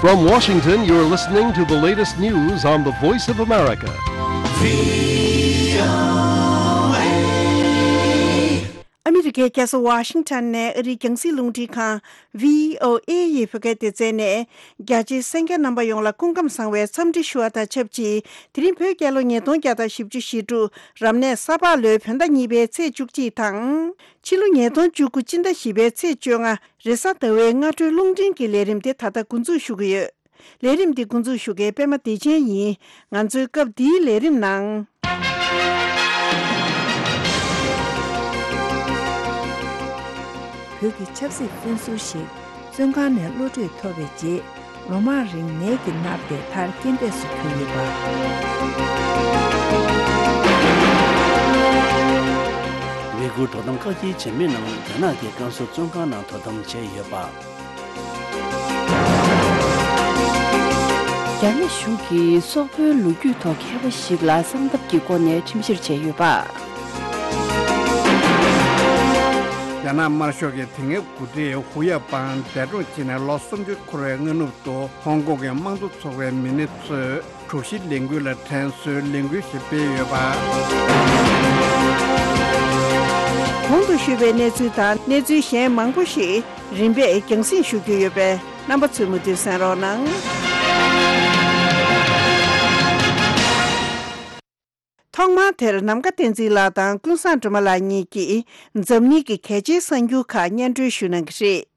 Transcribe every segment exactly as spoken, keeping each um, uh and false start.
From Washington, you're listening to the latest news on the Voice of America. ཨ་མི་རི་ཀའི་རྒྱལ་ས་ཝ་ཤིང་ཊོན་ནས་ཨ་རིའི་རྒྱང་སྲིང་རླུང་འཕྲིན་ཁང་བྷི་ཨོ་ཨེ་ཡི་བོད་སྐད་སྡེ་ཚན་ནས། རྒྱ་ཆེའི་གསན་མཁན་རྣམ་པ་ཡོངས་ལ་སྐུ་ཁམས་བཟང་བའི་འཚམས་འདྲི་ཞུ་བ་དང་ཆབས་ཅིག་དེ་རིང་བོད་རྒྱལ་ལོ་ཉིས་སྟོང་བརྒྱ་དང་བཞི་བཅུ་ཞེ་དྲུག་རབ་གནས་ས་ཕག་ལོའི་བོད་ཟླ་གཉིས་པའི་ཚེས་བཅུ་གཅིག་དང་། ཕྱི་ལོ་ཉིས་སྟོང་བཅུ་དགུ་སྤྱི་ཟླ་བཞི་པའི་ཚེས་བཅོ་ལྔ་རེས་གཟའ་ཟླ་བའི་སྔ་དྲོའི་རླུང་འཕྲིན་གྱི་ལས་རིམ་དེ་ད་ལྟ་འགོ་འཛུགས་ཞུ་གི་ཡོད། ལས་རིམ་འདི་འགོ་འཛུགས་ཞུ་མཁན་པད་མ་བདེ་ཆེན་ཡིན། ང་ཚོའི་སྐབས་འདིའི་ལས་རིམ་ནང་། བོད་ཀྱི་ཆབ་སྲིད་དཔོན་ཟུར་ཞིག་བཙོན་ཁང་ནས་གློད་གྲོལ་ཐོབ་པའི་རྗེས། ལོ་མང་རིང་ནད་ཀྱིས་མནར་ཏེ་མཐར་རྐྱེན་འདས་སུ་གྱུར་ཡོད་པ། ཝེ་གུར་དོ་དམ་བཀག་སྐྱིལ་བྱེད་མི་རྣམས་རྒྱ་ནག་གི་བཀའ་ཟུར་བཙོན་ཁང་ནང་དོ་དམ་བྱས་ཡོད་པ། རྒྱ་ནག་གཞུང་གིས་སོག་པོའི་ལོ་རྒྱུས་ཐོག་མཁས་པ་ཞིག་ལ་གསང་ཐབས་ཀྱི་སྒོ་ནས་ཁྲིམས་བཤེར་བྱས་ཡོད་པ། རྒྱ་ནག་དམར་ཤོག་གི་དེ་སྔའི་འགོ་ཁྲིད་ཧུའུ་ཡ་པང་འདས་གྲོངས་བྱས་ནས་ལོ་སུམ་ཅུ་འཁོར་བའི་སྔ་ནུབ་ཏུ། ཧོང་ཀོང་གི་དམངས་གཙོ་ཚོགས་པའི་མི་སྣ་ཚོས་དྲུག་བཞི་ལས་འགུལ་ལ་དྲན་གསོའི་ལས་འགུལ་ཞིག་སྤེལ་ཡོད་པ། གོང་དུ་ཞུས་པའི་གནས་ཚུལ་དང་གནས་ཚུལ་གཞན་མང་པོ་ཞིག་རིམ་པས་རྒྱང་སྲིང་ཞུ་རྒྱུ་ཡོད་པས། རྣམ་པ་ཚོས་མུ་མཐུད་གསན་རོགས་གནང་། ཐོག་མར་དེར་ནམ་མཁའ་བསྟན་འཛིན་ལགས་དང་ཀུན་བཟང་སྒྲོལ་མ་ལགས་གཉིས་ཀྱིས་འཛམ་གླིང་གི་གལ་ཆེའི་གསར་འགྱུར་ཁག་སྙན་སྒྲོན་ཞུ་གནང་གི་རེད།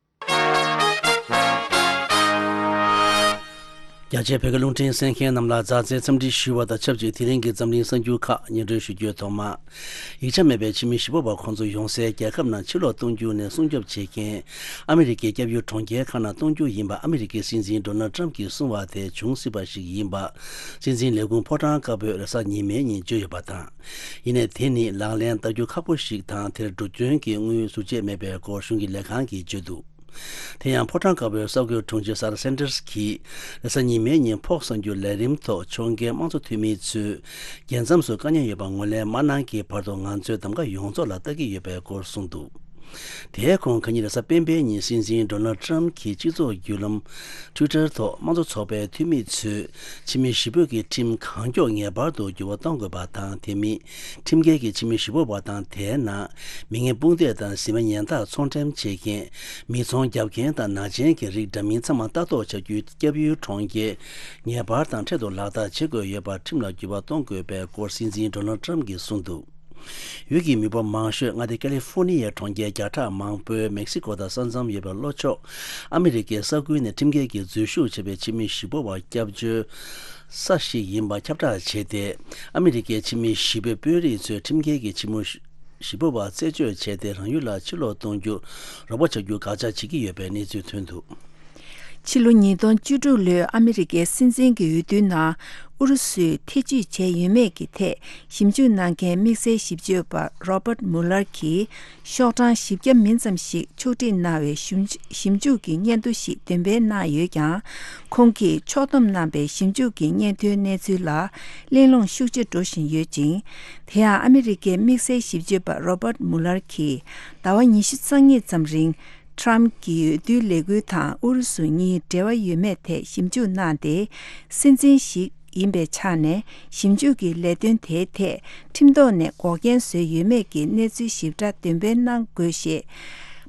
རྒྱ་ཆེའི་བོད་སྐད་རླུང་འཕྲིན་གསན་མཁན་རྣམས་ལ་མཛའ་བརྩེའི་འཚམས་འདྲི་ཞུ་བ་དང་ཆབས་ཅིག་དེ་རིང་གི་འཛམ་གླིང་གསར་འགྱུར་ཁག་སྙན་སྒྲོན་ཞུ་རྒྱུའི་ཐོག་མ། ཡིག་ཆ་མེད་པའི་ཕྱི་མི་གཞིས་སྤོ་བ་ཁོང་ཚོ་ཡོང་སའི་རྒྱལ་ཁབ་ནང་ཕྱིར་ལོག་གཏོང་རྒྱུ་ནས་སྲུང་སྐྱོབ་བྱེད་མཁན་ཨ་མི་རི་ཀའི་སྐྱབས་ཡུལ་གྲོང་ཁྱེར་ཁག་ནང་གཏོང་རྒྱུ་ཡིན་པ་ཨ་མི་རི་ཀའི་སྲིད་འཛིན་ཌོ་ནལ་ཊམ་གྱིས་གསུངས་པ་དེ་འབྱུང་སྲིད་པ་ཞིག་ཡིན་པ། སྲིད་འཛིན་ལས་ཁུངས་ཕོ་བྲང་དཀར་པོས་རེས་གཟའ་ཉི་མའི་ཉིན་བརྗོད་ཡོད་པ་དང་། ཡིན་ནའི་དེ་ནི་ལག་ལེན་བསྟར་རྒྱུ་ཁག་པོ་ཞིག་དང་། དེར་འགྲོ་སྐྱོན་གྱི་དངུལ་ཟུར་བཅད་མེད་པའི་སྐོར་གཞུང་གི་ལས་ཁང་གིས་བརྗོད་འདུག་དེ་ཡང་ཕོ་བྲང་དཀར་པོའི་གསར་འགོད་དྲུང་ཆེ་སཱ་ར་སན་ཏར་གྱིས་རེས་གཟའ་ཉི་མའི་ཉིན་ཕོགས་གསར་འགྱུར་ལས་རིམ་ཐོག་ཕྱོགས་འགལ་དམངས་གཙོ་འཐུས་མི་ཚོས་རྒྱལ་མཚམས་སུ་དཀའ་ཉེན་ཡོད་པ་ངོས་ལེན་མ་གནང་གི་བར་དུ་ང་ཚོས་གདམ་ག་ཡོངས་རྫོགས་ལ་ལྟ་གི་ཡོད་པའི་སྐོར་གསུངས་འདུག་དེའི་གོང་ཁ་ཉིན་རེས་གཟའ་སྤེན་པའི་ཉིན་སྲིད་འཛིན་ཌོ་ནལ་ཊམ་གྱིས་སྤྱི་ཚོགས་བརྒྱུད་ལམ་Twitter་ཐོག་དམངས་གཙོ་ཚོགས་པའི་འཐུས་མི་ཚོས་ཕྱི་མི་གཞིས་སྤོ་གི་ཁྲིམས་གང་མགྱོགས་ངེས་པར་དུ་འགྱུར་བ་གཏོང་དགོས་པ་དང་། དེ་མིན་ཁྲིམས་འགལ་གྱི་ཕྱི་མི་གཞིས་སྤོ་བ་དང་། དེའི་ནང་མི་ངན་དཔུང་སྡེ་དང་གཟི་མ་ཉེན་བརྡ་ཚོང་འགྲེམས་བྱེད་མཁན། མི་ཚོང་རྒྱག་མཁན་དང་ནག་ཅན་གྱི་རིགས་འདྲ་མིན་ཚང་མ་ལྟ་རྟོག་བྱ་རྒྱུའི་སྐྱབས་ཡུལ་གྲོང་ཁྱེར་ངེས་པར་དང་འཕྲལ་དུ་ལག་བསྟར་བྱེད་དགོས་ཡོད་པར་ཁྲིམས་ལ་འགྱུར་བ་གཏོང་དགོས་པའི་སྐོར་སྲིད་འཛིན་ཌོ་ནལ་ཊམ་གྱིས་གསུངས་འདུག་ཡུལ་གྱི་མི་འབོར་མང་ཤོས་མངའ་སྡེ་ཀ་ལི་ཧྥོ་ནི་ཡའི་གྲོང་ཁྱེར་བརྒྱ་ཕྲག་མང་པོའི་མེག་སི་ཀོ་དང་ས་མཚམས་ཡོད་པའི་ལྷོ་ཕྱོགས་ཨ་མི་རི་ཀའི་ས་ཁུལ་ནས་ཁྲིམས་འགལ་གྱིས་འཛུལ་ཞུགས་བྱས་པའི་ཕྱི་མི་གཞིས་སྤོ་བ་སྐྱབས་བཅོལ་ས་ཞིག་ཡིན་པ་ཁྱབ་བསྒྲགས་བྱས་ཏེ། ཨ་མི་རི་ཀའི་ཕྱི་མི་གཞིས་སྤོའི་དཔོན་རིགས་ཚོས་ཁྲིམས་འགལ་གྱིས་ཕྱི་མི་གཞིས་སྤོ་བ་རྩད་གཅོད་བྱས་ཏེ། རང་ཡུལ་ལ་ཕྱིར་ལོག་གཏོང་རྒྱུར་རོགས་པ་བྱ་རྒྱུར་དགག་བྱ་བྱེད་ཀྱི་ཡོད་པའི་གནས་ཚུལ་ཐོན་འདུག་ཕྱི་ལོ་ཉིས་སྟོང་བཅུ་དྲུག་ལོའི་ཨ་མི་རི་ཀའི་སྲིད་འཛིན་གྱི་འོས་བསྡུའི་ནང་ཨུ་རུ་སུས་ཐེ་བྱུས་བྱས་ཡོད་མེད་ཀྱི་ཐད་ཞིབ་འཇུག་གནང་མཁན་དམིགས་བསལ་ཞིབ་དཔྱོད་པ་Robert Mueller་གྱིས་ཤོག་གྲངས་བཞི་བརྒྱ་མིན་ཙམ་ཞིག་ཕྱོགས་སྒྲིག་གནང་བའི་ཞིབ་ཞིབ་འཇུག་གི་སྙན་ཐོ་ཞིག་འདོན་སྤེལ་གནང་ཡོད་ཀྱང་། ཁོང་གིས་ཕྱོགས་བསྡོམས་གནང་པའི་ཞིབ་འཇུག་གི་སྙན་ཐོའི་གནས་ཚུལ་ལ་གླེང་སློང་ཤུགས་ཆེ་འགྲོ་བཞིན་ཡོད་ཅིང་། དེ་ཡང་ཨ་མི་རི་ཀའི་དམིགས་བསལ་ཞིབ་དཔྱོད་པ་Robert Mueller་གྱིས་ཟླ་བ་ཉི་ཤུ་རྩ་གཉིས་ཙམ་རིང་Trump་གྱི་འོས་བསྡུའི་ལས་འགུལ་དང་ཨུ་རུ་སུ་གཉིས་འབྲེལ་བ་ཡོད་མེད་ཐད་ཞིབ་འཇུག་གནང་སྟེ། སྲིད་འཛིན་ཞིག་ཡིན་པའི་ཆ་ནས་ཞིབ་འཇུག་གི་ལས་དོན་དེའི་ཐད་ཁྲིམས་ཐོག་ནས་འགོག་རྐྱེན་བཟོས་ཡོད་མེད་ཀྱི་གནས་ཚུལ་ཞིབ་ཕྲ་འདོན་སྤེལ་གནང་དགོས་ཞེས།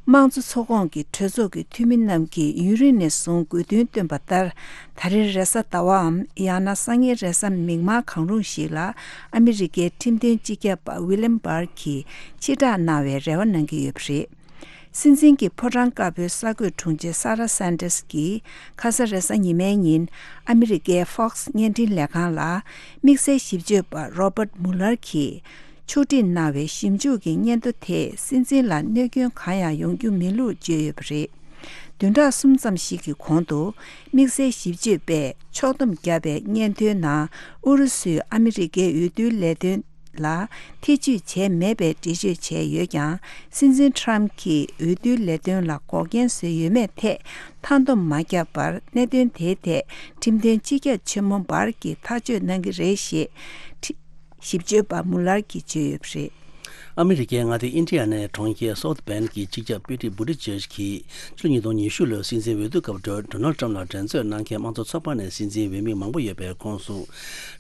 དམངས་གཙོ་ཚོགས་ཁོངས་ཀྱི་གྲོས་ཚོགས་ཀྱི་འཐུས་མི་རྣམས་ཀྱིས་ཡུན་རིང་ནས་བཟུང་དགོས་འདུན་བཏོན་པ་ལྟར། ད་རེས་རེས་གཟའ་ཟླ་བའམ་ཡང་ན་སང་ཉིན་རེས་གཟའ་མིག་དམར་གང་རུང་ཞིག་ལ་ཨ་མི་རི་ཀའི་ཁྲིམས་དོན་སྤྱི་ཁྱབ་པ་William Barr་གྱིས་ཕྱིར་བསྒྲགས་གནང་བའི་རེ་བ་གནང་གི་ཡོད་པ་རེད། སྲིད་འཛིན་གྱི་ཕོ་བྲང་དཀར་པོའི་གསར་འགོད་དྲུང་ཆེ་Sarah Sanders་གྱིས་ཁ་ས་རེས་གཟའ་ཉི་མའི་ཉིན་ཨ་མི་རི་ཀའི་Fox་བརྙན་འཕྲིན་ལས་ཁང་ལ་དམིགས་བསལ་ཞིབ་དཔྱོད་པ་Robert Mueller་གྱིས་ཕྱོགས་སྒྲིག་གནང་བའི་ཞིབ་འཇུག་གི་སྙན་ཐོ་དེས་སྲིད་འཛིན་ལ་གནོད་སྐྱོན་གང་ཡང་ཡོང་རྒྱུ་མིན་ལུགས་བརྗོད་ཡོད་པ་རེད། བདུན་ཕྲག་གསུམ་ཙམ་ཞིག་གི་གོང་དུ་དམིགས་བསལ་ཞིབ་དཔྱོད་པས་ཕྱོགས་བསྡོམས་བརྒྱབ་པའི་སྙན་ཐོའི་ནང་ཨུ་རུ་སུས་ཨ་མི་རི་ཀའི་འོས་བསྡུའི་ལས་དོན་ལ་ཐེ་བྱུས་བྱས་མེད་པའི་འགྲེལ་བརྗོད་བྱས་ཡོད་ཀྱང་། སྲིད་འཛིན་Trump་གྱིས་འོས་བསྡུའི་ལས་དོན་ལ་འགོག་རྐྱེན་བཟོས་ཡོད་མེད་ཐད་མཐའ་སྡོམ་མ་བརྒྱབ་པར། གནད་དོན་དེའི་ཐད་ཁྲིམས་དོན་སྤྱི་ཁྱབ་ཆེན་མོ་Barr་གྱིས་ཐག་གཅོད་གནང་གི་རེད་ཞེས་ཁྲི། ཞིབ་དཔྱོད་པ་Mueller་གྱིས་བརྗོད་ཡོད་པ་རེད། ཨ་མི་རི་ཀའི་མངའ་སྡེ་ཨིན་ཌི་ཡ་ནའི་གྲོང་ཁྱེར་སའུ་ཐི་བེན་གྱི་སྤྱི་ཁྱབ་པི་ཏི་བྷུ་ཏི་ཇེཇ་གྱིས་ཕྱི་ལོ་ཉིས་སྟོང་ཉི་ཤུ་ལོའི་སྲིད་འཛིན་འོས་བསྡུ་སྐབས་ཌོ་ནལ་ཊམ་ལ་འགྲན་རྩོད་གནང་མཁན་དམངས་གཙོ་ཚོགས་པ་ནས་སྲིད་འཛིན་འོས་མི་མང་པོ་ཡོད་པའི་ཁོངས་སུ་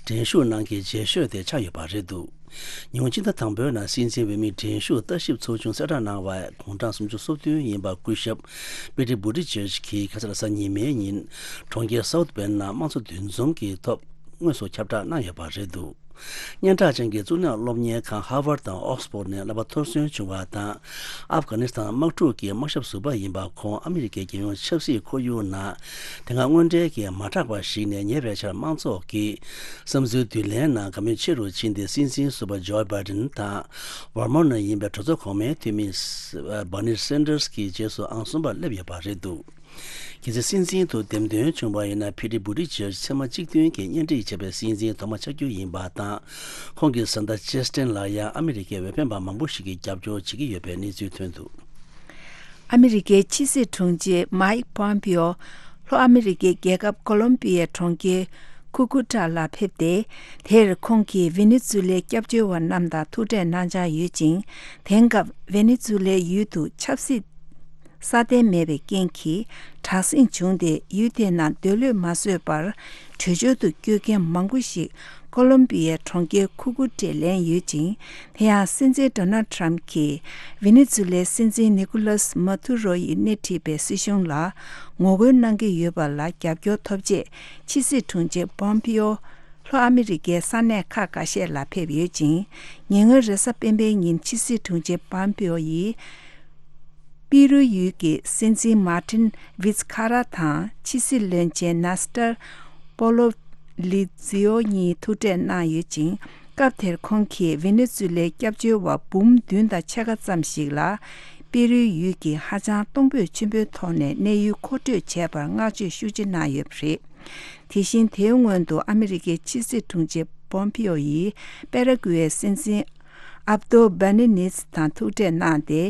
འགྲན་ཞུགས་གནང་མཁན་རྗེས་ཤོས་དེ་ཆགས་ཡོད་པ་རེད་འདུག་ཉིན་གུང་ཕྱི་ཟླ་དང་པོའི་ནང་སྲིད་འཛིན་འོས་མི་འགྲན་ཞུགས་ལྟ་ཞིབ་ཚོགས་ཆུང་གསལ་བསྒྲགས་གནང་བའི་དགུང་གྲངས་སུམ་ཅུ་སོ་བདུན་ཡིན་པ་སྐུ་ཞབས་པི་ཏི་བྷུ་ཏི་ཇེཇ་གྱིས་ཁ་སང་གཟའ་ཉི་མའི་ཉིན་གྲོང་ཁྱེར་སའུ་ཐི་བེན་ནང་དམངས་གཙོ་འདུ་འཛོམས་ཀྱི་ཐོག་དངོས་སུ་ཁྱབ་བསྒྲགས་གནང་ཡོད་པ་རེད་འདུག་སྙན་གྲགས་ཅན་གྱི་གཙུག་ལག་སློབ་གཉེར་ཁང་ཧར་ཝར་དང་ཨོག་སི་ཕོར་ནས་བསླབ་པ་མཐོ་སོན་བྱུང་བ་དང་། ཨབ་གྷ་ནི་སི་ཐན་དམག་འཁྲུག་གི་དམག་ཞབས་ཟུར་པ་ཡིན་པ། ཁོང་ཨ་མི་རི་ཀའི་རྒྱལ་ཡོངས་ཆབ་སྲིད་ཁོར་ཡུག་ནང་དེ་སྔ་དངོས་འབྲེལ་གྱིས་མ་གྲགས་པ་ཞིག་ནས་ཉེ་བའི་ཆར་དམངས་ཚོགས་ཀྱི་བསམ་ཚུལ་བསྡུ་ལེན་ནང་དགའ་མོས་ཆེ་རུ་ཕྱིན་ཏེ། སྲིད་འཛིན་ཟུར་པ་ཇོ་བྷའི་ཌེན་དང་ཝར་མོན་ནས་ཡིན་པའི་གྲོས་ཚོགས་གོང་མའི་འཐུས་མི་སི་སི་བྷར་ནི་སན་ཌར་སི་གྱི་རྗེས་སུ་ཨང་གསུམ་པར་སླེབས་ཡོད་པ་རེད་འདུག་གལ་སྲིད་སྲིད་འཛིན་དུ་འདེམས་ཐོན་བྱུང་བ་ཡིན་ན། ཕི་ཏི་བུ་ཏི་ཇེར་ཚེས་མ་གཅིག་བདུན་གྱི་གཉེན་སྒྲིག་བྱས་པའི་སྲིད་འཛིན་ཐོག་མ་ཆགས་རྒྱུ་ཡིན་པ་དང་། ཁོང་གི་བཟའ་ཟླ་ཇེ་སི་ཏིན་ལ་ཡང་ཨ་མི་རི་ཀའི་འོས་འཕེན་པ་མང་པོ་ཞིག་གིས་རྒྱབ་སྐྱོར་བྱེད་ཀྱི་ཡོད་པའི་གནས་ཚུལ་ཐོན་འདུག་ཨ་མི་རི་ཀའི་ཕྱི་སྲིད་དྲུང་ཆེ་མཱིག་པོམ་པིའོ་ལྷོ་ཨ་མི་རི་ཀའི་རྒྱལ་ཁབ་ཀོ་ལོམ་པི་ཡའི་གྲོང་ཁྱེར་ཁུ་ཀུ་ཏྲ་ལ་ཕེབས་ཏེ། དེར་ཁོང་གིས་ཝེ་ནེ་ཛུ་ལའི་སྐྱབས་བཅོལ་བ་རྣམས་དང་ཐུག་འཕྲད་གནང་འཆར་ཡོད་ཅིང་། དེང་སྐབས་ཝེ་ནེ་ཛུ་ལའི་ཡུལ་དུ་ཆབ་སྲིད་སྲ་བརྟན་མེད་པའི་རྐྱེན་གྱིས་དྲག་ཟིང་བྱུང་སྟེ། ཡུལ་དེའི་ནང་སྡོད་ལོས་མ་བཟོད་པར་བྲོས་བྱོལ་དུ་བསྐྱོད་མཁན་མང་པོ་ཞིག་ཀོ་ལོམ་པི་ཡའི་གྲོང་ཁྱེར་ཁུ་ཀུ་ཏྲེ་ལེན་ཡོད་ཅིང་། དེ་ཡང་སྲིད་འཛིན་ཌོ་ནལ་ཊམ་གྱིས་ཝེ་ནེ་ཛུ་ལའི་སྲིད་འཛིན་ནི་ཀུ་ལཱས་མ་ཐུ་རོ་ཡིས་སྣེ་ཁྲིད་པའི་སྲིད་གཞུང་ལ་ངོ་རྒོལ་གནང་གི་ཡོད་པ་ལ་རྒྱབ་སྐྱོར་ཐོབ་ཆེད། ཕྱི་སྲིད་དྲུང་ཆེ་པོམ་པིའོ་ལྷོ་ཨ་མི་རི་ཀའི་ས་གནས་ཁག་འགའ་ཤས་ལ་ཕེབས་ཡོད་ཅིང་། ཉེ་སྔོན་རེས་གཟའ་སྤེན་པའི་ཉིན་ཕྱི་སྲིད་དྲུང་ཆེ་པོམ་པིའོ་ཡིས་པི་རུ་ཡུལ་གྱི་སྲིད་འཛིན་མཱ་ཏིན་ཝིཛ་ཁ་ར་དང་ཕྱི་སྲིད་བློན་ཆེན་ནེ་སི་ཏར་པོ་ལོ་ལི་ཛིའོ་གཉིས་ཐུག་འཕྲད་གནང་ཡོད་ཅིང་། སྐབས་དེར་ཁོང་གིས་ཝེ་ནེ་ཛུ་ལའི་སྐྱབས་བཅོལ་བ་འབུམ་བདུན་དང་ཕྱེད་ཀ་ཙམ་ཞིག་ལ། པི་རུའི་ཡུལ་གྱི་ཧ་ཅང་གཏོང་ཕོད་ཆེན་པོའི་ཐོག་ནས་གནས་ཡུལ་མཁོ་སྤྲོད་བྱས་པར་བསྔགས་བརྗོད་ཤུགས་ཆེ་གནང་ཡོད་པ་རེད། དེ་བཞིན་དེའི་སྔོན་དུ་ཨ་མི་རི་ཀའི་ཕྱི་སྲིད་དྲུང་ཆེ་པོམ་པིའོ་ཡིས་པེ་ར་ཀུའེ་སྲིད་འཛིན་ཨབ་ཏོ་བྷ་ནི་ནིས་དང་ཐུག་འཕྲད་གནང་སྟེ།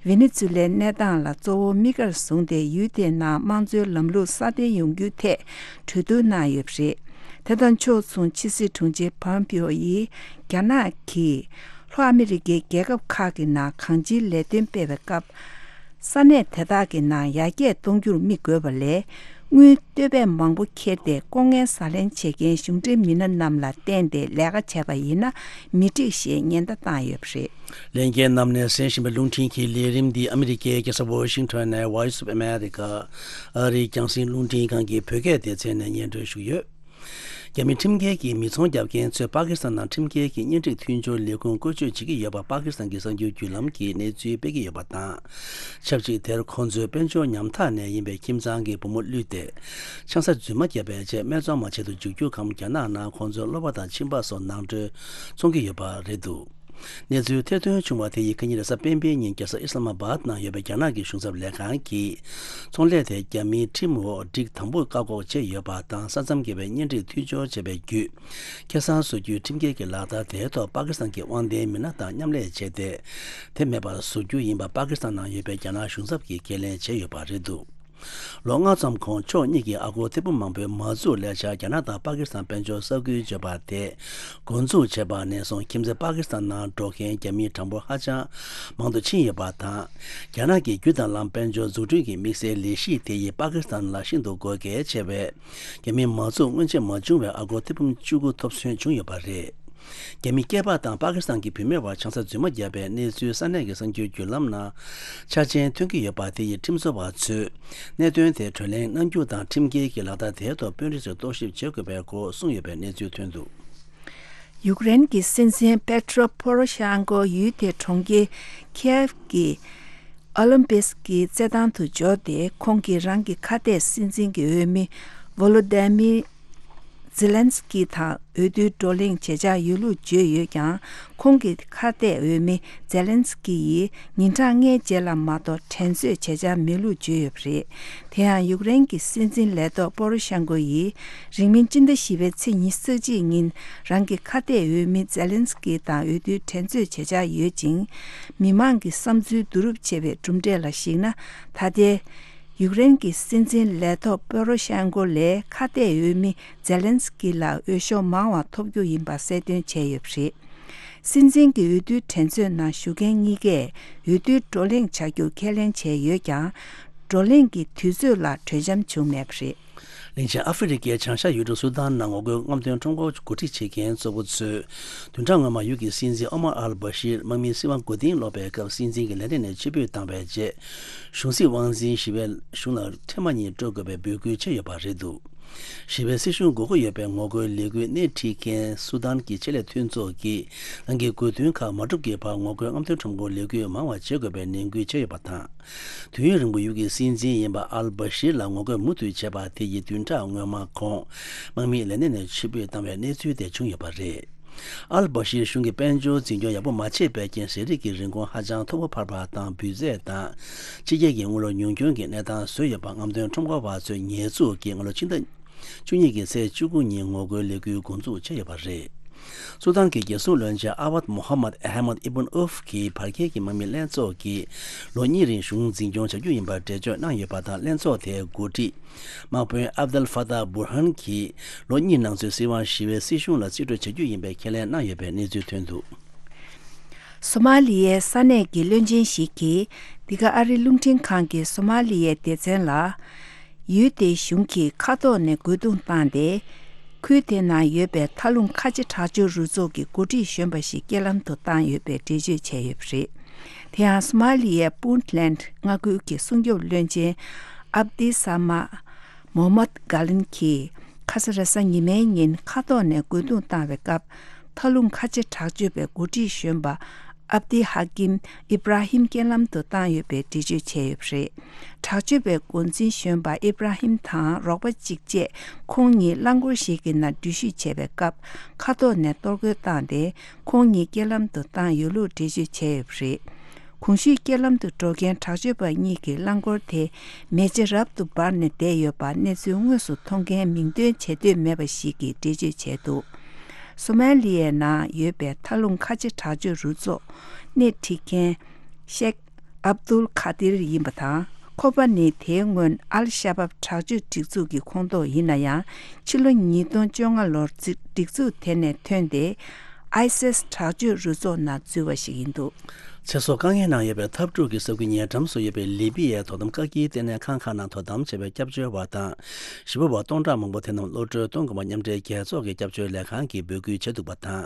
ཝེ་ནེ་ཛུ་ལའི་གནས་སྟངས་ལ་གཙོ་བོ་དམིགས་བཀར་བཟུང་སྟེ། ཡུལ་དེའི་ནང་དམངས་གཙོའི་ལམ་ལུགས་སྲ་བརྟན་ཡོང་རྒྱུའི་ཐད་གྲོས་བསྡུར་གནང་ཡོད་པ་རེད། དེ་དང་ཕྱོགས་མཚུངས་ཕྱི་སྲིད་དྲུང་ཆེ་པོམ་པིའོ་ཡིས་རྒྱ་ནག་གིས་ལྷོ་ཨ་མི་རི་ཀའི་རྒྱལ་ཁབ་ཁག་གི་ནང་གང་ཅིའི་ལས་དོན་སྤེལ་བའི་སྐབས། ས་གནས་དེ་དག་གི་ནང་ཡར་རྒྱས་གཏོང་རྒྱུར་དམིགས་དགོས་པ་ལས། དངུལ་བསྟོད་པས་མང་པོ་ཁྱེར་ཏེ་ལྐོག་རྔན་ཟ་ལེན་བྱེད་མཁན་གཞུང་འབྲེལ་མི་སྣ་རྣམས་ལ་བརྟེན་ཏེ་ལས་ཀ་བྱས་པ་ཡིན་ན་མི་འགྲིག་ཞེས་ཉེན་བརྡ་བཏང་ཡོད་པ་རེད། ལྷན་རྒྱས་རྣམས་ནས་གསན་བཞིན་པའི་རླུང་འཕྲིན་གྱི་ལས་རིམ་འདི་ཨ་མི་རི་ཀའི་རྒྱལ་ས་ཝོ་ཤིང་ཊོན་ནས་Voice of America ཨ་རིའི་རྒྱང་སྲིང་རླུང་འཕྲིན་ཁང་གི་བོད་སྐད་སྡེ་ཚན་ནས་སྙན་སྒྲོན་ཞུས་ཡོད། རྒྱ་མི་ཁྲིམས་འགལ་གྱི་མི་ཚོང་རྒྱབ་མཁན་ཚོས་པ་ཀི་སི་ཐན་ནང་ཁྲིམས་འགལ་གྱི་གཉེན་སྒྲིག་མཐུན་སྦྱོར་ལས་ཁུངས་བཀོལ་སྤྱོད་བྱེད་ཀྱི་ཡོད་པ་པ་ཀི་སི་ཐན་གྱི་གསར་འགྱུར་བརྒྱུད་ལམ་གྱིས་གནས་ཚུལ་སྤེལ་གྱི་ཡོད་པ་དང་། ཆབས་ཅིག་དེར་ཁོང་ཚོའི་དཔལ་འབྱོར་ཉམ་ཐག་ནས་ཡིན་པའི་ཁྱིམ་ཚང་གི་བུ་མོ་བླུས་ཏེ། ཆང་ས་རྫུན་མ་བརྒྱབ་པའི་རྗེས་སྨད་འཚོང་མ་བྱེད་དུ་འཇུག་རྒྱུ་གམ། རྒྱ་ནག་ནང་ཁོང་ཚོའི་གློ་བ་དང་མཆིན་པ་སོགས་ནང་ཁྲོལ་འཚོང་གི་ཡོད་པ་རེད་འདུག་གནས་ཚུལ་ཐེར་འདོན་བྱུང་བ་དེ་ཡིས་ཁ་ཉིན་རེས་གཟའ་སྤེན་པའི་ཉིན་རྒྱལ་ས་ཨི་སི་ལ་མ་བཱད་ནང་ཡོད་པའི་རྒྱ་ནག་གི་གཞུང་ཚབ་ལས་ཁང་གིས། ཚོང་ལས་དེ་རྒྱ་མིའི་ཁྲིམས་འོག་སྒྲིག་དམ་པོར་བཀག་འགོག་བྱས་ཡོད་པ་དང་། ས་མཚམས་བརྒལ་བའི་གཉེན་སྒྲིག་མཐུན་སྦྱོར་བྱས་པའི་བརྒྱུད། ཁེ་བཟང་བཟོ་རྒྱུའི་ཁྲིམས་འགལ་གྱི་ལག་བསྟར་དེའི་ཐོག་པ་ཀི་སི་ཐན་གྱི་དབང་ལྡན་མི་སྣ་དང་མཉམ་ལས་བྱས་ཏེ། དེ་མེད་པར་བཟོ་རྒྱུ་ཡིན་པ་པ་ཀི་སི་ཐན་ནང་ཡོད་པའི་རྒྱ་ནག་གཞུང་ཚབ་ཀྱིས་ཁས་ལེན་བྱས་ཡོད་པ་རེད་འདུག་ལོ་ལྔ་ཙམ་གོང་ཕྱོགས་གཉིས་ཀྱིས་ཨ་སྒོར་ཐེར་འབུམ་མང་པོའི་མ་འཛུགས་ལས་འཆར་རྒྱ་ནག་དང་པ་ཀི་སི་ཐན་དཔལ་འབྱོར་ས་ཁུལ་བརྗོད་པ་དེ་འགོ་འཛུགས་བྱས་པ་ནས་བཟུང་ཁྱིམ་མཚེས་པ་ཀི་སི་ཐན་ནང་འགྲོ་མཁན་རྒྱ་མིའི་གྲངས་འབོར་ཧ་ཅང་མང་དུ་ཕྱིན་ཡོད་པ་དང་། རྒྱ་ནག་གི་རྒྱུ་དང་ལམ་དཔལ་འབྱོར་འཛུགས་སྐྲུན་གྱི་དམིགས་བསལ་ལས་གཞི་དེ་ཡིས་པ་ཀི་སི་ཐན་ལ་ཤིན་ཏུ་དགོས་གལ་ཆེ་བའི་རྒྱ་མིའི་མ་འཛུགས་སྔོན་ཆད་མ་བྱུང་བའི་ཨ་སྒོར་ཐེར་འབུམ་བཅུ་དགུ་ཐོབ་ཐོན་བྱུང་ཡོད་པ་རེད། རྒྱ་མི་སྐྱེས་པ་དང་པ་ཀི་སི་ཐན་གྱི་བུད་མེད་བར་ཆང་ས་རྫུན་མ་བརྒྱབ་པའི་གནས་ཚུལ་ས་གནས་ཀྱི་གསར་འགྱུར་བརྒྱུད་ལམ་ནང་འཆར་ཅན་ཐོན་གྱི་ཡོད་པ་དེ་ཡིས་ཁྲིམས་བཟོ་བ་ཚོས་གནད་དོན་དེ་གྲོས་གླེང་གནང་རྒྱུ་དང་། ཁྲིམས་འགལ་གྱི་ལག་བསྟར་དེའི་ཐོག་དཔོན་རིགས་ཚོས་རྟོག་ཞིབ་བྱེད་དགོས་པའི་སྐོར་གསུངས་ཡོད་པའི་གནས་ཚུལ་ཐོན་འདུག་ཡུཀ་རེན་གྱི་སྲིད་འཛིན་པེ་ཏྲོ་པོ་རོ་ཤན་ཀོ་ཡུལ་དེའི་གྲོང་ཁྱེར་ཁིའེབ་ཀྱི་ཨོ་ལིམ་པིག་གི་རྩེད་ཐང་དུ་འབྱོར་ཏེ། ཁོང་གིས་རང་གི་ཁ་གཏད་སྲིད་འཛིན་གྱི་འོས་མི་ཝོ་ལོ་དི་མིར་ཛེ་ལན་སི་ཀི་དང་འོས་བསྡུའི་བགྲོ་གླེང་བྱེད་འཆར་ཡོད་ལུགས་བརྗོད་ཡོད་ཀྱང་། ཁོང་གི་ཁ་གཏད་འོས་མི་ཛེ་ལན་སི་ཀི་ཡིས་ཉིན་གྲངས་ལྔའི་རྗེས་ལ་མ་གཏོགས་དྲན་གསོས་བྱེད་འཆར་མེད་ལུགས་བརྗོད་ཡོད་པ་རེད། དེ་ཡང་ཡུཀ་རེན་གྱི་སྲིད་འཛིན་ལས་ཐོག་པོ་རོ་ཤན་ཀོ་ཡིས་རིང་མིན་སྤྱི་ཟླ་བཞི་པའི་ཚེས་ཉི་ཤུ་རྩ་གཅིག་ཉིན་རང་གི་ཁ་གཏད་འོས་མི་ཛེ་ལན་སི་ཀི་དང་འོས་བསྡུའི་དྲན་གསོས་བྱེད་འཆར་ཡོད་ཅིང་། མི་མང་གི་བསམ་ཚུལ་བསྡུ་རུབ་བྱས་པའི་གྲུབ་འབྲས་ལ་གཞིགས་ན། ད་ལྟའི་ཡུཀ་རེན་གྱི་སྲིད་འཛིན་ལས་ཐོག་པོ་རོ་ཤན་ཀོ་ལས་ཁ་གཏད་འོས་མི་ཛེ་ལན་སི་ཀི་ལ་འོས་ཤོག་མང་བ་ཐོབ་རྒྱུ་ཡིན་པ་གསལ་སྟོན་བྱས་ཡོད་པ་རེད། སྲིད་འཛིན་གྱི་འོས་བསྡུའི་འགྲན་རྩོད་ནང་ཞུགས་མཁན་གཉིས་ཀས་འོས་བསྡུའི་བགྲོ་གླེང་བྱ་རྒྱུ་ཁས་ལེན་བྱས་ཡོད་ཀྱང་། བགྲོ་གླེང་གི་དུས་ཚོད་ལ་གྲོས་འཆམ་བྱུང་མེད་པ་རེད། གླིང་ཆེན་ཨ་ཧྥེ་རི་ཁའི་བྱང་ཤར་ཡུལ་གྲུ་སུ་དཱན་ནང་ངོ་རྒོལ་རྔམ་སྟོན་ཁྲོམ་སྐོར་འགོ་ཁྲིད་བྱེད་མཁན་གཙོ་བོ་ཚོས། བདུན་ཕྲག་སྔོན་མ་ཡུལ་གྱི་སྲིད་འཛིན་ཨོ་མར་ཨལ་བྷ་ཤིར་དམག་མིའི་སྲིད་དབང་མགོ་རྟིང་སློག་པའི་སྐབས་སྲིད་འཛིན་གྱི་ལས་གནས་ནས་ཕྱིར་འབུད་བཏང་བའི་རྗེས། གཞུང་སྲིད་དབང་འཛིན་ཞི་བའི་གཞུང་ལ་ཐེངས་མ་གཉིས་སྤྲོད་དགོས་པའི་འབོད་སྐུལ་བྱས་ཡོད་པ་རེད་འདུག་ཞི་བའི་སྲིད་གཞུང་དགོས་མཁོ་ཡོད་པའི་ངོ་རྒོལ་ལས་འགུལ་སྣེ་ཁྲིད་མཁན་སུ་དཱན་གྱི་ཆེད་ལས་མཐུན་ཚོགས་ཀྱིས། རང་གི་དགོས་འདུན་ཁག་མ་འགྲུབ་ཀྱི་བར་ངོ་རྒོལ་རྔམ་སྟོན་ཁྲོམ་སྐོར་ལས་འགུལ་མང་བ་བྱེད་དགོས་པའི་ནན་སྐུལ་བྱས་ཡོད་པ་དང་། དུས་ཡུན་རིང་པོ་ཡུལ་གྱི་སྲིད་འཛིན་ཡིན་པ་ཨལ་བྷ་ཤིར་ལ་ངོ་རྒོལ་མུ་མཐུད་བྱས་པ་དེ་ཡིས་བདུན་ཕྲག་སྔོན་མ་ཁོང་དམག་མིའི་ལས་གནས་ནས་ཕྱིར་འབུད་བཏང་བའི་གནས་ཚུལ་དེ་བྱུང་ཡོད་པ་རེད། ཨལ་བྷ་ཤིར་གཞུང་གི་དཔལ་འབྱོར་འཛིན་སྐྱོང་ཡག་པོ་མ་བྱས་པའི་རྐྱེན། ཟས་རིགས་ཀྱི་རིན་གོང་ཧ་ཅང་མཐོ་པོ་འཕར་བ་དང་། འབུད་རྫས་དང་ཕྱི་རྒྱལ་གྱི་དངུལ་ལོར་ཉུང་སྐྱོན་གྱི་གནས་སྟངས་བཟོས་ཡོད་པ། རྔམ་སྟོན་ཁྲོམ་སྐོར་བ་ཚོས་ཉེས་འཛུགས་ཀྱིས་སྔ་ལོ་ཕྱི་ཟླ་བཅུ་གཉིས་ཀྱི་ཚེས་བཅུ་དགུ་ཉིན་ངོ་རྒོལ་ལས་འགུལ་འགོ་འཛུགས་བྱས་ཡོད་པ་རེད། སུ་དཱན་གྱི་རྒྱལ་སྲུང་བློན་ཆེན་ཨ་ཝད་མོ་ཧམ་མད་ཨ་ཧ་མད་ཨི་བུན་ཨུབ་ཀྱིས་བར་བརྒལ་གྱི་དམག་མི་ལྷན་ཚོགས་ཀྱིས་ལོ་གཉིས་རིང་གཞུང་འཛིན་སྐྱོང་བྱ་རྒྱུ་ཡིན་པར་འགྲེལ་བརྗོད་གནང་ཡོད་པ་དང་། ལྷན་ཚོགས་དེའི་འགོ་ཁྲིད་དམག་དཔོན་ཨབ་དལ་ཧྥ་ཏཱ་བུར་ཧན་གྱིས་ལོ་གཉིས་ནང་ཚུད་སྲིད་དབང་ཞི་བའི་སྲིད་གཞུང་ལ་རྩིས་སྤྲོད་བྱ་རྒྱུ་ཡིན་པའི་ཁས་ལེན་གནང་ཡོད་པའི་གནས་ཚུལ་ཐོན་འདུག་སོ་མ་ལི་ཡའི་ས་གནས་ཀྱི་བློན་ཆེན་ཞིག་གིས་འདི་ག་ཨ་རིའི་རླུང་འཕྲིན་ཁང་གིས་སོ་མ་ལི་ཡའི་སྡེ་ཚན་ལ། ཡུལ་དེའི་གཞུང་གིས་མཁའ་ཐོག་ནས་རྒོལ་རྡུང་བཏང་སྟེ། ཁུལ་དེ་ནང་ཡོད་པའི་མཐའ་ལྷུང་ཁ་ཆེ་དྲག་སྤྱོད་རུ་ཚོགས་ཀྱི་འགོ་ཁྲིད་གཞོན་པ་ཞིག་རྐྱེན་ལམ་དུ་བཏང་ཡོད་པའི་འགྲེལ་བརྗོད་བྱས་ཡོད་པ་རེད། དེ་ཡང་སོ་མ་ལི་ཡའི་པུན་ཊ་ལན་མངའ་ཁུལ་གྱི་སྲུང་སྐྱོབ་བློན་ཆེན་ཨབ་ཏི་ས་མ་མོ་མད་གྷ་ལིན་གྱིས་ཁ་ས་རེས་གཟའ་ཉི་མའི་ཉིན་མཁའ་ཐོག་ནས་རྒོལ་རྡུང་བཏང་བའི་སྐབས། མཐའ་ལྷུང་ཁ་ཆེ་དྲག་སྤྱོད་པའི་འགོ་ཁྲིད་གཞོན་པ་ཨབ་ཏི་ཧ་ཀིམ་ཨི་བྷ་ར་ཧིམ་རྐྱེན་ལམ་དུ་བཏང་ཡོད་པའི་འགྲེལ་བརྗོད་བྱས་ཡོད་པ་རེད། དྲག་སྤྱོད་པའི་འགོ་འཛིན་གཞོན་པ་ཨི་བྷ་ར་ཧིམ་དང་རོགས་པ་གཅིག་བཅས་ཁོང་གཉིས་རླངས་འཁོར་ཞིག་གི་ནང་འགྲུལ་བཞུད་བྱས་པའི་སྐབས། མཁའ་ཐོག་ནས་གཏོར་རྒོལ་བཏང་སྟེ། ཁོང་གཉིས་རྐྱེན་ལམ་དུ་བཏང་ཡོད་ལུགས་འགྲེལ་བརྗོད་བྱས་ཡོད་པ་རེད། གོང་ཞུས་རྐྱེན་ལམ་དུ་འགྲོ་མཁན་དྲག་སྤྱོད་པ་གཉིས་ཀྱི་རླངས་འཁོར་དེ་མེ་ལྕེ་རབ་ཏུ་འབར་ནས་བསྡད་ཡོད་པ། གནས་ཚུལ་དངོས་སུ་མཐོང་མཁན་མིང་འདོན་བྱེད་འདོད་མེད་པ་ཞིག་གིས་འགྲེལ་བརྗོད་བྱས་འདུག་སོ་མ་ལི་ཡའི་ནང་ཡོད་པའི་མཐའ་ལྷུང་ཁ་ཆེ་དྲག་སྤྱོད་རུ་ཚོགས་སྣེ་ཁྲིད་མཁན་ཤེག་ཨབ་དུལ་ཁ་དིར་ཡིན་པ་དང་། ཁོ་པ་ནི་དེའི་སྔོན་ཨལ་ཤ་བབ་དྲག་སྤྱོད་སྒྲིག་འཛུགས་ཀྱི་ཁོངས་གཏོགས་ཡིན་ན་ཡང་། ཕྱི་ལོ་ཉིས་སྟོང་བཅོ་ལྔ་ལོར་སྒྲིག་འཛུགས་དེ་ནས་ཐོན་ཏེ། ཨའི་སིས་དྲག་སྤྱོད་རུ་ཚོགས་ནང་འཛུལ་བ་ཞིག་ཡིན་འདུག་ཚེ་སྲོག་དཀའ་ངལ་ནང་ཡོད་པའི་འཐབ་འཁྲུག་གི་ས་ཁུལ་ཉེ་འགྲམ་སུ་ཡོད་པའི་ལི་པི་ཡའི་དོ་དམ་བཀག་སྐྱིལ་ལྟེ་གནས་ཁང་ཁག་ནང་དོ་དམ་བྱས་པའི་སྐྱབས་བཅོལ་བ་དང་། ཞི་བ་བ་སྟོང་ཕྲག་མང་པོ་དེ་རྣམས་གློད་བཀྲོལ་གཏོང་དགོས་པ་མཉམ་འབྲེལ་རྒྱལ་ཚོགས་ཀྱི་སྐྱབས་བཅོལ་ལས་ཁང་གིས་འབོད་སྐུལ་བྱས་འདུག་པ་དང་།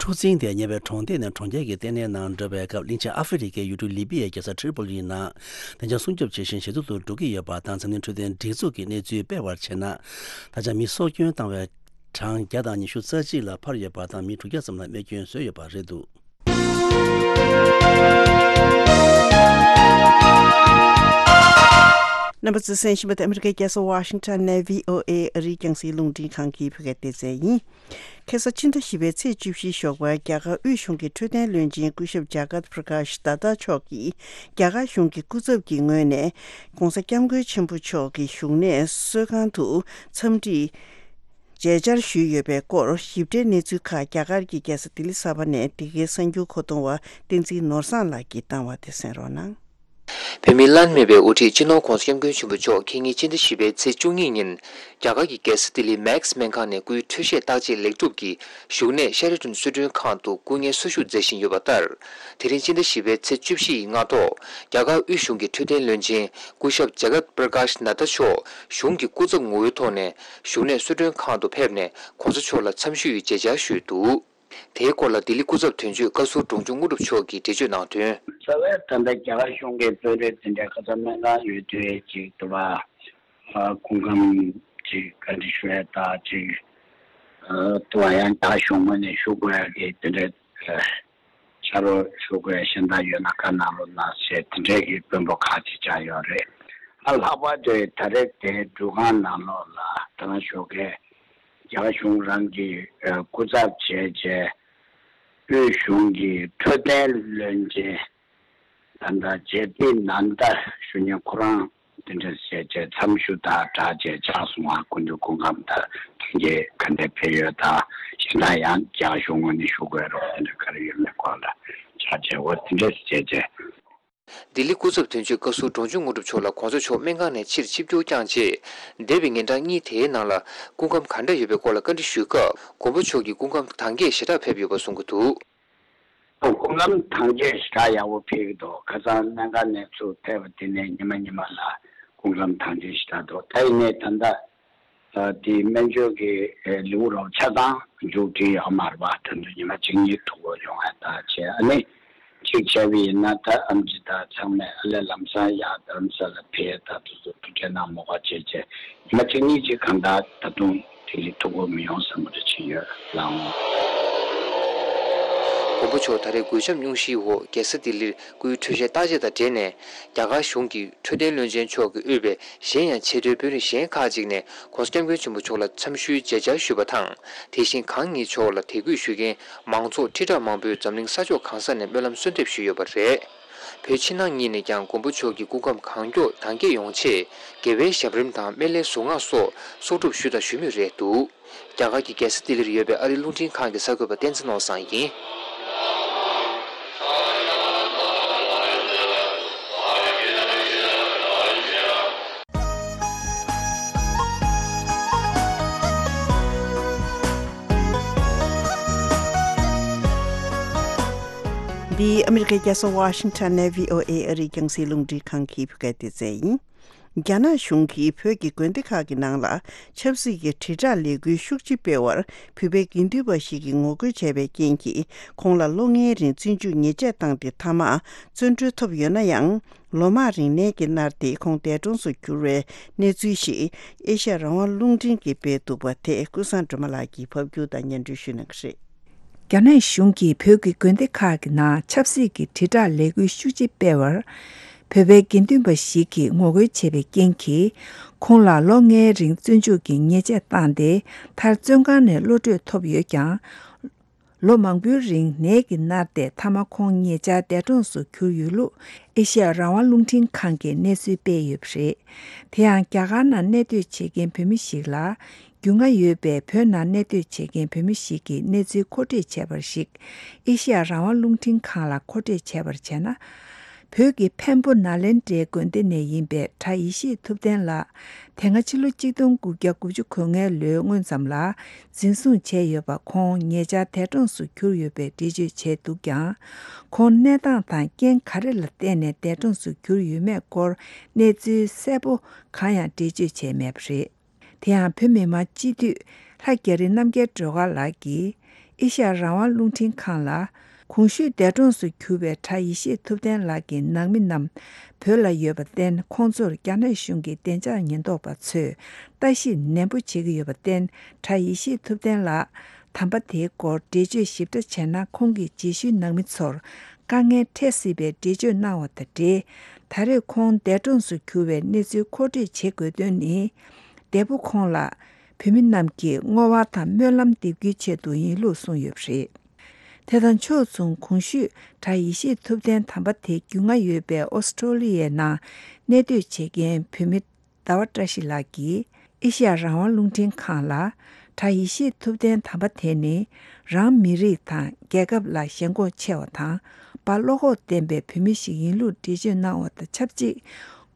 འཁྲུག་འཛིང་དེ་ཉེ་བའི་གྲོང་སྡེ་ནས་གྲོང་ཁྱེར་གྱི་ལྟེ་གནས་ནང་འགྲོ་བའི་སྐབས། གླིང་ཆེན་ཨ་ཧྥེ་རི་ཁའི་ཡུལ་གྲུ་ལི་པི་ཡའི་རྒྱལ་ས་ཏྲི་པོ་ལིའི་ནང་བདེ་འཇགས་སྲུང་སྐྱོབ་བྱེད་བཞིན་ཞེ་སྡུག་ཏུ་འགྲོ་གི་ཡོད་པ་དང་། འཛམ་གླིང་འཕྲོད་བསྟེན་སྒྲིག་འཛུགས་ཀྱིས་གནས་ཚུལ་སྤེལ་བར་བྱས་ན། ད་ཆ་མི་སྲོག་སྐྱོན་བཏང་བའི་གྲངས་བརྒྱ་དང་ཉི་ཤུ་རྩ་གཅིག་ལ་འཕར་ཡོད་པ་དང་། མི་དྲུག་བརྒྱ་ཙམ་ལ་རྨས་སྐྱོན་བཟོས་ཡོད་པ་རེད་འདུག་རྣམ་པ་ཚོས་གསན་བཞིན་པ་དེ་ཨ་མི་རི་ཀའི་རྒྱལ་ས་ཝ་ཤིང་ཊོན་ནས་བྷི་ཨོ་ཨེ་ཨ་རིའི་རྒྱང་སྲིང་རླུང་འཕྲིན་ཁང་གི་བོད་སྐད་སྡེ་ཚན་ཡིན། ཁ་སང་ཕྱི་ཟླ་བཞི་པའི་ཚེས་བཅུ་བཞི་ཞོགས་པར་རྒྱ་གར་དབུས་གཞུང་གི་འཕྲོད་བསྟེན་བློན་ཆེན་སྐུ་ཞབས་ཇཱ་གར་པྲ་ཀཱཤ་དཱ་ཏཱ་མཆོག་གིས་རྒྱ་གར་གཞུང་གི་སྐུ་ཚབ་ཀྱི་ངོས་ནས་༧གོང་ས་༧སྐྱབས་མགོན་ཆེན་པོ་མཆོག་གི་བཞུགས་གནས་གསོལ་ཁང་དུ་འཚམས་འདྲི་མཇལ་བཅར་ཞུས་ཡོད་པའི་སྐོར་ཞིབ་ཕྲའི་གནས་ཚུལ་ཁག་རྒྱ་གར་གྱི་རྒྱལ་ས་ལྡི་ལི་གསར་པ་ནས་འདི་གའི་གསར་འགྱུར་མཁོ་གཏོང་བ་བསྟན་འཛིན་ནོར་བཟང་ལགས་ཀྱིས་བཏང་བ་དེ་གསན་རོགས་གནང་། བོད་མིའི་བླ་ན་མེད་པའི་དབུ་ཁྲིད་སྤྱི་ནོར་༧གོང་ས་༧སྐྱབས་མགོན་ཆེན་པོ་མཆོག་ཁ་ཉིན་ཕྱི་ཟླ་བཞི་པའི་ཚེས་བཅུ་གཉིས་ཉིན་རྒྱ་གར་གྱི་རྒྱལ་ས་ལྡི་ལིའི་མེག་སི་སྨན་ཁང་ནས་སྐུའི་འཕྲོད་བཞེས་བརྟག་དཔྱད་ལེགས་གྲུབ་ཀྱིས་བཞུགས་གནས་ཤེ་ར་ཊོན་གསོལ་མགྲོན་ཁང་དུ་སྐུ་ངལ་གསོ་བཞུགས་མཛད་བཞིན་ཡོད་པ་ལྟར། དེ་རིང་ཕྱི་ཟླ་བཞི་པའི་ཚེས་བཅུ་བཞི་ཡི་སྔ་ཐོག་རྒྱ་གར་དབུས་གཞུང་གི་འཕྲོད་བསྟེན་བློན་ཆེན་སྐུ་ཞབས་ཇཱ་གར་པྲ་ཀཱཤ་ནཱ་ཏཱ་མཆོག་གཞུང་གི་སྐུ་ཚབ་ངོ་བོའི་ཐོག་ནས་བཞུགས་གནས་གསོལ་མགྲོན་ཁང་དུ་ཕེབས་ནས་༧གོང་ས་མཆོག་ལ་འཚམས་ཞུས་མཇལ་བཅར་ཞུས་འདུག་དེའི་སྐོར་ལ་ལྡི་ལི་སྐུ་ཚབ་དོན་གཅོད་བཀའ་ཟུར་འབྲོང་ཆུང་དངོས་གྲུབ་མཆོག་གིས་འགྲེལ་བརྗོད་གནང་དོན། རྩ་བའི་ད་ལྟ་རྒྱ་གར་གཞུང་གི་དཔོན་རིགས་དེ་འདྲའི་ཁ་སང་སྨན་ཁང་ཡོད་དུས་ཅིག་ཏུ་བ་སྐུ་ཁམས་ཅིག་བཀའ་འདྲི་ཞུ་ཡས་དང་ཅིག་ཏུ་བ་ཡང་རྒྱ་གཞུང་ངོས་ནས་ཞུ་དགོས་ཡ་གི་དེ་འདྲའི་ཕྱག་རོགས་ཞུ་དགོས་ཡ་གཞན་དག་ཡོད་ན་བཀའ་གནང་རོགས་གནང་ཞེས་དེ་འདྲའི་གི་དཔོན་པོ་ཁག་ཅིག་བཅར་ཡོད་རེད། ཨ་ལྷག་པར་དུ་ད་རེས་དེ་འགྲུལ་ཁང་ནང་ལོགས་ལ་ད་ང་ཞུ་མཁན། རྒྱ་གར་གཞུང་རང་གི་སྐུ་ཚབ་བྱས་རྗེས་དབུས་གཞུང་གི་འཕྲོད་བསྟེན་བློན་ཆེན་ད་ལྟ་ཇེ་པི་ནན་ད་ཞུ་མཁན་ཁོ་རང་དེ་འདྲ་བྱས་རྗེས་འཚམས་ཞུ་དང་སྦྲགས་རྗེས་ཕྱག་སོང་བ་སྐུ་མདུན་སྐུ་ཁམས་དང་དོན་གྱི་ག་འདྲ་ཕེབས་ཡོད་དང་གཞན་དག་ཡང་རྒྱ་གར་གཞུང་ངོས་ནས་ཞུ་དགོས་རོགས་དེ་འདྲ་ག་རེ་ཡོད་མེད་སྐོར་ལ་ཕྱག་རྗེས་འོ་དེ་འདྲ་བྱས་རྗེས། ལྡི་ལི་སྐུ་ཚབ་དོན་གཅོད་བཀའ་ཟུར་འབྲོང་ཆུང་དངོས་གྲུབ་མཆོག་ལ་གོང་ས་མཆོག་སྨན་ཁང་ནས་ཕྱིར་ཆིབས་བསྒྱུར་བསྐྱངས་རྗེས། འདས་པའི་ཉིན་གྲངས་གཉིས་དེའི་ནང་ལ་སྐུ་ཁམས་ག་འདྲ་ཡོད་པའི་སྐོར་ལ་བཀའ་འདྲི་ཞུས་སྐབས། མགོན་པོ་མཆོག་གིས་སྐུ་ཁམས་དྭངས་སྐྱེད་ཞེ་དྲག་ཕེབས་ཡོད་པ་གསུང་གི་འདུག་སྐུ་ཁམས་དྭངས་ཆེ་ཞེ་དྲག་ཡག་པོ་ཕེབས་ཀྱི་འདུག་ཁ་སང་སྨན་ཁང་ནས་ཚུར་ཕེབས་པ་དེ་ནས་ཉི་མ་ཉི་མ་ལ་སྐུ་ཁམས་དྭངས་ཆེ་ཞེ་དྲག་འདུག་ད་ཡིན་ནའི་ད་ལྟ་ཨ་དེ་སྨན་བཅོས་ཀྱི་ཨེ་ལེའུ་རོགས་ཆ་ཚང་མཇུག་སྒྲིལ་ཡོད་མ་རེད་པ། ད་དུང་ཉི་མ་གཅིག་གཉིས་ཐུག་དགོས་ཡོང་ཡ་ད་བྱས། ཨ་ནི་གཅིག་བྱས་པ་ཡིན་ན་ད་ཨེམ་ཆི་དང་ཚང་མས་ཨ་ལས་ལམ་སང་ཡར་རྡ་རམ་ས་ལ་ཕེབས། ད་དུང་ཚོ་ཐུགས་རྗེ་གནང་མོ་ཁ་བྱས་བྱས་ཉི་མ་གཅིག་གཉིས་ཅིག་གང་ལྟར་ད་དུང་དེ་རིང་ཐུག་དགོས་མི་ཡོང་བསམ་པ་རེ་བྱས་ཡོད་ལགས། མགོན་པོ་མཆོག་ད་རེས་གོས་ཆམ་སྙུང་གཞིའི་འོག་རྒྱལ་ས་ལྡི་ལིར་སྐུའི་འཕྲོད་བཞེས་བརྟག་དཔྱད་དང་འབྲེལ་ནས། རྒྱ་གར་གཞུང་གི་འཕྲོད་བསྟེན་བློན་ཆེན་མཆོག་གིས་དབུས་པའི་གཞན་ཡང་ཆེས་མཐོའི་དཔོན་རིགས་གཞན་ཁག་ཅིག་ནས་༸གོང་ས་༸སྐྱབས་མགོན་ཆེན་པོ་མཆོག་ལ་འཚམས་ཞུའི་མཇལ་བཅར་ཞུས་པ་དང་། དེ་བཞིན་གང་ཉིད་མཆོག་ལ་དད་གུས་ཞུ་མཁན་མང་ཚོགས་ཁྲི་ཕྲག་མང་པོས་འཛམ་གླིང་ས་ཕྱོགས་གང་ས་ནས་སྨོན་ལམ་གསོལ་འདེབས་ཞུས་ཡོད་པ་རེད། བོད་ཕྱི་ནང་གཉིས་ནས་ཀྱང་མགོན་པོ་མཆོག་གི་སྐུ་ཁམས་གང་མགྱོགས་དྭངས་སྐྱེད་ཡོང་ཆེད། དགེ་བའི་ཞབས་རིམ་དང་སྨན་བླའི་གཟུངས་སྔགས་སོགས་གསོག་སྒྲུབ་ཞུས་དང་ཞུ་མུས་རེད་འདུག་རྒྱ་གར་གྱི་རྒྱལ་ས་ལྡི་ལིར་ཡོད་པའི་ཨ་རིའི་རླུང་འཕྲིན་ཁང་གི་གསར་འགོད་པ་བསྟན་འཛིན་ནོར་བཟང་ཡིན། འདི་ཨ་མི་རི་ཀའི་རྒྱལ་ས་ཝ་ཤིང་ཊོན་ནས་བྷི་ཨོ་ཨེ་ཨ་རིའི་རྒྱང་སྲིང་རླུང་འཕྲིན་ཁང་གི་བོད་སྐད་སྡེ་ཚན་ཡིན། རྒྱ་ནག་གཞུང་གིས་བོད་ཀྱི་དགོན་སྡེ་ཁག་གི་ནང་ལ་ཆབ་སྲིད་ཀྱི་དྲིལ་བསྒྲགས་ལས་འགུལ་ཤུགས་ཆེ་སྤེལ་བར་བོད་པའི་དགེ་འདུན་པ་ཞིག་གིས་ངོ་རྒོལ་བྱས་པའི་རྐྱེན་གྱིས། ཁོང་ལ་ལོ་ལྔའི་རིང་བཙོན་འཇུག་ཉེས་ཆད་བཏང་སྟེ། མཐའ་མ་བཙོན་གྲོལ་ཐོབ་ཡོད་ན་ཡང་། ལོ་མང་རིང་ནད་ཀྱིས་མནར་ཏེ་ཁོང་འདས་གྲོངས་སུ་གྱུར་བའི་གནས་ཚུལ་ཞིག་ཨེ་ཤ་ཡ་རང་དབང་རླུང་འཕྲིན་གྱིས་སྤེལ་འདུག་པ་དེ་ཀུན་བཟང་སྒྲོལ་མ་ལགས་ཀྱིས་ཕབ་སྒྱུར་དང་སྙན་སྒྲོན་ཞུ་གནང་གི་རེད། རྒྱ་ནག་གཞུང་གིས་བོད་ཀྱི་དགོན་སྡེ་ཁག་གི་ནང་ཆབ་སྲིད་ཀྱི་དྲིལ་བསྒྲགས་ལས་འགུལ་ཤུགས་ཆེ་སྤེལ་བར། བོད་པའི་དགེ་འདུན་པ་ཞིག་གིས་ངོ་རྒོལ་བྱས་པའི་རྐྱེན་གྱིས། ཁོང་ལ་ལོ་ལྔའི་རིང་བཙོན་འཇུག་གི་ཉེས་ཆད་བཏང་སྟེ། མཐར་བཙོན་ཁང་ནས་གློད་གྲོལ་ཐོབ་ཡོད་ཀྱང་། ལོ་མང་པོའི་རིང་ནད་ཀྱིས་མནར་ཏེ། མཐའ་མ་ཁོང་ཉེ་ཆར་འདས་གྲོངས་སུ་གྱུར་ཡོད་ལུགས་ཨེ་ཤེ་ཡ་རང་དབང་རླུང་འཕྲིན་ཁང་གིས་གནས་ཚུལ་སྤེལ་ཡོད་པ་རེད། དེ་ཡང་རྒྱ་གར་ནང་གནས་སྡོད་བྱེད་མཁན་བོད་མི་ཞིག་ལ། རྒྱུས་མངའ་ཡོད་པའི་བོད་ནང་གནས་སྡོད་བྱེད་མཁན་བོད་མི་ཞིག་གིས་གནས་ཚུལ་མཁོ་སྤྲོད་བྱས་པར་གཞིགས། ཨེ་ཤེ་ཡ་རང་དབང་རླུང་འཕྲིན་ཁང་ལ་མཁོ་སྤྲོད་བྱས་པར་བྱས་ན། བོད་ཀྱི་འཕན་པོ་ནཱ་ལེནྡྲའི་དགོན་སྡེ་ནས་ཡིན་པའི་གྲྭ་ཡེ་ཤེས་ཐུབ་བསྟན་ལགས། དེ་སྔ་ཕྱི་ལོ་གཅིག་སྟོང་དགུ་བརྒྱ་དགུ་བཅུ་གོ་ལྔའི་ལོའི་སྔོན་ཙམ་ལ་འཛིན་བཟུང་བྱས་ཡོད་པ། ཁོང་ཉེ་ཆར་འདས་གྲོངས་སུ་གྱུར་ཡོད་པའི་འགྲེལ་བརྗོད་བྱས་འདུག་ཀྱང་། ཁོང་གནས་སྟངས་དང་རྐྱེན་ག་རེ་ལ་བརྟེན་ནས་འདས་གྲོངས་སུ་གྱུར་ཡོད་མེད་སྐོར་གནས་ཚུལ་གསལ་པོ་གང་ཡང་འགྲེལ་བརྗོད་བྱས་མེད་པ་རེད། དེ་ཡང་བོད་མི་མང་སྤྱི་འཐུས་ལྷ་རྒྱ་རི་རྣམ་རྒྱལ་སྒྲོལ་དཀར་ལགས་ཀྱིས་ཨེ་ཤ་ཡ་རང་དབང་རླུང་འཕྲིན་ཁང་ལ། གོང་ཞུས་འདས་གྲོངས་སུ་གྱུར་པའི་གྲྭ་ཡེ་ཤེས་ཐུབ་བསྟན་ལགས་ཀྱི་ནང་མི་རྣམས་བོད་ལ་ཡོད་པར་བརྟེན། ཁོང་ཚོར་རྒྱ་ནག་གཞུང་གི་བདེ་འཇགས་ཉེན་རྟོག་པ་ཚོས་ལྟ་ཞིབ་ནན་པོ་བྱེད་ཀྱི་ཡོད་པར་བརྟེན། གྲྭ་ཡེ་ཤེས་ཐུབ་བསྟན་ལགས་དམ་པ་དེའི་སྐོར་འགྲེལ་བརྗོད་ཞིབ་ཕྲ་བྱས་ན། ཁོང་གི་རྗེས་ཤུལ་ནང་མི་ཚོར་དཀའ་ངལ་འཕྲད་སྲིད་པའི་འགྲེལ་བརྗོད་གནང་བ་དང་འབྲེལ། ད་རེས་ཁོང་འདས་གྲོངས་སུ་གྱུར་བའི་གནས་ཚུལ་མཁོ་སྤྲོད་བྱེད་དགོས་དོན་ནི། འདས་པོ་ཁོང་ལ་བོད་མི་རྣམས་ཀྱིས་བསྔོ་བ་དང་སྨོན་ལམ་འདེབས་རྒྱུའི་ཆེད་དུ་ཡིན་ལུགས་གསུངས་ཡོད་པ་རེད། དེ་དང་ཕྱོགས་མཚུངས། གོང་ཞུས་གྲྭ་ཡེ་ཤེས་ཐུབ་བསྟན་དམ་པ་དེ་རྒྱུས་མངའ་ཡོད་པའི་ཨོ་སི་ཀྲོ་ལི་ཡའི་ནང་གནས་སྡོད་བྱེད་མཁན་བོད་མི་ཟླ་བ་བཀྲ་ཤིས་ལགས་ཀྱིས་ཨེ་ཤེ་ཡ་རང་དབང་རླུང་འཕྲིན་ཁང་ལ། གྲྭ་ཡེ་ཤེས་ཐུབ་བསྟན་དམ་པ་དེ་ནི་རང་མི་རིགས་དང་རྒྱལ་ཁབ་ལ་ཞེན་ཁོག་ཆེ་བ་དང་། དཔའ་བློ་ཁོག་ལྡན་པའི་བོད་མི་ཞིག་ཡིན་ལུགས་འགྲེལ་བརྗོད་གནང་བ་དང་ཆབས་ཅིག།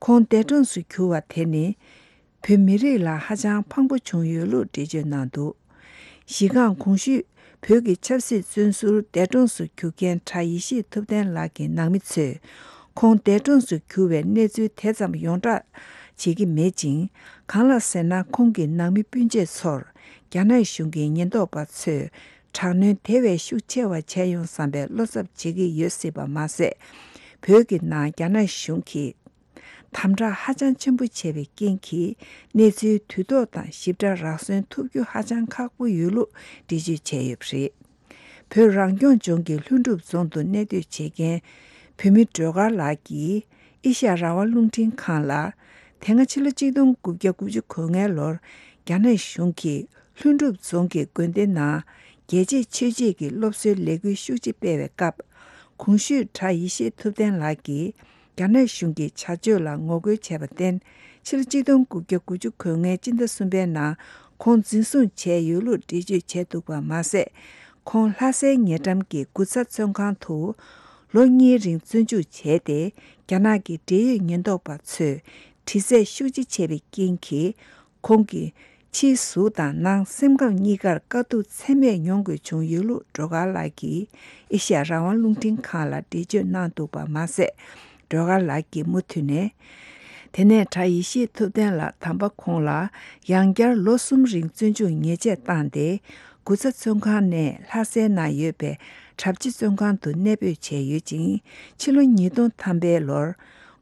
ཁོང་འདས་གྲོངས་སུ་གྱུར་བ་དེ་ནི། བོད་མི་རིགས་ལ་ཧ་ཅང་ཕངས་པོ་བྱུང་ཡོད་ལུགས་འགྲེལ་བརྗོད་གནང་འདུག་གཞི་རྐང་གོང་ཞུས་བོད་ཀྱི་ཆབ་སྲིད་བཙོན་ཟུར་འདས་གྲོངས་སུ་གྱུར་མཁན་གྲྭ་ཡེ་ཤེས་ཐུབ་བསྟན་ལགས་ཀྱི་ནང་མི་ཚོས། ཁོང་འདས་གྲོངས་སུ་གྱུར་བའི་གནས་ཚུལ་དེ་ཙམ་ཡོངས་བསྒྲགས་བྱེད་ཀྱི་མེད་ཅིང་། གང་ལགས་ཟེར་ན། ཁོང་གི་ནང་མི་སྤུན་མཆེད་ཚོར་རྒྱ་ནག་གཞུང་གི་ཉེན་རྟོག་པ་ཚོས་དྲག་གནོན་དེ་བས་ཤུགས་ཆེ་བ་བྱས་ཡོང་བསམ་པའི་བློ་འཚབ་བྱེད་ཀྱི་ཡོད་སྲིད་པ་མ་ཟད། བོད་ཀྱི་ནང་རྒྱ་ནག་གཞུང་གིས། དམ་དྲག་ཧ་ཅང་ཆེན་པོ་བྱས་པའི་རྐྱེན་གྱིས། གནས་ཚུལ་དུས་ཐོག་དང་ཞིབ་ཕྲ་རགས་ཟིན་ཐུབ་རྒྱུ་ཧ་ཅང་ཁག་པོ་ཡོད་ལུགས་འགྲེལ་བརྗོད་བྱས་ཡོད་པ་རེད། བོད་རང་སྐྱོང་ལྗོངས་ཀྱི་ལྷུན་གྲུབ་རྫོང་དུ་གནས་སྡོད་བྱེད་མཁན་བོད་མི་སྒྲོལ་དཀར་ལགས་ཀྱིས་ཨེ་ཤ་ཡ་རང་དབང་རླུང་འཕྲིན་ཁང་ལ། དེ་སྔ་ཕྱི་ལོ་གཅིག་སྟོང་དགུ་བརྒྱ་དགུ་བཅུ་གོ་ལྔའི་ལོར་རྒྱ་ནག་གཞུང་གིས་ལྷུན་གྲུབ་རྫོང་གི་དགོན་སྡེ་ནང་རྒྱལ་གཅེས་ཆོས་གཅེས་ཀྱི་སློབ་གསོའི་ལས་འགུལ་ཤུགས་ཆེ་སྤེལ་བའི་སྐབས། གོང་ཞུས་གྲྭ་ཡེ་ཤེས་ཐུབ་བསྟན་ལགས་ཀྱིས། རྒྱ་ནག་གཞུང་གི་བྱ་སྤྱོད་ལ་ངོ་རྒོལ་བྱས་པར་བརྟེན། ཕྱི་ལོ་གཅིག་སྟོང་དགུ་བརྒྱ་དགུ་བཅུ་གོ་ལྔའི་སྤྱི་ཟླ་གསུམ་པའི་ནང་ཁོང་འཛིན་བཟུང་བྱས་ཡོད་ལུགས་འགྲེལ་བརྗོད་བྱས་འདུག་པ་མ་ཟད། ཁོང་ལྷ་སའི་ཉེ་འགྲམ་གྱི་དགུ་ཚ་བཙོན་ཁང་དུ་ལོ་གཉིས་རིང་བཙོན་འཇུག་བྱས་ཏེ། རྒྱ་ནག་གི་འབྲེལ་ཡོད་ཉེན་རྟོག་པ་ཚོས་དྲི་རྩད་ཤུགས་ཆེ་བྱས་པའི་རྐྱེན་གྱིས། ཁོང་གི་ ཕྱིའི་གཟུགས་དང་ནང་སེམས་ཁམས་གཉིས་ཀར་དཀའ་སྡུག་ཚད་མེད་མྱོང་དགོས་བྱུང་ཡོད་ལུགས་སྒྲོལ་དཀར་ལགས་ཀྱིས་ཨེ་ཤ་ཡ་རང་དབང་རླུང་འཕྲིན་ཁང་ལ་འགྲེལ་བརྗོད་གནང་འདུག་པ་མ་ཟད། སྒྲོལ་དཀར་ལགས་ཀྱིས་མུ་མཐུད་ནས། དེ་ནས་གྲྭ་ཡེ་ཤེས་ཐུབ་བསྟན་ལགས་དམ་པ་ཁོང་ལ་ཡང་བསྐྱར་ལོ་གསུམ་རིང་བཙོན་འཇུག་ཉེས་ཆད་བཏང་སྟེ། དགུ་ཚ་བཙོན་ཁང་ནས་ལྷ་སའི་ནང་ཡོད་པའི་གྲྭ་སྤྱི་བཙོན་ཁང་དུ་གནས་སྤོས་བྱས་ཡོད་ཅིང་། ཕྱི་ལོ་ཉིས་སྟོང་ཐམ་པའི་ལོར་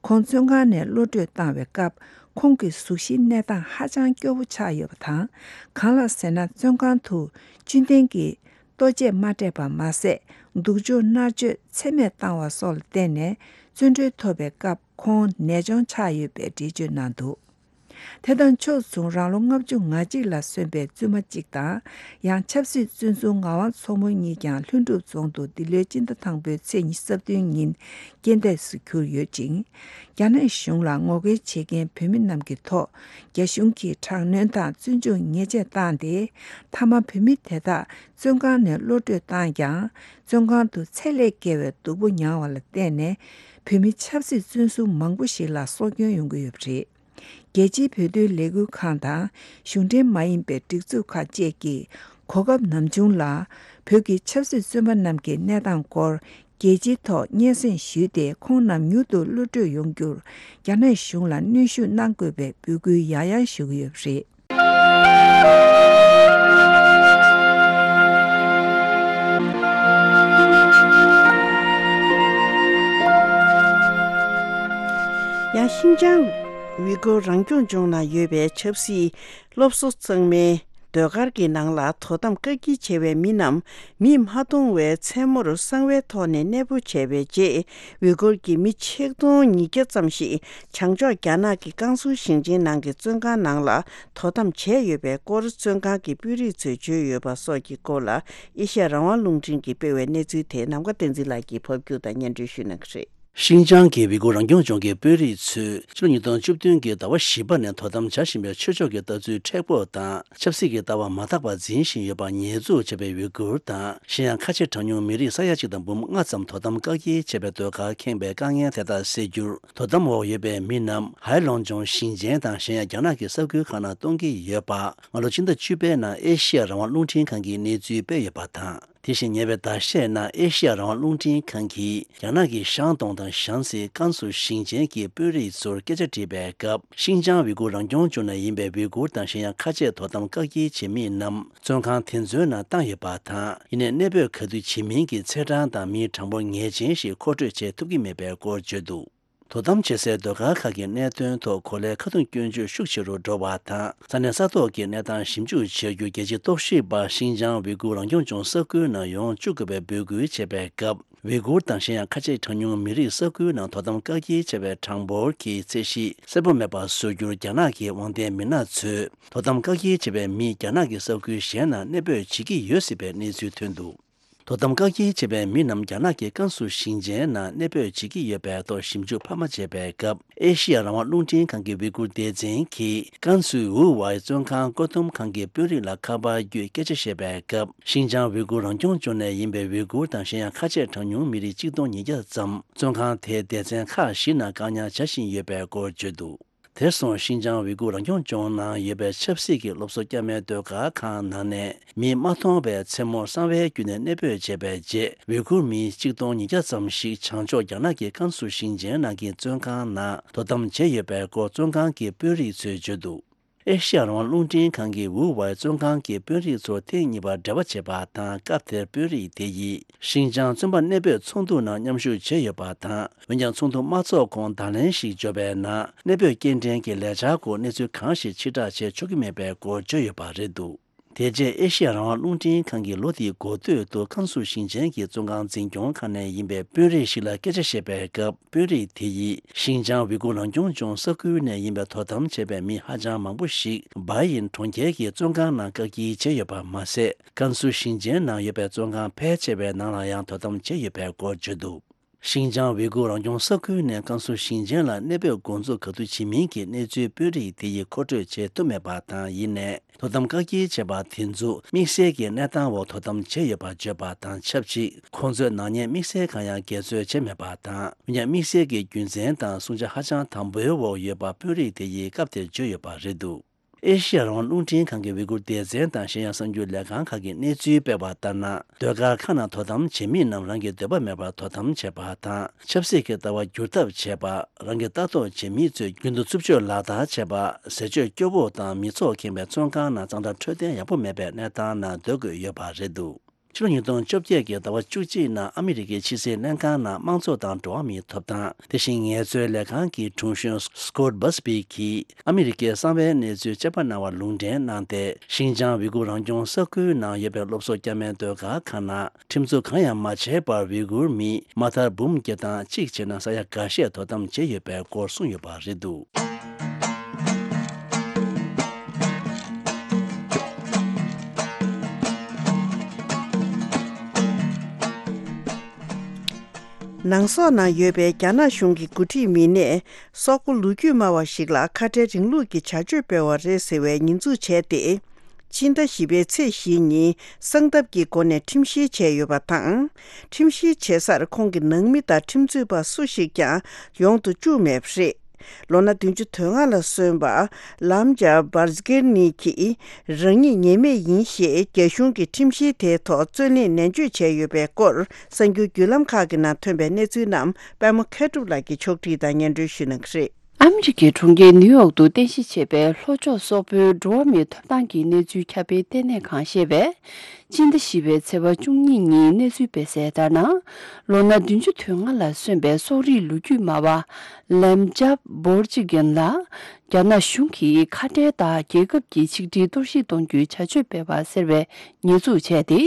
ཁོང་བཙོན་ཁང་ནས་གློད་བཀྲོལ་བཏང་བའི་སྐབས། ཁོང་གི་གཟུགས་གཞིའི་གནས་སྟངས་ཧ་ཅང་སྐྱོ་བོ་ཆགས་ཡོད་པ་དང་། གང་ལགས་ཟེར་ན། བཙོན་ཁང་དུ་བཅུད་ལྡན་གྱི་ལྟོ་ཆས་མ་སྤྲད་པ་མ་ཟད། སྡུག་སྦྱོང་མནར་གཅོད་ཚད་མེད་བཏང་བ་སོགས་ལ་བརྟེན་ནས། བཙོན་གྲོལ་ཐོབ་པའི་སྐབས་ཁོང་ནད་གཅོང་ཆགས་ཡོད་པའི་འགྲེལ་བརྗོད་གནང་འདུག་དེ་དང་ཕྱོགས་མཚུངས། རང་ལོ་ལྔ་བཅུ་ང་གཅིག་ལ་སོན་པའི་བཙུན་མ་གཅིག་དང་། ཡང་ཆབ་སྲིད་བཙོན་ཟུར་ངག་དབང་མཚོ་མོ་གཉིས་ཀྱང་ལྷུན་གྲུབ་རྫོང་དུ་འདི་ལོའི་སྤྱི་ཟླ་དང་པོའི་ཚེས་ཉི་ཤུ་རྩ་བདུན་ཉིན་རྐྱེན་འདས་སུ་གྱུར་ཡོད་ཅིང་། རྒྱ་ནག་གཞུང་ལ་ངོ་རྒོལ་བྱེད་མཁན་བོད་མི་རྣམས་ཀྱི་ཐོག་རྒྱ་གཞུང་གིས་དྲག་གནོན་དང་བཙོན་འཇུག་ཉེས་ཆད་བཏང་སྟེ། མཐའ་མ་བོད་མི་དེ་དག་བཙོན་ཁང་ནས་གློད་བཀྲོལ་བཏང་ཀྱང་། བཙོན་ཁང་དུ་ཚད་ལས་བརྒལ་བའི་སྡུག་པོ་མྱངས་པ་ལ་བརྟེན་ནས། བོད་མི་ཆབ་སྲིད་བཙོན་ཟུར་མང་པོ་ཞིག་ལ་སྲོག་སྐྱོན་ཡོང་གི་ཡོད་པ་རེད། རྒྱལ་སྤྱིའི་བོད་དོན་ལས་འགུལ་ཁང་དང་གཞུང་འབྲེལ་མ་ཡིན་པའི་སྒྲིག་འཛུགས་ཁག་བཅས་ཀྱིས་གོ་སྐབས་ནམ་བྱུང་ལ་བོད་ཀྱི་ཆབ་སྲིད་བཙོན་པ་རྣམས་ཀྱི་གནས་སྟངས་སྐོར་རྒྱལ་སྤྱིའི་ཐོག་སྙན་སེང་ཞུས་ཏེ། ཁོང་རྣམས་མྱུར་དུ་གློད་བཀྲོལ་ཡོང་རྒྱུར་རྒྱ་ནག་གཞུང་ལ་གནོན་ཤུགས་གནང་དགོས་པའི་འབོད་སྐུལ་ཡང་ཡང་ཞུ་གི་ཡོད་པ་རེད། ཡང་ཤིན་ཅང་ཝི་གོ་རང་སྐྱོང་ལྗོངས་ནང་ཡོད་པའི་ཆབ་སྲིད་སློབ་གསོ་གཙང་མའི་ཟློས་གར་གྱི་ནང་ལ་དོ་དམ་བཀག་སྐྱིལ་བྱས་པའི་མི་རྣམས་མིས་མ་མཐོང་བའི་མཚན་མོར་གསང་བའི་ཐོག་ནས་གནས་སྤོ་བྱས་པའི་རྗེས། ཝི་གུར་གྱི་མི་ཆིག་སྟོང་ཉིས་བརྒྱ་ཙམ་ཞིག་བྱང་ཕྱོགས་རྒྱ་ནག་གི་ཀན་སུའུ་ཞིང་ཆེན་ནང་གི་བཙོན་ཁང་ནང་ལ་དོ་དམ་བྱས་ཡོད་པའི་སྐོར། བཙོན་ཁང་གི་དཔོན་རིགས་ཚོས་བརྗོད་ཡོད་པ་སོགས་ཀྱི་སྐོར་ལ། ཨེ་ཤ་ཡ་རང་དབང་རླུང་འཕྲིན་གྱིས་སྤེལ་བའི་གནས་ཚུལ་དེ་ནམ་མཁའ་བསྟན་འཛིན་ལགས་ཀྱིས་ཕབ་སྒྱུར་དང་སྙན་སྒྲོན་ཞུ་གནང་གི་རེད། ཤིན་ཅང་གི་ཝི་གུར་རང་སྐྱོང་ལྗོངས་ཀྱི་དཔོན་རིགས་ཚོས་ཕྱི་ལོ་ཉིས་སྟོང་བཅུ་བདུན་གྱི་ཟླ་བ་བཞི་པ་ནས་དོ་དམ་བྱ་བཞིན་པའི་ཆོས་ཕྱོགས་ཀྱི་ལྟ་ཚུལ་མཁྲེགས་པོ་དང་། ཆབ་སྲིད་ཀྱི་ལྟ་བ་མ་དག་པ་འཛིན་བཞིན་ཡོད་པ་ཉེས་འཛུགས་བྱས་པའི་ཝི་གུར་དང་། གཞན་ཡང་ཁ་ཆེ་གྲངས་ཉུང་མི་རིགས་ས་ཡ་གཅིག་དང་འབུམ་ལྔ་ཙམ་དོ་དམ་བཀག་སྐྱིལ་བྱས་པའི་ཟློས་གར་ཁེངས་པའི་དཀའ་ངལ་དེ་དག་སེལ་རྒྱུར། དོ་དམ་འོག་ཡོད་པའི་མི་རྣམས་ཧའེ་ལོང་ཅུང་ཞིང་ཆེན་དང་གཞན་ཡང་རྒྱ་ནག་གི་ས་ཁུལ་ཁག་ནང་གཏོང་གི་ཡོད་པ། སྔ་ལོ་ཕྱི་ཟླ་བཅུ་པའི་ནང་ཨེ་ཤེ་ཡ་རང་དབང་རླུང་འཕྲིན་ཁང་གིས་གནས་ཚུལ་སྤེལ་ཡོད་པ་དང་། དེ་བཞིན་ཉེ་བའི་ཟླ་ཤས་ནང་ཨེ་ཤེ་ཡ་རང་དབང་རླུང་འཕྲིན་ཁང་གིས་རྒྱ་ནག་གི་ཤང་ཏུང་དང་ཞང་སི་ཀན་སུའུ་ཞིང་ཆེན་གྱི་དཔོན་རིགས་ཚོར་སྐད་ཆ་དྲིས་པའི་སྐབས། ཤིན་ཅང་ཝི་གུར་རང་སྐྱོང་ལྗོངས་ནས་ཡིན་པའི་ཝི་གུར་དང་གཞན་ཡང་ཁ་ཆེ་དོ་དམ་བཀག་སྐྱིལ་བྱེད་མི་རྣམས་བཙོན་ཁང་དེ་ཚོའི་ནང་བཏང་ཡོད་པ་དང་། ཡིན་ནའི་གནས་སྤོས་ག་དུས་བྱེད་མིན་གྱི་ཚེས་གྲངས་དང་མིའི་གྲངས་འབོར་ངེས་ཅན་ཞིག་མཁོ་སྤྲོད་བྱེད་ཐུབ་ཀྱི་མེད་པའི་སྐོར་བརྗོད་འདུག་དོ་དམ་བྱེད་སའི་ཟློས་གར་ཁག་གི་གནད་དོན་ཐོག་གོ་ལའི་ཁ་རྡུང་སྐྱོན་བརྗོད་ཤུགས་ཆེ་རུ་འགྲོ་བ་དང་། ས་གནས་ས་ཐོག་གི་གནས་སྟངས་ཞིབ་འཇུག་བྱ་རྒྱུ་རྒྱལ་སྤྱིའི་རྟོག་ཞིབ་པ་ཤིན་ཅང་ཝི་གུར་རང་སྐྱོང་ལྗོངས་ས་ཁུལ་ནང་ཡོང་བཅུག་དགོས་པའི་འབོད་སྐུལ་བྱས་པའི་སྐབས། ཝི་གུར་དང་གཞན་ཡང་ཁ་ཆེ་གྲངས་ཉུང་མི་རིགས་ས་ཁུལ་ནང་དོ་དམ་བཀག་སྐྱིལ་བྱས་པའི་གྲངས་འབོར་གྱི་ཚད་གཞི་གསལ་པོ་མེད་པ་བཟོ་རྒྱུར་རྒྱ་ནག་གི་དབང་ལྡན་མི་སྣ་ཚོས་དོ་དམ་བཀག་སྐྱིལ་བྱས་པའི་མི་རྒྱ་ནག་གི་ས་ཁུལ་གཞན་ནང་གནས་སྤོས་བྱེད་ཀྱི་ཡོད་སྲིད་པའི་གནས་ཚུལ་ཐོན་འདུག་དོ་དམ་བཀག་སྐྱིལ་བྱས་པའི་མི་རྣམས་རྒྱ་ནག་གི་ཀན་སུའུ་ཞིང་ཆེན་ནང་གནས་སྤོས་བྱེད་ཀྱི་ཡོད་པའི་ཐོག་ཞིབ་འཇུག་འཕར་མ་བྱས་པའི་སྐབས། ཨེ་ཤི་ཡ་རང་དབང་རླུང་འཕྲིན་ཁང་གི་ཝི་གུར་སྡེ་ཚན་གྱིས་ཀན་སུའུ་ཝུའུ་ཝའི་བཙོན་ཁང་བཀག་སྡོམ་ཁང་གི་དཔོན་རིགས་ལ་ཁ་པར་བརྒྱུད་སྐད་ཆ་བཤད་པའི་སྐབས། ཤིན་ཅང་ཝི་གུར་རང་སྐྱོང་ལྗོངས་ནས་ཡིན་པའི་ཝི་གུར་དང་གཞན་ཡང་ཁ་ཆེ་གྲངས་ཉུང་མི་རིགས་གཅིག་སྟོང་ཉིས་བརྒྱ་ཙམ་བཙོན་ཁང་དེའི་སྡེ་ཚན་ཁག་བཞི་ནང་བཀག་ཉར་བྱ་བཞིན་ཡོད་པའི་སྐོར་བརྗོད་འདུག་དེར་སོང་ཤིན་ཅང་ཝི་གུར་རང་སྐྱོང་ལྗོངས་ནང་ཡོད་པའི་ཆབ་སྲིད་ཀྱི་སློབ་གསོ་བསྐྱར་མའི་ཟློས་གར་ཁང་ནང་ནས་མིས་མ་མཐོང་བའི་མཚན་མོར་གསང་བའི་བརྒྱུད་ནས་གནས་སྤོས་བྱས་པའི་རྗེས། ཝི་གུར་མི་གཅིག་སྟོང་ཉིས་བརྒྱ་ཙམ་ཞིག་བྱང་ཕྱོགས་རྒྱ་ནག་གི་ཀན་སུའུ་ཞིང་ཆེན་ནང་གི་བཙོན་ཁང་ནང་དོ་དམ་བྱས་ཡོད་པའི་སྐོར་བཙོན་ཁང་གི་དཔོན་རིགས་ཚོས་བརྗོད་འདུག་ཨེ་ཤི་ཡ་རང་དབང་རླུང་འཕྲིན་ཁང་གིས་ཝུའུ་ཝའི་བཙོན་ཁང་གི་དཔོན་རིགས་ཚོར་ཐེངས་གཉིས་པར་འབྲེལ་བ་བྱས་པ་དང་། སྐབས་དེར་དཔོན་རིགས་དེ་ཡིས་ཤིན་ཅང་བཙོན་པ་གནས་སྤོས་ཚོགས་འདུ་ནང་མཉམ་ཞུགས་བྱས་ཡོད་པ་དང་། འོན་ཀྱང་ཚོགས་འདུ་མ་ཚོགས་གོང་བརྡ་ལན་ཞིག་འབྱོར་བའི་ནང་། གནས་སྤོས་སྐྱེལ་འདྲེན་གྱི་ལས་འཆར་སྐོར་གནས་ཚུལ་གང་ཞིག་ཕྱིར་བསྒྲགས་བྱེད་ཆོག་གི་མེད་པའི་སྐོར་བརྗོད་ཡོད་པ་རེད་འདུག་དེ་རྗེས་ཨེ་ཤི་ཡ་རང་དབང་རླུང་འཕྲིན་ཁང་གིས་ལོ་འདིའི་འགོ་སྟོད་དུ་ཀན་སུའུ་ཞིང་ཆེན་གྱི་བཙོན་ཁང་འཛིན་སྐྱོང་ཁང་ནས་ཡིན་པའི་དཔོན་རིགས་ཤིག་ལ་སྐད་ཆ་བཤད་པའི་སྐབས། དཔོན་རིགས་དེ་ཡིས་ཤིན་ཅང་ཝི་གུར་རང་སྐྱོང་ལྗོངས་ས་ཁུལ་ནས་ཡིན་པའི་དོ་དམ་བྱས་པའི་མི་ཧ་ཅང་མང་པོ་ཞིག་སྦའེ་ཡིན་གྲོང་ཁྱེར་གྱི་བཙོན་ཁང་ནང་བཀག་སྐྱིལ་བྱས་ཡོད་པ་མ་ཟད། ཀན་སུའུ་ཞིང་ཆེན་ནང་ཡོད་པའི་བཙོན་ཁང་ཕལ་ཆེ་བའི་ནང་ལ་ཡང་དོ་དམ་བྱས་ཡོད་པའི་སྐོར་བརྗོད་འདུག་ཤིན་ཅང་ཝི་གུར་རང་སྐྱོང་ས་ཁུལ་ནས་ཀན་སུའུ་ཞིང་ཆེན་ལ་གནས་སྤོས་འགོ་འཛུགས་ག་དུས་བྱེད་མིན་གྱི་གནས་ཚུལ་དཔོན་རིགས་དེ་ཡིས་མཁོ་སྤྲོད་བྱེད་ཐུབ་མེད་པ་དང་། ཡིན་ནའི། དོ་དམ་བཀག་སྐྱིལ་བྱས་པ་དེ་ཚོ་དམིགས་བསལ་གྱི་གནས་སྟངས་འོག་དོ་དམ་བྱས་ཡོད་པ་བརྗོད་པ་དང་ཆབས་ཅིག་ཁོང་ཚོས་ནག་ཉེས་དམིགས་བསལ་གང་ཡང་འགལ་འཛོལ་བྱས་མེད་པ་དང་། འོན་ཀྱང་དམིགས་བསལ་གྱི་རྒྱུ་མཚན་དང་བསྲུང་བྱ་ཧ་ཅང་དམ་པོའི་འོག་ཡོད་པ་དཔོན་རིགས་དེ་ཡིས་སྐབས་དེར་བརྗོད་ཡོད་པ་རེད་འདུག་ཨེ་ཤི་ཡ་རང་དབང་རླུང་འཕྲིན་ཁང་གི་ཝི་གུར་སྡེ་ཚན་དང་གཞན་ཡང་གསར་འགྱུར་ལས་ཁང་ཁག་གིས་གནས་ཚུལ་སྤེལ་བ་ལྟར་ན། ཟློས་གར་ཁང་ནང་དོ་དམ་བྱེད་མི་རྣམས་རང་གི་འདོད་པ་མེད་པར་དོ་དམ་བྱེད་པ་དང་། ཆབ་སྲིད་ཀྱི་ལྟ་བ་བསྒྱུར་ཐབས་བྱེད་པ། རང་གི་ལྟ་རྟོག་བྱེད་མི་ཚོས་རྒྱུན་དུ་རྩུབ་སྤྱོད་ལག་བསྟར་བྱེད་པ། ཟས་སྤྱོད་སྐྱོ་བོ་དང་མི་ཚོགས་ཁེངས་པའི་ཚོང་ཁང་ནང་གཙང་སྦྲ་འཕྲོད་བསྟེན་ཡག་པོ་མེད་པའི་གནས་སྟངས་ནང་སྡོད་དགོས་ཡོད་པ་རེད་འདུག་ཕྱི་ལོ་ཉིས་སྟོང་བཅོ་བརྒྱད་ཀྱི་ཟླ་བ་བཅུ་གཅིག་ནང་ཨ་མི་རི་ཀའི་ཕྱི་སྲིད་ལྷན་ཁང་ནང་དམངས་གཙོ་དང་འགྲོ་བ་མིའི་ཐོབ་ཐང་། དེ་བཞིན་ངལ་རྩོལ་ལས་ཁང་གི་དྲུང་གཞོན་Scott Busby གྱིས་ཨ་མི་རི་ཀའི་གསང་བའི་གནས་ཚུལ་དཔྱད་པ་གནང་བར་ལུང་འདྲེན་གནང་སྟེ། ཤིན་ཅང་ཝི་གུར་རང་སྐྱོང་ས་ཁུལ་ནང་ཡོད་པའི་སློབ་གསོ་སྐྱ་མའི་ཟློས་གར་ཁང་ནང་ཁྲིམས་འཛུགས་གང་ཡང་མ་བྱས་པར་ཝི་གུར་མི་མ་མཐར་འབུམ་བརྒྱ་དང་གཅིག་བྱས་ན་ས་ཡ་འགའ་ཤས་དོ་དམ་བྱས་ཡོད་པའི་སྐོར་གསུངས་ཡོད་པ་རེད་འདུག་ནང་སོག་ནང་ཡོད་པའི་རྒྱ་ནག་གཞུང་གི་འགོ་ཁྲིད་མི་སྣས་སོག་པོ་ལོ་རྒྱུས་སྨྲ་བ་ཞིག་ལ་ཁ་བྲལ་རིང་ལུགས་ཀྱི་བྱ་སྤྱོད་སྤེལ་བ་རེད་ཟེར་བའི་ཉེས་འཛུགས་བྱས་ཏེ། སྤྱི་ཟླ་བཞི་པའི་ཚེས་བཞི་ཉིན་གསང་ཐབས་ཀྱི་སྒོ་ནས་ཁྲིམས་བཤེར་བྱས་ཡོད་པ་དང་། ཁྲིམས་བཤེར་བྱེད་སར་ཁོང་གི་ནང་མི་དང་ཁྲིམས་རྩོད་པ་སུ་ཞིག་ཀྱང་ཡོང་དུ་བཅུག་མེད་པ་རེད། ལོ་ན་བདུན་ཅུ་དོན་ལྔ་ལ་སོན་པ་ལམ་ཇ་བར་ཛི་ཀེར་ནི་གྱིས་རང་ཉིད་ཉེས་མེད་ཡིན་ཞེས་རྒྱ་གཞུང་གི་ཁྲིམས་བཤེར་དེའི་ཐོག་རྩོད་གླེང་ནན་བརྗོད་བྱས་ཡོད་པའི་སྐོར་གསར་འགྱུར་བརྒྱུད་ལམ་ཁག་གི་ནང་ཐོན་པའི་གནས་ཚུལ་རྣམས་པད་མ་མཁས་གྲུབ་ལགས་ཀྱིས་ཕྱོགས་སྒྲིག་དང་སྙན་སྒྲོན་ཞུ་གནང་གི་རེད། ཨ་མི་རི་ཀའི་གྲོང་ཁྱེར་ནིའུ་ཡོག་ཏུ་རྟེན་གཞི་བྱས་པའི་ལྷོ་ཕྱོགས་སོག་པོའི་འགྲོ་བ་མིའི་ཐོབ་ཐང་གི་གནས་ཚུལ་ཁྱབ་སྤེལ་ལྟེ་གནས་ཁང་ཞེས་པས། སྤྱི་ཟླ་བཞི་པའི་ཚེས་པ་བཅུ་གཉིས་ཉིན་གནས་ཚུལ་སྤེལ་གསལ་ལྟར་ན། ལོ་ན་བདུན་ཅུ་དོན་ལྔ་ལ་སོན་པའི་སོག་རིགས་ལོ་རྒྱུས་སྨྲ་བ་ལེམ་ཇབ་བོར་ཅི་གན་ལ། རྒྱ་ནག་གཞུང་གིས་ཁ་བྲལ་དང་རྒྱལ་ཁབ་ཀྱི་ཆིག་སྒྲིལ་གཏོར་བཤིག་གཏོང་རྒྱུའི་བྱ་སྤྱོད་སྤེལ་བ་ཟེར་བའི་ཉེས་འཛུགས་བྱས་ཏེ།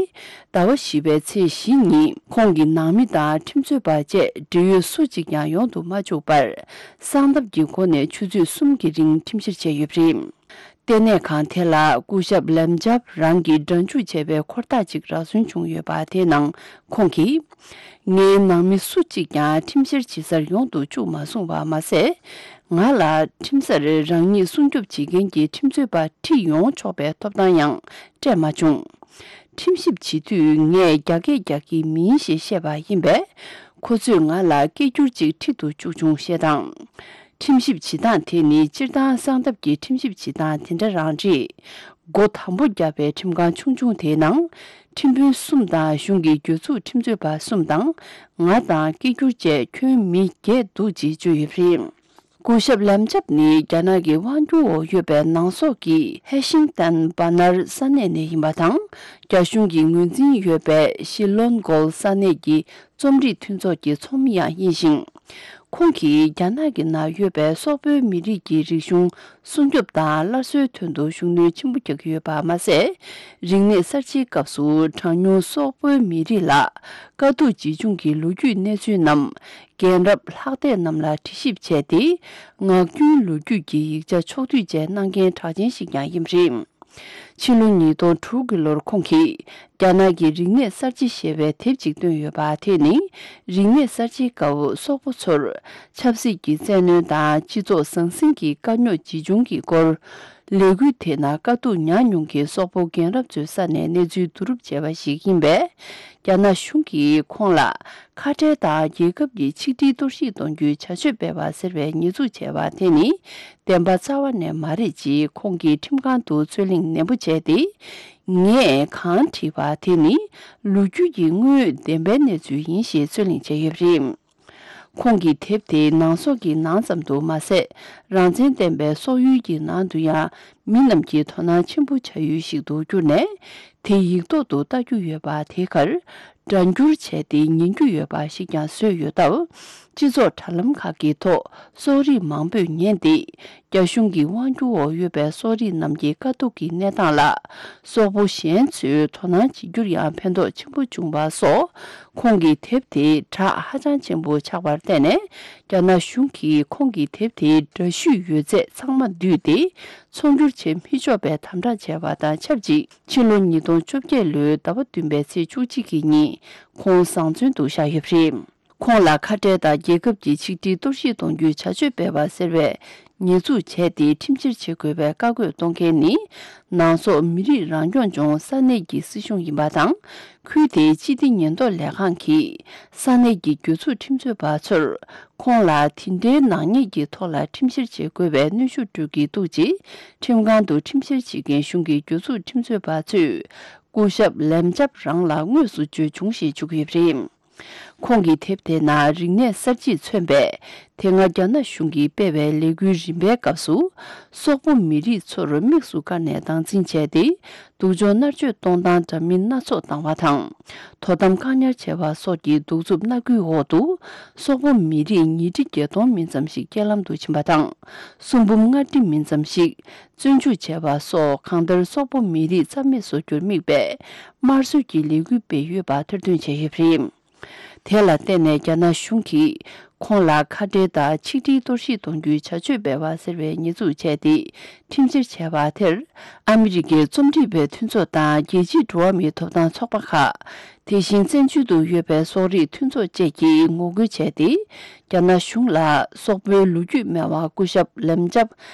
ཟླ་བ་བཞི་པའི་ཚེས་བཞི་ཉིན་ཁོང་གི་ནང་མི་དང་ཁྲིམས་རྩོད་པ་བཅས་འབྲེལ་ཡོད་སུ་གཅིག་ཀྱང་ཡོང་དུ་མ་བཅུག་པར། གསང་ཐབས་ཀྱི་སྒོ་ནས་ཆུ་ཚོད་གསུམ་གྱི་རིང་ཁྲིམས་བཤེར་བྱས་ཡོད་པ་རེད། ལྟེ་གནས་ཁང་དེ་ལ་སྐུ་ཞབས་ལེམ་ཇབ་རང་གིས་སྒྲ་འཇུག་བྱས་པའི་འཁོར་ཐག་ཅིག་རག་སོན་བྱུང་ཡོད་པ་དེའི་ནང་ཁོང་གིས། ངའི་ནང་མི་སུ་གཅིག་ཀྱང་ཁྲིམས་བཤེར་བྱེད་སར་ཡོང་དུ་བཅུག་མ་སོང་བ་མ་ཟད། ང་ལ་ཁྲིམས་སར་རང་ཉིད་སྲུང་སྐྱོབ་བྱེད་མཁན་གྱི་ཁྲིམས་རྩོད་པ་ཁྲིད་ཡོང་ཆོག་པའི་ཐོབ་ཐང་ཡང་སྤྲད་མ་བྱུང་། ཁྲིམས་ཞིབ་བྱེད་དུས་ངས་རྒྱ་སྐད་རྒྱག་གི་མིན་ཞེས་བཤད་པ་ཡིན་པས། ཁོ་ཚོས་ང་ལ་སྐད་སྒྱུར་ཅིག་ཁྲིད་དུ་བཅུག་བྱུང་ཞེས་དང་། ཁྲིམས་ཞིབ་བྱེད་སྟངས་དེ་ནི་སྤྱིར་བཏང་གསང་ཐབས་ཀྱི་ཁྲིམས་ཞིབ་བྱེད་སྟངས་དེ་འདྲ་རང་རེད། སྒོ་དམ་པོ་བརྒྱབ་པའི་ཁྲིམས་ཁང་ཆུང་ཆུང་དེའི་ནང་། ཁྲིམས་དཔོན་གསུམ་དང་གཞུང་གི་གྱོད་ཚུགས་ཁྲིམས་རྩོད་པ་གསུམ་དང་། ང་དང་སྐད་སྒྱུར་བཅས་ཁྱོན་མི་བརྒྱད་འདུག་ཅེས་བརྗོད་ཡོད་པ་རེད། སྐུ་ཞབས་ལམ་ཇབ་ནི་རྒྱ་ནག་གི་དབང་སྒྱུར་འོག་ཡོད་པའི་ནང་སོག་གི་ཧེ་ཤིང་ཏན་བ་ནར་ས་གནས་ནས་ཡིན་པ་དང་། རྒྱ་གཞུང་གི་ངོས་འཛིན་ཡོད་པའི་ཤི་ལོན་གོལ་ས་གནས་ཀྱི་རྩོམ་རིག་མཐུན་ཚོགས་ཀྱི་ཚོགས་མི་ཡང་ཡིན་ཞིང་། ཁོང་གིས་རྒྱ་ནག་གི་ནང་ཡོད་པའི་སོག་པོའི་མི་རིགས་ཀྱི་རིག་གཞུང་སྲུང་སྐྱོབ་དང་སླར་གསོའི་དོན་དུ་ཤུགས་སྣོན་ཆེན་པོ་རྒྱག་གི་ཡོད་པ་མ་ཟད། རིག་གནས་གསར་བརྗེའི་སྐབས་སུ་གྲངས་ཉུང་སོག་པོའི་མི་རིགས་ལ་དཀའ་སྡུག་ཇི་བྱུང་གི་ལོ་རྒྱུས་གནས་ཚུལ་རྣམས་རྒན་རབས་ལྷག་སྡེ་རྣམས་ལ་འདྲི་ཞིབ་བྱས་ཏེ། ངག་རྒྱུན་ལོ་རྒྱུས་ཀྱི་ཡིག་ཆ་ཕྱོགས་བསྡུས་བཅས་གནང་མཁན་གྲགས་ཅན་ཞིག་ཀྱང་ཡིན་པ་རེད། ཕྱི་ལོ་ཉིས་སྟོང་དྲུག་གི་ལོར་ཁོང་གིས་རྒྱ་ནག་གི་རིག་གནས་གསར་བརྗེ་ཞེས་པའི་དེབ་ཅིག་བཏོན་ཡོད་པ། དེ་ནི་རིག་གནས་གསར་བརྗེའི་སྐབས་སོག་པོ་ཚོར་ཆབ་སྲིད་ཀྱི་བཙན་གནོན་དང་སྤྱི་ཚོགས་ཟང་ཟིང་གི་དཀའ་རྙོག་ཇི་བྱུང་གི་སྐོར། ལས་འགུལ་དེ་ནང་དཀའ་སྡུག་མྱངས་མྱོང་མཁན་སོག་པོ་རྒན་རབས་ཚོའི་ས་ནས་གནས་ཚུལ་བསྡུ་རུབ་བྱས་པ་ཞིག་ཡིན་པས། རྒྱ་ནག་གཞུང་གིས་ཁོང་ལ་ཁ་བྲལ་དང་རྒྱལ་ཁབ་ཀྱི་ཆིག་སྒྲིལ་གཏོར་བཤིག་གཏོང་རྒྱུའི་བྱ་སྤྱོད་སྤེལ་བ་ཟེར་བའི་ཉེས་འཛུགས་བྱས་པ་དེ་ནི་བདེན་པ་རྩ་བ་ནས་མ་རེད་ཅེས་ཁོང་གིས་ཁྲིམས་ཁང་དུ་རྩོད་གླེང་ནན་པོ་བྱས་ཏེ། ངས་གང་བྲིས་པ་དེ་ནི་ལོ་རྒྱུས་ཀྱི་དངོས་ཡོད་བདེན་པའི་གནས་ཚུལ་ཡིན་ཞེས་རྩོད་གླེང་བྱས་ཡོད་པ་རེད། ཁོང་གི་དེབ་དེ་ནང་སོག་གི་ནང་ཙམ་དུ་མ་ཟད། རང་བཙན་ལྡན་པའི་སོག་ཡུལ་གྱི་ནང་དུ་ཡང་མི་རྣམས་ཀྱིས་དོ་སྣང་ཆེན་པོ་བྱ་ཡུལ་ཞིག་ཏུ་གྱུར་ནས། དེ་ཡིག་ཐོག་ཏུ་ལྟ་རྒྱུ་ཡོད་པ་དེའི་ཁར། སྒྲ་བསྒྱུར་བྱས་ཏེ་ཉན་རྒྱུ་ཡོད་པ་ཞིག་ཀྱང་བཟོས་ཡོད་སྟབས། སྤྱི་ཚོགས་དྲ་ལམ་ཁག་གི་ཐོག་སོག་རིགས་མང་པོས་ཉན་ཏེ། རྒྱ་གཞུང་གི་དབང་སྒྱུར་འོག་ཡོད་པའི་སོག་རིགས་རྣམས་ཀྱི་དཀའ་སྡུག་གི་གནས་སྟངས་ལ། སོག་པོ་གཞན་ཚོས་དོ་སྣང་བྱེད་རྒྱུར་ཡང་ཕན་ཐོགས་ཆེན་པོ་བྱུང་བ་སོགས། ཁོང་གི་དེབ་དེ་གྲགས་ཧ་ཅང་ཆེན་པོ་ཆགས་པར་བརྟེན་ནས། རྒྱ་ནག་གཞུང་གིས་ཁོང་གི་དེབ་དེའི་འདྲ་བཤུས་ཡོད་ཚད་ཚང་མ་བསྡུས་ཏེ། ཚོང་སྒྱུར་བྱེད་མི་ཆོག་པའི་དམ་དྲག་བྱས་པ་དང་ཆབས་ཅིག་ཕྱི་ལོ་ཉིས་སྟོང་བཅོ་བརྒྱད་ལོའི་ཟླ་བ་བདུན་པའི་ཚེས་བཅུ་གཅིག་གི་ཉིན་ཁོང་བཟང་བཙོན་དུ་བཞག་ཡོད་པ་རེད། ཁོང་ལ་ཁ་བྲལ་དང་རྒྱལ་ཁབ་ཀྱི་ཆིག་སྒྲིལ་གཏོར་བཤིག་གཏོང་རྒྱུའི་བྱ་སྤྱོད་སྤེལ་བ་ཟེར་བའི་ཉེས་འཛུགས་བྱས་ཏེ་ཁྲིམས་བཤེར་བྱེད་དགོས་པའི་བཀའ་བཀོད་གཏོང་མཁན་ནི། ནང་སོག་མི་རིགས་རང་སྐྱོང་ལྗོངས་ས་གནས་ཀྱི་སྲིད་གཞུང་ཡིན་པ་དང་། ཁུལ་དེའི་སྤྱི་བདེ་ཉེན་རྟོག་ལས་ཁང་གིས་ས་གནས་ཀྱི་གྱོད་ཚུགས་ཁྲིམས་རྩོད་པ་ཚོར། ཁོང་ལ་དེ་འདྲའི་ནག་ཉེས་ཀྱི་ཐོག་ལ་ཁྲིམས་བཤེར་བྱེད་དགོས་པའི་གནོན་ཤུགས་སྤྲོད་ཀྱི་འདུག་ཅེས། ཁྲིམས་ཁང་དུ་ཁྲིམས་བཤེར་བྱེད་མཁན་གཞུང་གི་གྱོད་ཚུགས་ཁྲིམས་རྩོད་པ་ཚོས། སྐུ་ཞབས་ལེམ་ཅབ་རང་ལ་དངོས་སུ་བརྗོད་བྱུང་ཞེས་བརྗོད་ཀྱི་ཡོད་པ་རེད། ཁོང་གི་དེབ་དེ་ནང་རིག་གནས་གསར་བརྗེས་མཚོན་པའི། དེ་སྔ་རྒྱ་ནག་གཞུང་གིས་སྤེལ་བའི་ལས་འགུལ་རིམ་པའི་སྐབས་སུ། སོག་པོ་མི་རིགས་ཚོར་དམིགས་སུ་བཀར་ནས་སྟངས་འཛིན་བྱས་ཏེ། སྡུག་སྦྱོང་མནར་གཅོད་གཏོང་སྟངས་འདྲ་མིན་སྣ་ཚོགས་བཏང་བ་དང་། དོ་དམ་བཀག་ཉར་བྱས་པ་སོགས་ཀྱི་གདུག་རྩུབ་མནར་གཅོད་འོག་ཏུ། སོག་པོ་མི་རིགས་ཉིས་ཁྲི་བརྒྱད་སྟོང་མིན་ཙམ་ཞིག་རྐྱེན་ལམ་དུ་ཕྱིན་པ་དང་། གསུམ་འབུམ་ལྔ་ཁྲི་མིན་ཙམ་ཞིག་བཙོན་འཇུག་བྱས་པ་སོགས། གང་ལྟར་སོག་པོ་མི་རིགས་རྩ་མེད་བཟོ་རྒྱུར་དམིགས་པའི་དམར་གསོད་ཀྱི་ལས་འགུལ་སྤེལ་ཡོད་པ་ཐེར་འདོན་བྱས་ཡོད་པ་རེད། དེ་ལ་བརྟེན་ནས་རྒྱ་ནག་གཞུང་གིས་ཁོང་ལ་ཁ་བྲལ་དང་ཆིག་སྒྲིལ་གཏོར་བཤིག་གཏོང་རྒྱུའི་བྱ་སྤྱོད་སྤེལ་བ་ཟེར་བའི་ཉེས་འཛུགས་བྱས་ཏེ། ཁྲིམས་བཤེར་བྱས་པ་དེར། ཨ་མི་རི་ཀའི་རྩོམ་སྒྲིག་པའི་མཐུན་ཚོགས་དང་། རྒྱལ་སྤྱིའི་འགྲོ་བ་མིའི་ཐོབ་ཐང་ཚོགས་པ་ཁག་དེ་བཞིན་བཙན་བྱོལ་དུ་ཡོད་པའི་སོག་རིགས་མཐུན་ཚོགས་བཅས་ཀྱིས་ངོ་རྒོལ་བྱས་ཏེ། རྒྱ་ནག་གཞུང་ལ་སོག་པོའི་ལོ་རྒྱུས་སྨྲ་བ་སྐུ་ཞབས་ལེམ་ཅབ་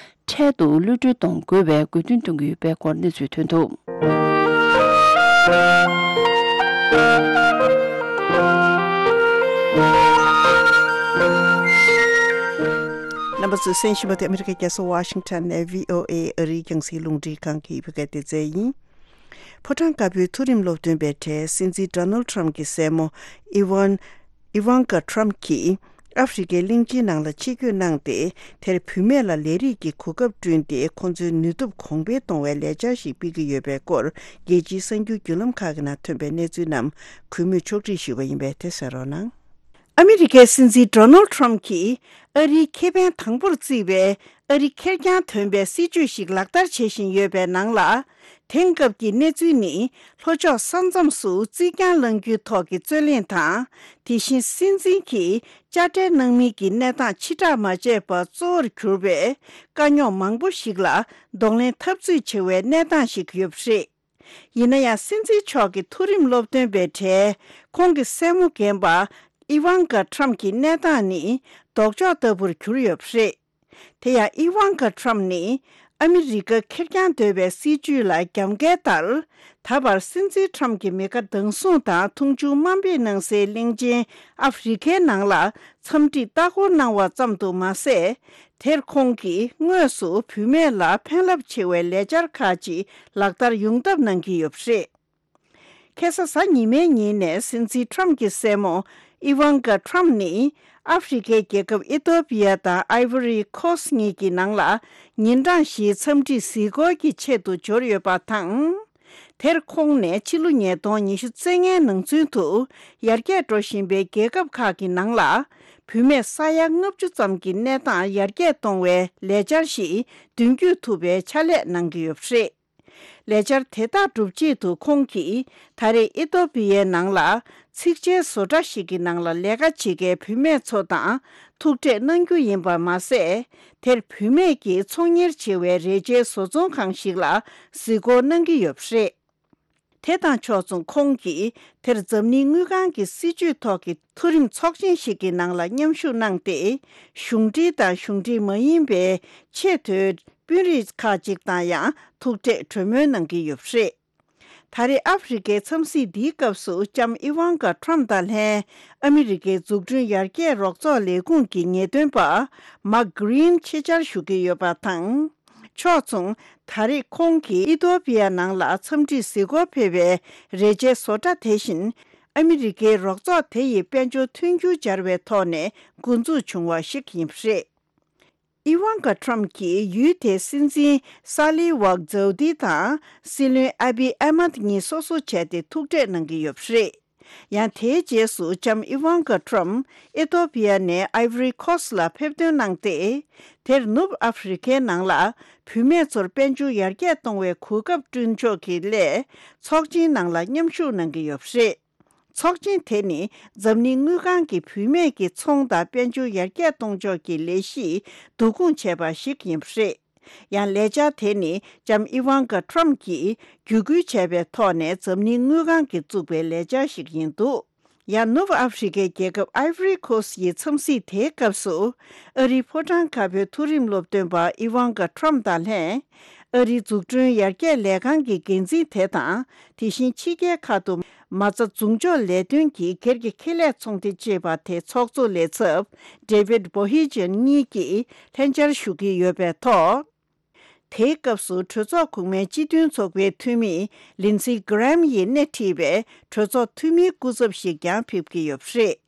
འཕྲལ་དུ་གློད་གྲོལ་གཏོང་དགོས་པའི་དགོས་འདུན་གཏོང་གི་ཡོད་པའི་སྐོར་གནས་ཚུལ་ཐོན་འདུག། རྣམ་པ་ཚོས་གསན་བཞིན་པ་དེ་ཨ་མི་རི་ཀའི་རྒྱལ་ས་ཝ་ཤིང་ཊོན་ནས་བྷི་ཨོ་ཨེ་ཨ་རིའི་རྒྱང་སྲིང་རླུང་འཕྲིན་ཁང་གི་བོད་སྐད་སྡེ་ཚན་ཡིན། ཕོ་བྲང་དཀར་པོའི་མཐོ་རིམ་སློབ་སྟོན་པའི་གྲས་སྲིད་འཛིན་ཌོ་ནལ་ཊམ་གྱི་སྲས་མོ་ཨི་ཝན། ཨི་ཝན་ཀ་ཊམ་གྱིས་ཨ་ཧྥེ་རི་ཁའི་གླིང་ཆེན་ནང་ལ་ཆིབས་བསྒྱུར་གནང་སྟེ། དེར་བུད་མེད་ལ་ལས་རིགས་ཀྱི་གོ་སྐབས་བསྐྲུན་ཏེ། ཁོང་ཚོའི་ནུས་སྟོབས་གོང་འཕེལ་གཏོང་བའི་ལས་འཆར་ཞིག་སྤེལ་གྱི་ཡོད་པའི་སྐོར། རྒྱལ་སྤྱིའི་གསར་འགྱུར་བརྒྱུད་ལམ་ཁག་གི་ནང་ཐོན་པའི་གནས་ཚུལ་རྣམས་གུས་མོས་ཕྱོགས་བསྒྲིགས་ཞུས་པ་ཡིན་པས། དེ་གསན་རོགས་གནང་། ཨ་མི་རི་ཀའི་སྲིད་འཛིན་ཌོ་ནལ་ཊམ་གྱིས་ཨ་རིའི་ཁེ་ཕན་དང་པོར་བརྩིས་པའི་ཨ་རི་ཁེར་རྐྱང་ཐོན་པའི་སྲིད་ཇུས་ཤིག་ལག་བསྟར་བྱེད་བཞིན་ཡོད་པའི་ནང་ལ། དེང་སྐབས་ཀྱི་གནས་ཚུལ་ནི། ལྷོ་ཕྱོགས་ས་མཚམས་སུ་རྩིག་གྱང་བསླང་རྒྱུའི་ཐོག་གི་རྩོད་གླེང་དང་། དེ་བཞིན་སྲིད་འཛིན་གྱིས་དཔྱ་ཁྲལ་གནང་མིན་གྱི་གནས་སྟངས་ཕྱི་བསྒྲགས་མ་བྱས་པར་གཙོ་བོར་གྱུར་པའི་དཀའ་རྙོག་མང་པོ་ཞིག་ལ་གདོང་ལེན་འཐབ་རྩོད་བྱེད་པའི་གནས་སྟངས་ཤིག་ཡོད་པ་རེད། ཡིན་ན་ཡང་། སྲིད་འཛིན་མཆོག་གི་མཐོ་རིམ་སློབ་སྟོན་པའི་གྲས་ཁོང་གི་སྲས་མོ་རྒན་པ་ཨི་ཝན་ཀ་ཊམ་གྱི་གནས་སྟངས་ནི་ལྡོག་ཕྱོགས་ལྟ་བུར་གྱུར་ཡོད་པ་རེད། དེ་ཡང་ཨི་ཝན་ཀ་ཊམ་ནི་ཨ་མི་རི་ཀ་ཁེར་རྐྱང་འདོད་པའི་སྲིད་ཇུས་ལ་རྒྱབ་འགལ་ལྟར། ད་བར་སྲིད་འཛིན་ཊམ་གྱི་མི་ཁ་གདང་སྲུང་དང་མཐོང་ཆུང་དམའ་འབེབས་གནང་སའི་གླིང་ཆེན་ཨ་ཧྥེ་རི་ཁའི་ནང་ལ་འཚམས་འདྲིར་ལྟ་སྐོར་གནང་བ་ཙམ་དུ་མ་ཟད། དེར་ཁོང་གིས་དངོས་སུ་བུད་མེད་ལ་ཕན་རླབས་ཆེ་བའི་ལས་འཆར་ཁག་ཅིག་ལག་བསྟར་ཡོང་ཐབས་གནང་གི་ཡོད་པ་རེད། ཁ་སང་གཟའ་ཉི་མའི་ཉིན་ནས་སྲིད་འཛིན་ཊམ་གྱི་སྲས་མོ་ཨི་ཝན་ཀ་ཊམ་ནི་ཨ་ཧྥེ་རི་ཁའི་རྒྱལ་ཁབ་ཨི་ཐོ་པི་ཡ་དང་ཨའི་བོ་རི་ཁོ་སི་གཉིས་ཀྱི་ནང་ལ་ཉིན་གྲངས་བཞིའི་འཚམས་འདྲིའི་གཟིགས་སྐོར་གྱི་ཆེད་དུ་འབྱོར་ཡོད་པ་དང་། དེར་ཁོང་ནས་ཕྱི་ལོ་ཉིས་སྟོང་ཉི་ཤུ་རྩ་ལྔའི་ནང་ཚུན་དུ་ཡར་རྒྱས་འགྲོ་བཞིན་པའི་རྒྱལ་ཁབ་ཁག་གི་ནང་ལ་བུད་མེད་ས་ཡ་ལྔ་བཅུ་ཙམ་གྱི་གནས་སྟངས་ཡར་རྒྱས་གཏོང་བའི་ལས་འཆར་ཞིག་མདུན་སྐྱོད་ཐུབ་པའི་ཕྱག་ལས་གནང་གི་ཡོད་པ་རེད། ལས་འཆར་དེ་དག་སྒྲུབ་ཆེད་དུ་ཁོང་གིས་ད་རེས་ཨི་ཐོ་པི་ཡའི་ནང་ལ་ཚིགས་བཅད་བཟོ་གྲྭ་ཞིག་གི་ནང་ལ་ལས་ཀ་བྱེད་མཁན་བུད་མེད་ཚོ་དང་ཐུག་འཕྲད་གནང་རྒྱུ་ཡིན་པ་མ་ཟད། དེར་བུད་མེད་ཀྱིས་ཚོང་གཉེར་བྱེད་པའི་རས་ཆའི་བཟོ་ཚོང་ཁང་ཞིག་ལ་གཟིགས་སྐོར་གནང་གི་ཡོད་པ་རེད། དེ་དང་ཕྱོགས་མཚུངས་ཁོང་གིས་དེར་འཛམ་གླིང་དངུལ་ཁང་གི་སྲིད་ཇུས་ཐོག་གི་མཐོ་རིམ་ཚོགས་ཆེན་ཞིག་གི་ནང་ལ་མཉམ་ཞུགས་གནང་སྟེ། གཞུང་འབྲེལ་དང་གཞུང་འབྲེལ་མ་ཡིན་པའི་ཆེས་མཐོའི་དཔོན་རིགས་ཁག་ཅིག་དང་ཡང་ཐུག་འཕྲད་གྲོས་མོལ་གནང་གི་ཡོད་པ་རེད། ད་རེས་ཨ་ཧྥེ་རི་ཁའི་འཚམས་གཟིགས་འདིའི་སྐབས་སུ་ལྕམ་ཨི་ཝན་ཀ་ཊམ་དང་ལྷན་ཨ་མི་རི་ཀའི་འཛུགས་སྐྲུན་ཡར་རྒྱས་རོགས་ཚོགས་ལས་ཁུངས་ཀྱི་ངེས་སྟོན་པ་མཱག་གྷི་རིན་ཆེད་བཅར་ཞུ་གི་ཡོད་པ་དང་། ཕྱོགས་མཚུངས། ད་རེས་ཁོང་གིས་ཨི་ཐོ་པི་ཡ་ནང་ལ་འཚམས་འདྲིར་གཟིགས་སྐོར་ཕེབས་པའི་རས་ཆའི་བཟོ་གྲྭ་དེ་བཞིན་ཨ་མི་རི་ཀའི་རོགས་ཚོགས་དེ་ཡི་དཔལ་འབྱོར་མཐུན་འགྱུར་སྦྱར་བའི་ཐོག་ནས་འགོ་འཛུགས་བྱུང་བ་ཞིག་ཡིན་པ་རེད། ཨི་ཝན་ཀ་ཊམ་གྱིས་ཡུལ་དེའི་སྲིད་འཛིན་ས་ལི་ཝག་ཛའུ་དི་དང་སྲིད་བློན་ཨ་བི་ཨ་མད་གཉིས་སོ་སོ་བྱས་ཏེ་ཐུག་འཕྲད་གནང་གི་ཡོད་པ་རེད། ཡང་དེའི་རྗེས་སུ་ལྕམ་ཨི་ཝན་ཀ་ཊམ་ཨི་ཐོ་པི་ཡ་ནས་ཨའི་བྷོ་རི་ཁོ་སི་ལ་ཕེབས་ཐོན་གནང་སྟེ། དེར་ནུབ་ཨ་ཧྥེ་རི་ཁའི་ནང་ལ་བུད་མེད་ཚོར་དཔལ་འབྱོར་ཡར་རྒྱས་གཏོང་བའི་གོ་སྐབས་བསྐྲུན་ཕྱོགས་ཀྱི་སླད་ཚོགས་ཆེན་ནང་ལ་མཉམ་ཞུགས་གནང་གི་ཡོད་པ་རེད། ཚོགས་ཆེན་དེ་ནི་འཛམ་གླིང་དངུལ་ཁང་གི་བུད་མེད་ཀྱི་ཚོང་དང་དཔལ་འབྱོར་ཡར་རྒྱས་གཏོང་ཕྱོགས་ཀྱི་ལས་གཞིས་བསྡུ་སྐོང་བྱས་པ་ཞིག་ཡིན་པ་རེད། ཡང་ལས་འཆར་དེ་ནི་ལྕམ་ཨི་ཝན་ཀ་ཊམ་གྱིས་བརྒྱུད་སྐུལ་བྱས་པའི་ཐོག་ནས་འཛམ་གླིང་དངུལ་ཁང་གིས་བཙུགས་པའི་ལས་འཆར་ཞིག་ཡིན་འདུག། ཡང་ནུབ་ཨ་ཧྥེ་རི་ཁའི་རྒྱལ་ཁབ་ཨའི་ཝི་རི་ཁོ་སི་ཡི་འཚམས་གཟིགས་དེའི་སྐབས་སུ། ཨ་རིའི་ཕོ་བྲང་དཀར་པོའི་མཐོ་རིམ་སློབ་སྟོན་པ་ཨི་ཝང་ཀ་ཁྲམ་དང་ལྷན། ཨ་རིའི་འཛུགས་སྐྲུན་ཡར་རྒྱས་ལས་ཁང་གི་འགན་འཛིན་དེ་དང་། དེ་བཞིན་ཕྱི་རྒྱལ་ཁག་ཏུ་མ་རྩ་འཛུགས་འཇོག་ལས་དོན་གྱི་སྒེར་གྱི་ཁེ་ལས་ཚོང་སྡེ་ཅེས་པ་དེའི་ཚོགས་གཙོ་ལས་ཚབ་David Bohejien གཉིས་ཀྱིས་ལྷན་བཅར་ཞུ་གི་ཡོད་པའི་ཐོག་དེའི་སྐབས་སུ་གྲོས་ཚོགས་གོང་མའི་སྤྱི་མཐུན་ཚོགས་པའི་འཐུས་མི་Lindsey Graham ཡིས་སྣེ་ཁྲིད་པའི་གྲོས་ཚོགས་འཐུས་མིའི་སྐུ་ཚབ་ཞིག་ཀྱང་ཕེབས་ཀྱི་ཡོད་པ་རེད།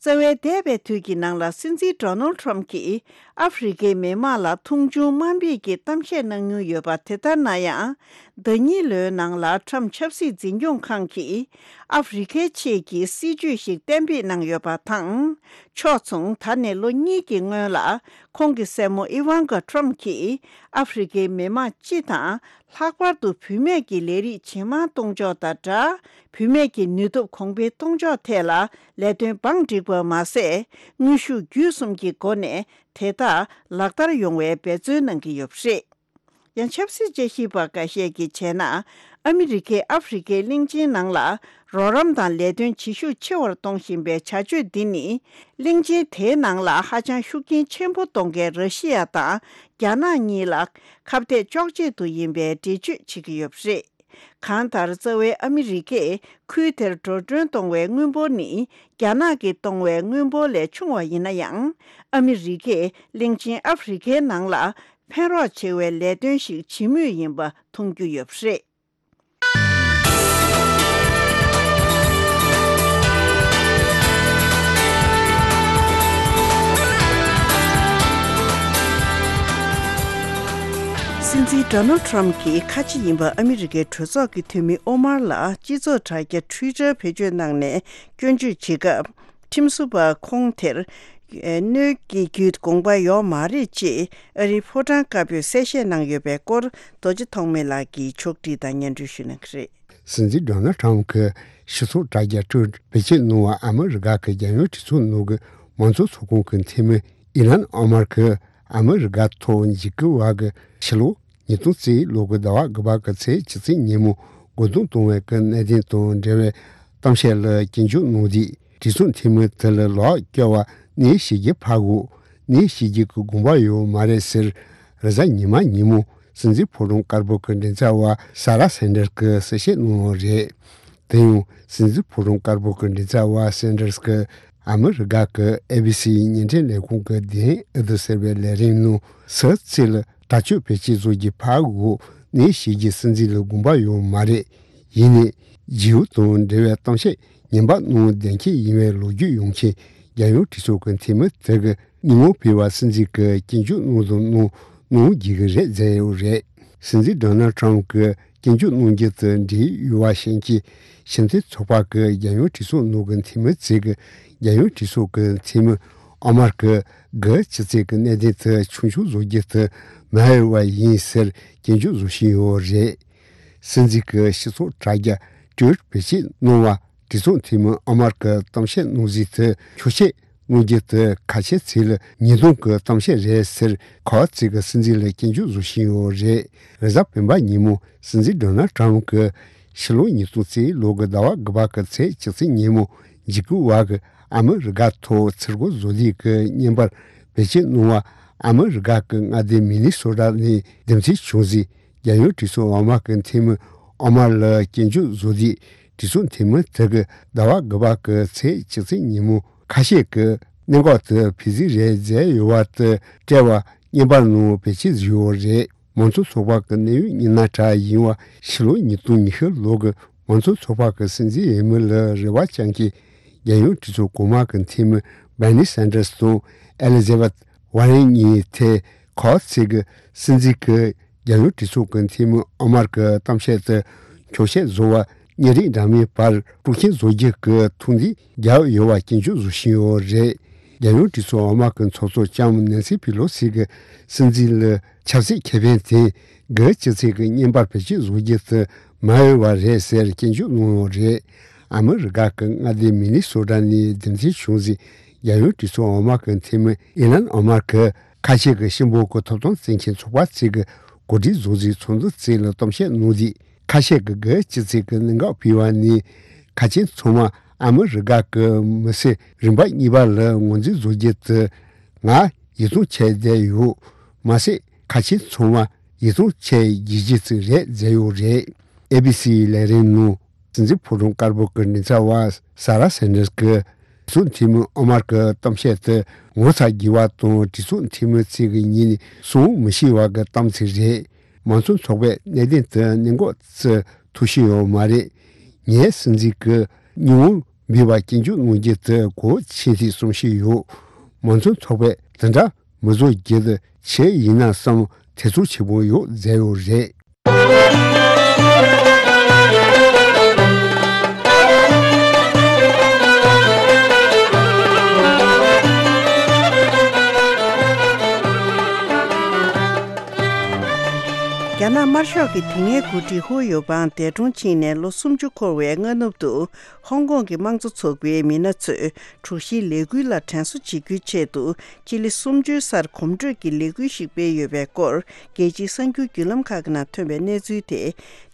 རྩ་བའི་འདས་པའི་དུས་ཀྱི་ནང་ལ་སྲིད་འཛིན་Donald Trump གྱིས་ཨ་ཧྥེ་རི་ཁའི་མི་དམངས་ལ་མཐོང་ཆུང་དམའ་འབེབས་ཀྱི་གཏམ་བཤད་གནང་མྱོང་ཡོད་པ་དེ་ལྟར་ན་ཡང་། ཟླ་གཉིས་ལོའི་ནང་ལ་Trump ཆབ་སྲིད་འཛིན་སྐྱོང་ཁང་གིས་ཨ་ཧྥེ་རི་ཁའི་ཆེད་ཀྱི་སྲིད་ཇུས་ཤིག་གཏན་འབེབས་གནང་ཡོད་པ་དང་། ཕྱོགས་མཚུངས་ད་ནས་ལོ་གཉིས་ཀྱི་སྔོན་ལ་ཁོང་གི་སྲས་མོ་ཨི་ཝང་ཀ་ཁྲམ་གྱིས་ཨ་ཧྥེ་རི་ཁའི་མི་དམངས་སྤྱི་དང་། ལྷག་པར་དུ་བུད་མེད་ཀྱི་ལས་རིགས་ཇེ་མང་གཏོང་ཕྱོགས་དང་སྦྲགས། བུད་མེད་ཀྱི་ནུས་སྟོབས་གོང་འཕེལ་གཏོང་ཕྱོགས་ཐད་ལ་ལས་དོན་བང་བསྒྲིགས་པ་མ་ཟད། དངོས་ཤུགས་བརྒྱུད་གསུམ་གྱི་སྒོ་ནས་དེ་དག་ལག་བསྟར་ཡོང་བའི་འབད་བརྩོན་གནང་གི་ཡོད་པ་རེད། ཡང་ཆབ་སྲིད་དཔྱད་ཞིབ་པ་འགའ་ཤས་ཀྱིས་བྱས་ན། ཨ་མི་རི་ཀས་ཨ་ཧྥེ་རི་ཁའི་གླིང་ཆེན་ནང་ལ་རོགས་རམ་དང་ལས་དོན་བྱེད་ཤུགས་ཆེ་བར་གཏོང་བཞིན་པའི་བྱ་སྤྱོད་འདི་ནི། གླིང་ཆེན་དེའི་ནང་ལ་ཧ་ཅང་ཤུགས་རྐྱེན་ཆེན་པོ་གཏོང་མཁན་ར་ཤི་ཡ་དང་རྒྱ་ནག་གཉིས་ལ་ཁ་གཏད་གཅོག་ཆེད་དུ་ཡིན་པའི་འགྲེལ་བརྗོད་བྱེད་ཀྱི་ཡོད་པ་རེད། གང་ལྟར་རྩ་བའི་ཨ་མི་རི་ཀས་ཁུལ་དེར་འགྲོ་གྲོན་གཏོང་བའི་དངུལ་འབོར་ནི་རྒྱ་ནག་གིས་གཏོང་བའི་དངུལ་འབོར་ལས་ཆུང་བ་ཡིན་ན་ཡང་། ཨ་མི་རི་ཀས་གླིང་ཆེན་ཨ་ཧྥེ་རི་ཁའི་ནང་ལ་ཕན་རོགས་བྱེད་པའི་ལས་དོན་ཞིག་བྱེད་མུས་ཡིན་པ་མཐོང་རྒྱུ་ཡོད་པ་རེད། སྲིད་འཛིན་Donald Trump གྱིས་ཁ་ཆེ་ཡིན་པ་ཨ་མི་རི་ཀའི་གྲོས་ཚོགས་ཀྱི་འཐུས་མི་ཨོ་མར་ལ་སྤྱི་ཚོགས་དྲ་རྒྱ་Twitter་བེད་སྤྱོད་གནང་ནས་སྐྱོན་བརྗོད་བྱེད་སྐབས། ཁྲིམས་བཟོ་བ་ཁོང་དེར་གནོད་སྐྱེལ་རྒྱུའི་དགོངས་པ་ཡོད་མ་རེད་ཅེས་ཨ་རིའི་ཕོ་བྲང་དཀར་པོས་གསལ་བཤད་གནང་ཡོད་པའི་སྐོར། རྡོ་རྗེ་ཐོགས་མེད་ལགས་ཀྱིས་ཕྱོགས་བསྒྲིགས་དང་སྙན་སྒྲོན་ཞུ་གནང་གི་རེད། སྲིད་འཛིན་Donald Trump གྱི་སྤྱི་ཚོགས་དྲ་རྒྱ་Truth བེད་སྤྱོད་གནང་བ་ཨ་མི་རི་ཀ་གི་རྒྱལ་ཡོངས་གྲོས་ཚོགས་ནང་གི་མང་གཙོ་ཚོགས་ཁང་གི་འཐུས་མི་ཨི་ལན་ཨོ་མར་གྱིས་ཨ་མི་རི་ཀ་ཐོག་འཇིགས་སྐུལ་བ་གི་ཕྱི་ལོ་ཉིས་སྟོང་གཅིག་ལོ་གི་ཟླ་བ་དགུ་པ་གི་ཚེས་བཅུ་གཅིག་ཉིན་མོ་རྒོལ་རྡུང་གཏོང་བའི་གི་གནད་དོན་དང་འབྲེལ་བའི་གཏམ་བཤད་ལ་སྐྱོན་བརྗོད་གནང་དུས། གྲོས་ཚོགས་འཐུས་མི་དེ་ལ་ལོག་སྐྱོར་བ་གནས་བྱེད་རྒྱུ་ཕར་འགོག་གནས་བྱེད་རྒྱུ་གི་དགོངས་པ་ཡོད་མ་རེད་ཟེར། རེས་གཟའ་ཉི་མ་ཉིན་མོ་སྲིད་འཛིན་ཕོ་བྲང་དཀར་པོ་གི་མགྲིན་ཚབ་པ་ས་ར་སན་ཌར་གྱིས་གསལ་བཤད་གནང་བ་རེད། དེ་ཡང་སྲིད་འཛིན་ཕོ་བྲང་དཀར་པོ་གི་མགྲིན་ཚབ་པ་སན་ཌར་གྱིས་ཨ་མི་རི་ཀ་གི་ཨེ་བི་སི་བརྙན་འཕྲིན་ལས་ཁུངས་ཀྱི་The Hill ཟེར་བའི་ལས་རིམ་ནང་སུད་སི་ལ་དྲག་སྤྱོད་བེད་སྤྱོད་བཟོ་རྒྱུ་ཕར་འགོག་གནས་བྱེད་རྒྱུ་སྲིད་འཛིན་ལ་དགོངས་པ་ཡོད་མ་རེད། ཡིན་ནའི་རྒྱལ་ཡོངས་དང་འབྲེལ་བའི་གཏམ་བཤད་ངན་པ་གནང་གཏན་འཁེལ་ཡིན་པའི་ལོ་རྒྱུས་ཡོང་མཁན་རྒྱལ་ཡོངས་གྲོས་ཚོགས་ཀྱི་འཐུས་མི་དེ་གི་ཉིན་མོ་ཕེབས་པ་སྲིད་འཛིན་གྱི་སྐྱོན་བརྗོད་གནང་དང་གནང་གནང་རྒྱུ་གི་རེད་མཛད་ཡོད་རེད། སྲིད་འཛིན་Donald Trump གྱི་སྐྱོན་བརྗོད་གནང་རྒྱུ་དེ་འབྲེལ་ཡོད་པ་ཤེས་མཁན་ཕྱི་འཐེན་ཚོགས་པ་གི་རྒྱལ་ཡོངས་གྲོས་ཚོགས་ནང་གི་འཐུས་མི་ཚོས་གི་རྒྱལ་ཡོངས་གྲོས་ཚོགས་ཀྱི་འཐུས་མི་ཨོ་མར་གྱི་དགུ་ཅི་ཚེ་གི་གནད་དོན་དེ་ཆུང་ཆུང་བཟོ་རྒྱུ་དེ་མ་འོས་པ་ཡིན་ཟེར་སྐྱོན་བརྗོད་བཟོ་བཞིན་ཡོད་རེད། སྲིད་འཛིན་གྱི་སྤྱི་ཚོགས་དྲ་རྒྱ་Truth བེད་སྤྱོད་གནང་བ་གྲོས་ཚོགས་འཐུས་མི་ཨོ་མར་གྱི་གཏམ་བཤད་གནང་གཟིགས་དེ་འཁྱོག་བཤད་གནང་རྒྱུ་དེ་ཁ་ཆེ་ཚིག་ལ་ཉེས་རྡུང་གི་གཏམ་བཤད་རེད་ཟེར་ཁོ་ཚོས་གི་སྲིད་འཛིན་ལ་སྐྱོན་བརྗོད་བཟོ་བཞིན་ཡོད་རེད། རེས་གཟའ་སྤེན་པ་ཉིན་མོ་སྲིད་འཛིན་Donald Trump གྱིས་ཕྱི་ལོ་ཉིས་སྟོང་གཅིག་ལོ་གི་ཟླ་བ་དགུ་པ་གི་ཚེས་བཅུ་གཅིག་ཉིན་མོ་འཇིགས་སྐུལ་བ་གི་ཨ་མི་རི་ཀ་ཐོག་ཚུར་རྒོལ་བཟོ་ལས་ཀྱི་བརྙན་པར་བེད་སྤྱོད་གནང་བ་ཨ་མི་རི་ཀ་གི་མངའ་སྡེ་མི་ནི་སོ་ཊ་ནས་རྒྱུ་མཚན་བྱུང་ཟིག་རྒྱལ་ཡོངས་གྲོས་ཚོགས་འོག་མ་གི་འཐུས་མི་ཨོ་མར་ལ་སྐྱོན་བརྗོད་བཟོ་དུས་གྲོས་ཚོགས་འཐུས་མི་དེ་གི་ཟླ་བ་དགུ་པ་གི་ཚེས་བཅུ་གཅིག་ཉིན་མོ་ཁ་ཤས་ཀྱིས་གནད་འགག་དེ་ཕྱི་གཟིགས་རེད་མཛད་ཡོད་པ་དེ་བཀྲལ་བ་བརྙན་པར་ནང་བེད་སྤྱོད་བཟོས་ཡོད་རེད། མང་གཙོ་ཚོགས་པ་གི་གནད་ཡོད་མི་སྣ་གྲས་ཡིན་པ་ཕྱི་ལོ་ཉིས་སྟོང་ཉི་ཤུ་ལོ་གི་མང་གཙོ་ཚོགས་པ་གི་སྲིད་འཛིན་འོས་མི་ལ་རེ་བ་བཅངས་ཀྱི་རྒྱལ་ཡོངས་གྲོས་ཚོགས་གོང་མ་གི་འཐུས་མི་Bernie Sanders དང་Elizabeth Warren གཉིས་ཐད་ཁོ་ཚོས་གི་སྲིད་འཛིན་གི་རྒྱལ་ཡོངས་གྲོས་ཚོགས་ཀྱི་འཐུས་མི་ཨོ་མར་གྱི་གཏམ་བཤད་དེ་འཁྱོག་བཤད་བཟོ་བར་གཉེན་སྒྲིག་འདྲ་མིན་བར་དཀྲུག་རྐྱེན་བཟོ་རྒྱུ་གི་ཐུགས་འདུན་རྒྱག་ཡོད་པ་སྐྱོན་བརྗོད་བཟོ་བཞིན་ཡོད་རེད། རྒྱལ་ཡོངས་གྲོས་ཚོགས་འོག་མ་གི་ཚོགས་གཙོ་ལྕམ་ནན་སི་པི་ལོ་སི་གིས་སྲིད་འཛིན་ལ་ཆབ་སྲིད་ཁེ་ཕན་དེ་གི་སྤྱི་ཚོགས་ཀྱི་བརྙན་པར་བེད་སྤྱོད་བཟོ་རྒྱུ་དེ་མ་འོས་པ་རེད་ཟེར་སྐྱོན་བརྗོད་གནང་ཡོད་རེད། ཨ་མི་རི་ཀ་གི་མངའ་སྡེ་མི་ནི་སོ་ཊ་ནས་རྒྱུ་མཚན་བྱུང་ཟིག་རྒྱལ་ཡོངས་གྲོས་ཚོགས་འོག་མ་གི་འཐུས་མི་ཨི་ལན་ཨོ་མར་གྱིས་ཁ་ཤས་ཀྱི་སྤྱི་འབོར་གྱི་ཐོབ་ཐང་བརྩི་མཁན་ཚོགས་པ་ཚོས་ཀྱི་གོ་སྒྲིག་བཟོ་རྩིས་ཚོགས་འདུ་བཅས་ལ་གཏམ་བཤད་གནང་དུས་ཁ་ཤས་ཀྱིས་གི་སྤྱི་ཚོགས་ཀྱི་གནད་འགག་ཕུད་པ་ནི་ཁ་ཆེ་ཚང་མ་ ཨ་མི་རི་ཀ་གི་མི་སེར་རིམ་པ་གཉིས་པ་ལ་ངོས་འཛིན་བཟོ་རྒྱུ་དེ་ང་ཡིད་ཚིམ་བྱས་བསྡད་ཡོད། མ་ཟད་ཁ་ཆེ་ཚང་མ་ཡིད་ཚིམ་བྱས་རྒྱུ་ཅིག་རེད་བཟོས་ཡོད་རེད། ཨེ་བི་སི་ལས་རིམ་ནང་སྲིད་འཛིན་ཕོ་བྲང་དཀར་པོ་གི་མགྲིན་ཚབ་པ་ས་ར་སན་ཌར་སི་གིས་སྲིད་འཛིན་འཐུས་མི་ཨོ་མར་གྱི་གཏམ་བཤད་དེ་ངོ་ཚ་དགོས་པ་དང་གྲོས་ཚོགས་འཐུས་མི་ཚོས་ཉན་ནས་བསམ་མི་ཤེས་པ་གི་གཏམ་ཚིག་རེད། མང་གཙོ་ཚོགས་པས་གནད་དོན་དེ་གནད་འགག་བརྩི་ཐུབ་ཀྱི་ཡོད་མ་རེད། ངའི་སྲིད་འཛིན་གྱི་སྙིང་དབང་འབུལ་བ་སྐྱོན་བརྗོད་གནང་རྒྱུ་དེ་གལ་ཆེན་ཞིག་བསམ་གྱི་ཡོད། མང་གཙོ་ཚོགས་པས་དེ་འདྲ་མི་བཟོ་རྒྱུ་དེ་ཆི་ཡིན་ན་བསམ་ཐེ་ཚོམ་ཆེན་པོ་ཡོད་བཟོས་ཡོད་རེད། རྒྱ་ནག་དམར་ཤོག་གི་དེ་སྔའི་འགོ་ཁྲིད་ཧུའུ་ཡོ་པང་འདས་གྲོངས་ཕྱིན་ནས་ལོ་སུམ་ཅུ་འཁོར་བའི་སྔ་ནུབ་ཏུ། ཧོང་ཀོང་གི་དམངས་གཙོ་ཚོགས་པའི་མི་སྣ་ཚོས་དྲུག་བཞིའི་ལས་འགུལ་ལ་དྲན་གསོ་བྱེད་རྒྱུའི་ཆེད་དུ་སྤྱི་ལེ་སུམ་ཅུའི་སར་གོམ་བགྲོད་ཀྱི་ལས་འགུལ་ཞིག་སྤེལ་ཡོད་པའི་སྐོར་རྒྱལ་སྤྱིའི་གསར་འགྱུར་བརྒྱུད་ལམ་ཁག་གི་ནང་ཐོན་པའི་གནས་ཚུལ་དེ་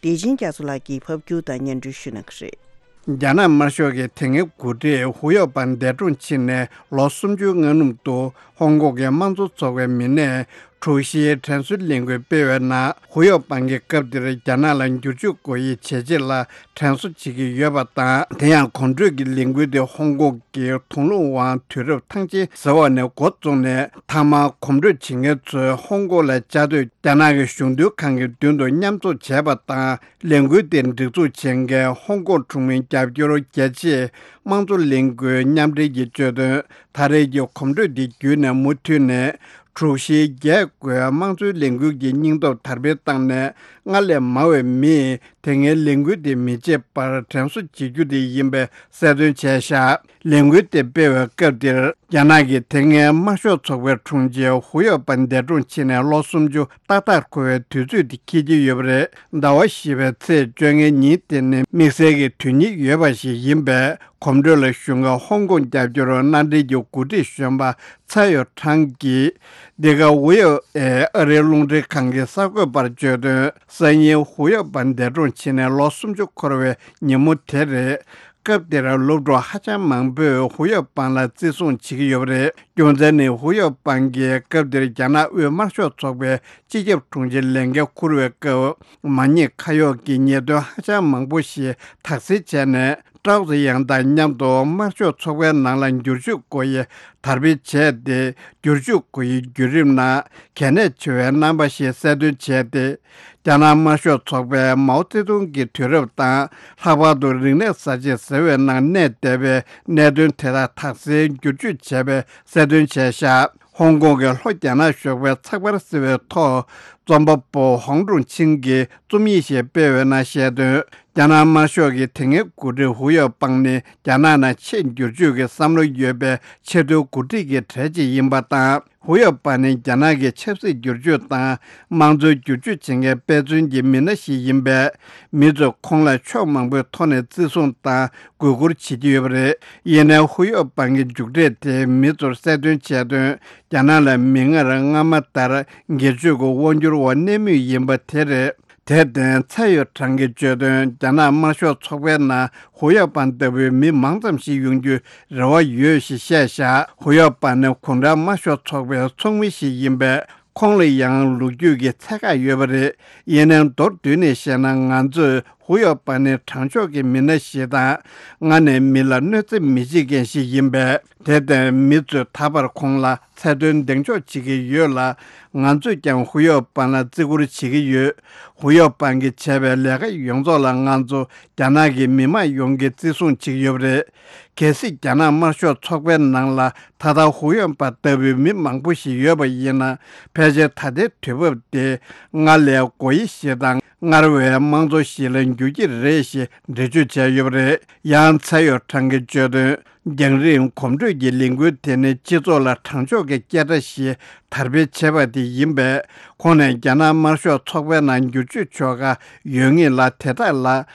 བདེ་ཆེན་རྒྱ་མཚོ་ལགས་ཀྱིས་ཕབ་སྒྱུར་དང་སྙན་སྒྲོན་ཞུ་གནང་གི་རེད། རྒྱ་ནག་དམར་ཤོག་གི་དེ་སྔའི་འགོ་ཁྲིད་ཧུའུ་ཡོ་པང་འདས་གྲོངས་ཕྱིན་ནས་ལོ་སུམ་ཅུའི་སྔ་ནུབ་ཏུ་ཧོང་ཀོང་གི་དམངས་གཙོ་ཚོགས་པའི་མི་སྣས་དྲུག་བཞིའི་དྲན་གསོའི་ལས་འགུལ་སྤེལ་བའི་ནང་ཧུའུ་ཡོ་པང་གིས་སྐབས་དེར་རྒྱ་ནག་ལ་བསྒྱུར་བཅོས་དགོས་ཡའི་བྱས་རྗེས་ལ་དྲན་གསོ་བྱེད་ཀྱི་ཡོད་པ་དང་། དེ་ཡང་གོམ་བགྲོད་ཀྱི་ལས་འགུལ་དེ་ཧོང་ཀོང་གི་དུང་ལུང་ཝང་དུས་རབས་ཐང་ཆེན་ཟེར་བ་ནས་འགོ་བཙུགས་ནས། མཐའ་མར་གོམ་བགྲོད་བྱེད་མཁན་ཚོས་ཧོང་ཀོང་ལ་བཅའ་སྡོད་རྒྱ་ནག་གི་གཞུང་དོན་ཁང་གི་མདུན་དུ་མཉམ་འཛོམས་བྱས་པ་དང་། ལས་འགུལ་དེ་སྒྲིག་འཛུགས་བྱེད་མཁན་ཧོང་ཀོང་གྲོང་མིའི་རྒྱབ་སྐྱོར་རྒྱ་ཆེའི་དམངས་གཙོ་ལས་འགུལ་མཉམ་འབྲེལ་གྱིས་བརྗོད་དོན། ད་རེས་ཀྱི་གོམ་བགྲོད་འདི་བརྒྱུད་ནས་མུ་མཐུད་ནས་དྲུག་བཞིའི་རྒྱས་བཀོད་དམངས་གཙོའི་ལས་འགུལ་གྱི་སྙིང་སྟོབས་དར་སྤེལ་བཏང་ནས། སྔར་ལས་མང་བའི་མིས་དེ་སྔའི་ལས་འགུལ་དེ་མི་བྱེད་པར་དྲན་གསོ་བྱེད་རྒྱུ་དེ་ཡིན་པའི་གསལ་སྟོན་བྱས་བཞག་ལས་འགུལ་དེ་སྤེལ་བའི་སྐབས་འདིར། རྒྱ་ནག་གི་དེ་སྔའི་དམར་ཤོག་ཚོགས་པའི་དྲུང་ཆེ་ཧུའུ་ཡོ་པང་འདས་གྲོངས་ཕྱིན་ནས་ལོ་སུམ་ཅུ་ཏག་ཏག་འཁོར་བའི་དུས་ཚོད་དེ་འཁེལ་གྱི་ཡོད་པ་རེད། ཟླ་བ་བཞི་པའི་ཚེས་བཅོ་ལྔའི་ཉིན་དེ་ནི་དམིགས་བསལ་གྱི་དོན་སྙིང་ཡོད་པ་ཞིག་ཡིན་པས། གོམ་བགྲོད་ལ་ཞུགས་མཁན་ཧོང་ཀོང་རྒྱབ་སྐྱོར་མནའ་འབྲེལ་གྱི་འགོ་ཁྲིད་གཞོན་པ་ཚའེ་ཡོ་ཁྲང་གིས། འདི་ག་ཝི་ཨོ་ཨེ་ཨ་རིའི་རླུང་འཕྲིན་ཁང་གི་གསར་འགོད་པར་བརྗོད་དོན། སང་ཉིན་ཧུའུ་ཡོ་པང་འདས་གྲོངས་ཕྱིན་ནས་ལོ་སུམ་ཅུ་འཁོར་བའི་ཉིན་མོ་དེ་རེད། སྐབས་དེར་སློབ་ཕྲུག་ཧ་ཅང་མང་པོས་ཧུའུ་ཡོ་པང་ལ་བརྩི་སྲུང་བྱེད་ཀྱི་ཡོད་པ་རེད། རྒྱུ་མཚན་ནི་ཧུའུ་ཡོ་པང་གིས་སྐབས་དེར་རྒྱ་ནག་དབུས་དམར་ཤོག་ཚོགས་པའི་སྤྱི་ཁྱབ་དྲུང་ཆེའི་ལས་འགན་འཁུར་བའི་སྐབས། མ་ཉེས་ཁ་གཡོགས་ཀྱི་ཉེས་དོན་ཧ་ཅང་མང་པོ་ཞིག་དག་སེལ་བྱས་ནས། ཀྲའོ་ཙེ་ཡང་དང་མཉམ་དུ་དམར་ཤོག་ཚོགས་པའི་ནང་ལ་བསྒྱུར་བཅོས་དགོས་ཡས་དར་སྤེལ་བྱས་ཏེ། བསྒྱུར་བཅོས་དགོས་ཡས་བརྒྱུད་རིམ་ནང་གལ་གནད་ཆེ་བའི་རྣམ་པ་ཞིག་གསལ་སྟོན་བྱས་ཏེ། རྒྱ་ནག་དམར་ཤོག་ཚོགས་པས་མའོ་ཙེ་ཏུང་གི་དུས་རབས་དང་། ལྷག་པར་དུ་རིག་གནས་གསར་བརྗེ་ཟེར་བའི་ནང་གནས་བསྡད་པའི་གནད་དོན་དེ་དག་དག་སེལ་བསྒྱུར་བཅོས་བྱས་པའི་གསལ་སྟོན་བྱས་བཞག་ཧོང་ཀོང་གི་ལྷོ་རྒྱ་ནག་གཞོགས་པའི་ཚགས་པར་ཟེར་བའི་ཐོག་རྩོམ་པ་པོ་ཧོང་ཀྲུང་ཆིང་གིས་རྩོམ་ཡིག་ཞིག་སྤེལ་བའི་ནང་བཤད་དོན། རྒྱ་ནག་དམར་ཤོག་གི་དེ་སྔའི་འགོ་ཁྲིད་ཧུའུ་ཡོ་པང་ནི་རྒྱ་ནག་ནང་ཆེས་བསྒྱུར་བཅོས་ཀྱི་བསམ་བློ་ཡོད་པའི་ཆེས་མཐོའི་འགོ་ཁྲིད་ཀྱི་གྲས་གཅིག་ཡིན་པ་དང་། ཧུའུ་ཡོ་པང་ནི་རྒྱ་ནག་གི་ཆབ་སྲིད་བསྒྱུར་བཅོས་དང་དམངས་གཙོའི་བསྒྱུར་བཅོས་བྱེད་མཁན་དཔེ་མཚོན་གྱི་མི་སྣ་ཞིག་ཡིན་པས། མི་ཚོས་ཁོང་ལ་ཕྱོགས་མང་པོའི་ཐོག་ནས་བརྩི་སྲུང་དང་གུས་བཀུར་བྱེད་ཀྱི་ཡོད་པ་རེད། ཡིན་ནའི་ཧུའུ་ཡོ་པང་གི་མཇུག་འབྲས་དེ་མི་ཚོར་གསལ་སྟོན་བྱས་དོན། རྒྱ་ནག་ལ་མིག་སྔར་སྔ་མ་ལྟར་སྒེར་གཅོད་ཀྱི་དབང་སྒྱུར་འོག་གནས་མུས་ཡིན་པ་དེ་རེད། དེར་བརྟེན་ཚའེ་ཡོ་ཁྲང་གིས་བརྗོད་དོན། རྒྱ་ནག་དམར་ཤོག་ཚོགས་པའི་ནང་ཧུའུ་ཡོ་པང་ལྟ་བུའི་མི་མང་ཙམ་ཞིག་ཡོང་རྒྱུའི་རེ་བ་ཡོད་ཞེས་བཤད་བཞག་ཧུའུ་ཡོ་པང་ནི་གུང་ཁྲན་དམར་ཤོག་ཚོགས་པའི་ཚོགས་མི་ཞིག་ཡིན་པས། ཁོང་ལ་ཡང་ལོ་རྒྱུས་ཀྱི་ཚད་བཀག་ཡོད་པ་རེད། ཡིན་ནའང་མདོར་བསྡུས་ནས་བཤད་ན། ང་ཚོས་ཧུའུ་ཡོ་པང་ནི་དྲང་ཕྱོགས་ཀྱི་མི་སྣ་ཞིག་དང་། ང་ནི་མི་ལ་གནོད་འཚེ་མི་བྱེད་མཁན་ཞིག་ཡིན་པས། དེར་བརྟེན་མི་ཚོས་ད་བར་ཁོང་ལ་ཚད་མཐོའི་གདེང་འཇོག་བྱེད་ཀྱི་ཡོད་ལ། ང་ཚོས་ཀྱང་ཧུའུ་ཡོ་པང་ལ་བརྩི་བཀུར་བྱེད་ཀྱི་ཡོད། ཧུའུ་ཡོ་པང་གིས་བྱས་པའི་ལས་ཀ་ཡོངས་རྫོགས་ལ་ང་ཚོ་རྒྱ་ནག་གི་མི་མང་ཡོངས་ཀྱིས་བརྩི་སྲུང་བྱེད་ཀྱི་ཡོད་པ་རེད། གལ་སྲིད་རྒྱ་ནག་དམར་ཤོག་ཚོགས་པའི་ནང་ལ་ད་ལྟ་ཧུའུ་ཡོན་པ་ལྟ་བུའི་མི་མང་པོ་ཞིག་ཡོད་པ་ཡིན་ན། ཕལ་ཆེར་ད་ལྟའི་དུས་བབ་དེ་སྔར་ལས་སྒོ་དབྱེ་ཞིག་དང་སྔར་བས་དམངས་གཙོ་ཞིག་ལ་འགྱུར་གྱི་རེད་ཞེས་འགྲེལ་བརྗོད་བྱས་ཡོད་པ་རེད། ཡང་ཚའེ་ཡོ་ཁྲང་གིས་བརྗོད་དོན། རྒྱང་རིང་གོམ་བགྲོད་ཀྱི་ལས་འགུལ་དེ་ནི་སྤྱི་ཚོགས་ལ་དྲང་ཕྱོགས་ཀྱི་སྐད་སྒྲ་ཞིག་དར་སྤེལ་བྱས་པ་དེ་ཡིན་པས། ཁོང་ནས་རྒྱ་ནག་དམར་ཤོག་ཚོགས་པའི་ནང་བསྒྱུར་བཅོས་ཆོག་ག་ཡོད་ངེས་ལ། དེ་དག་ལ་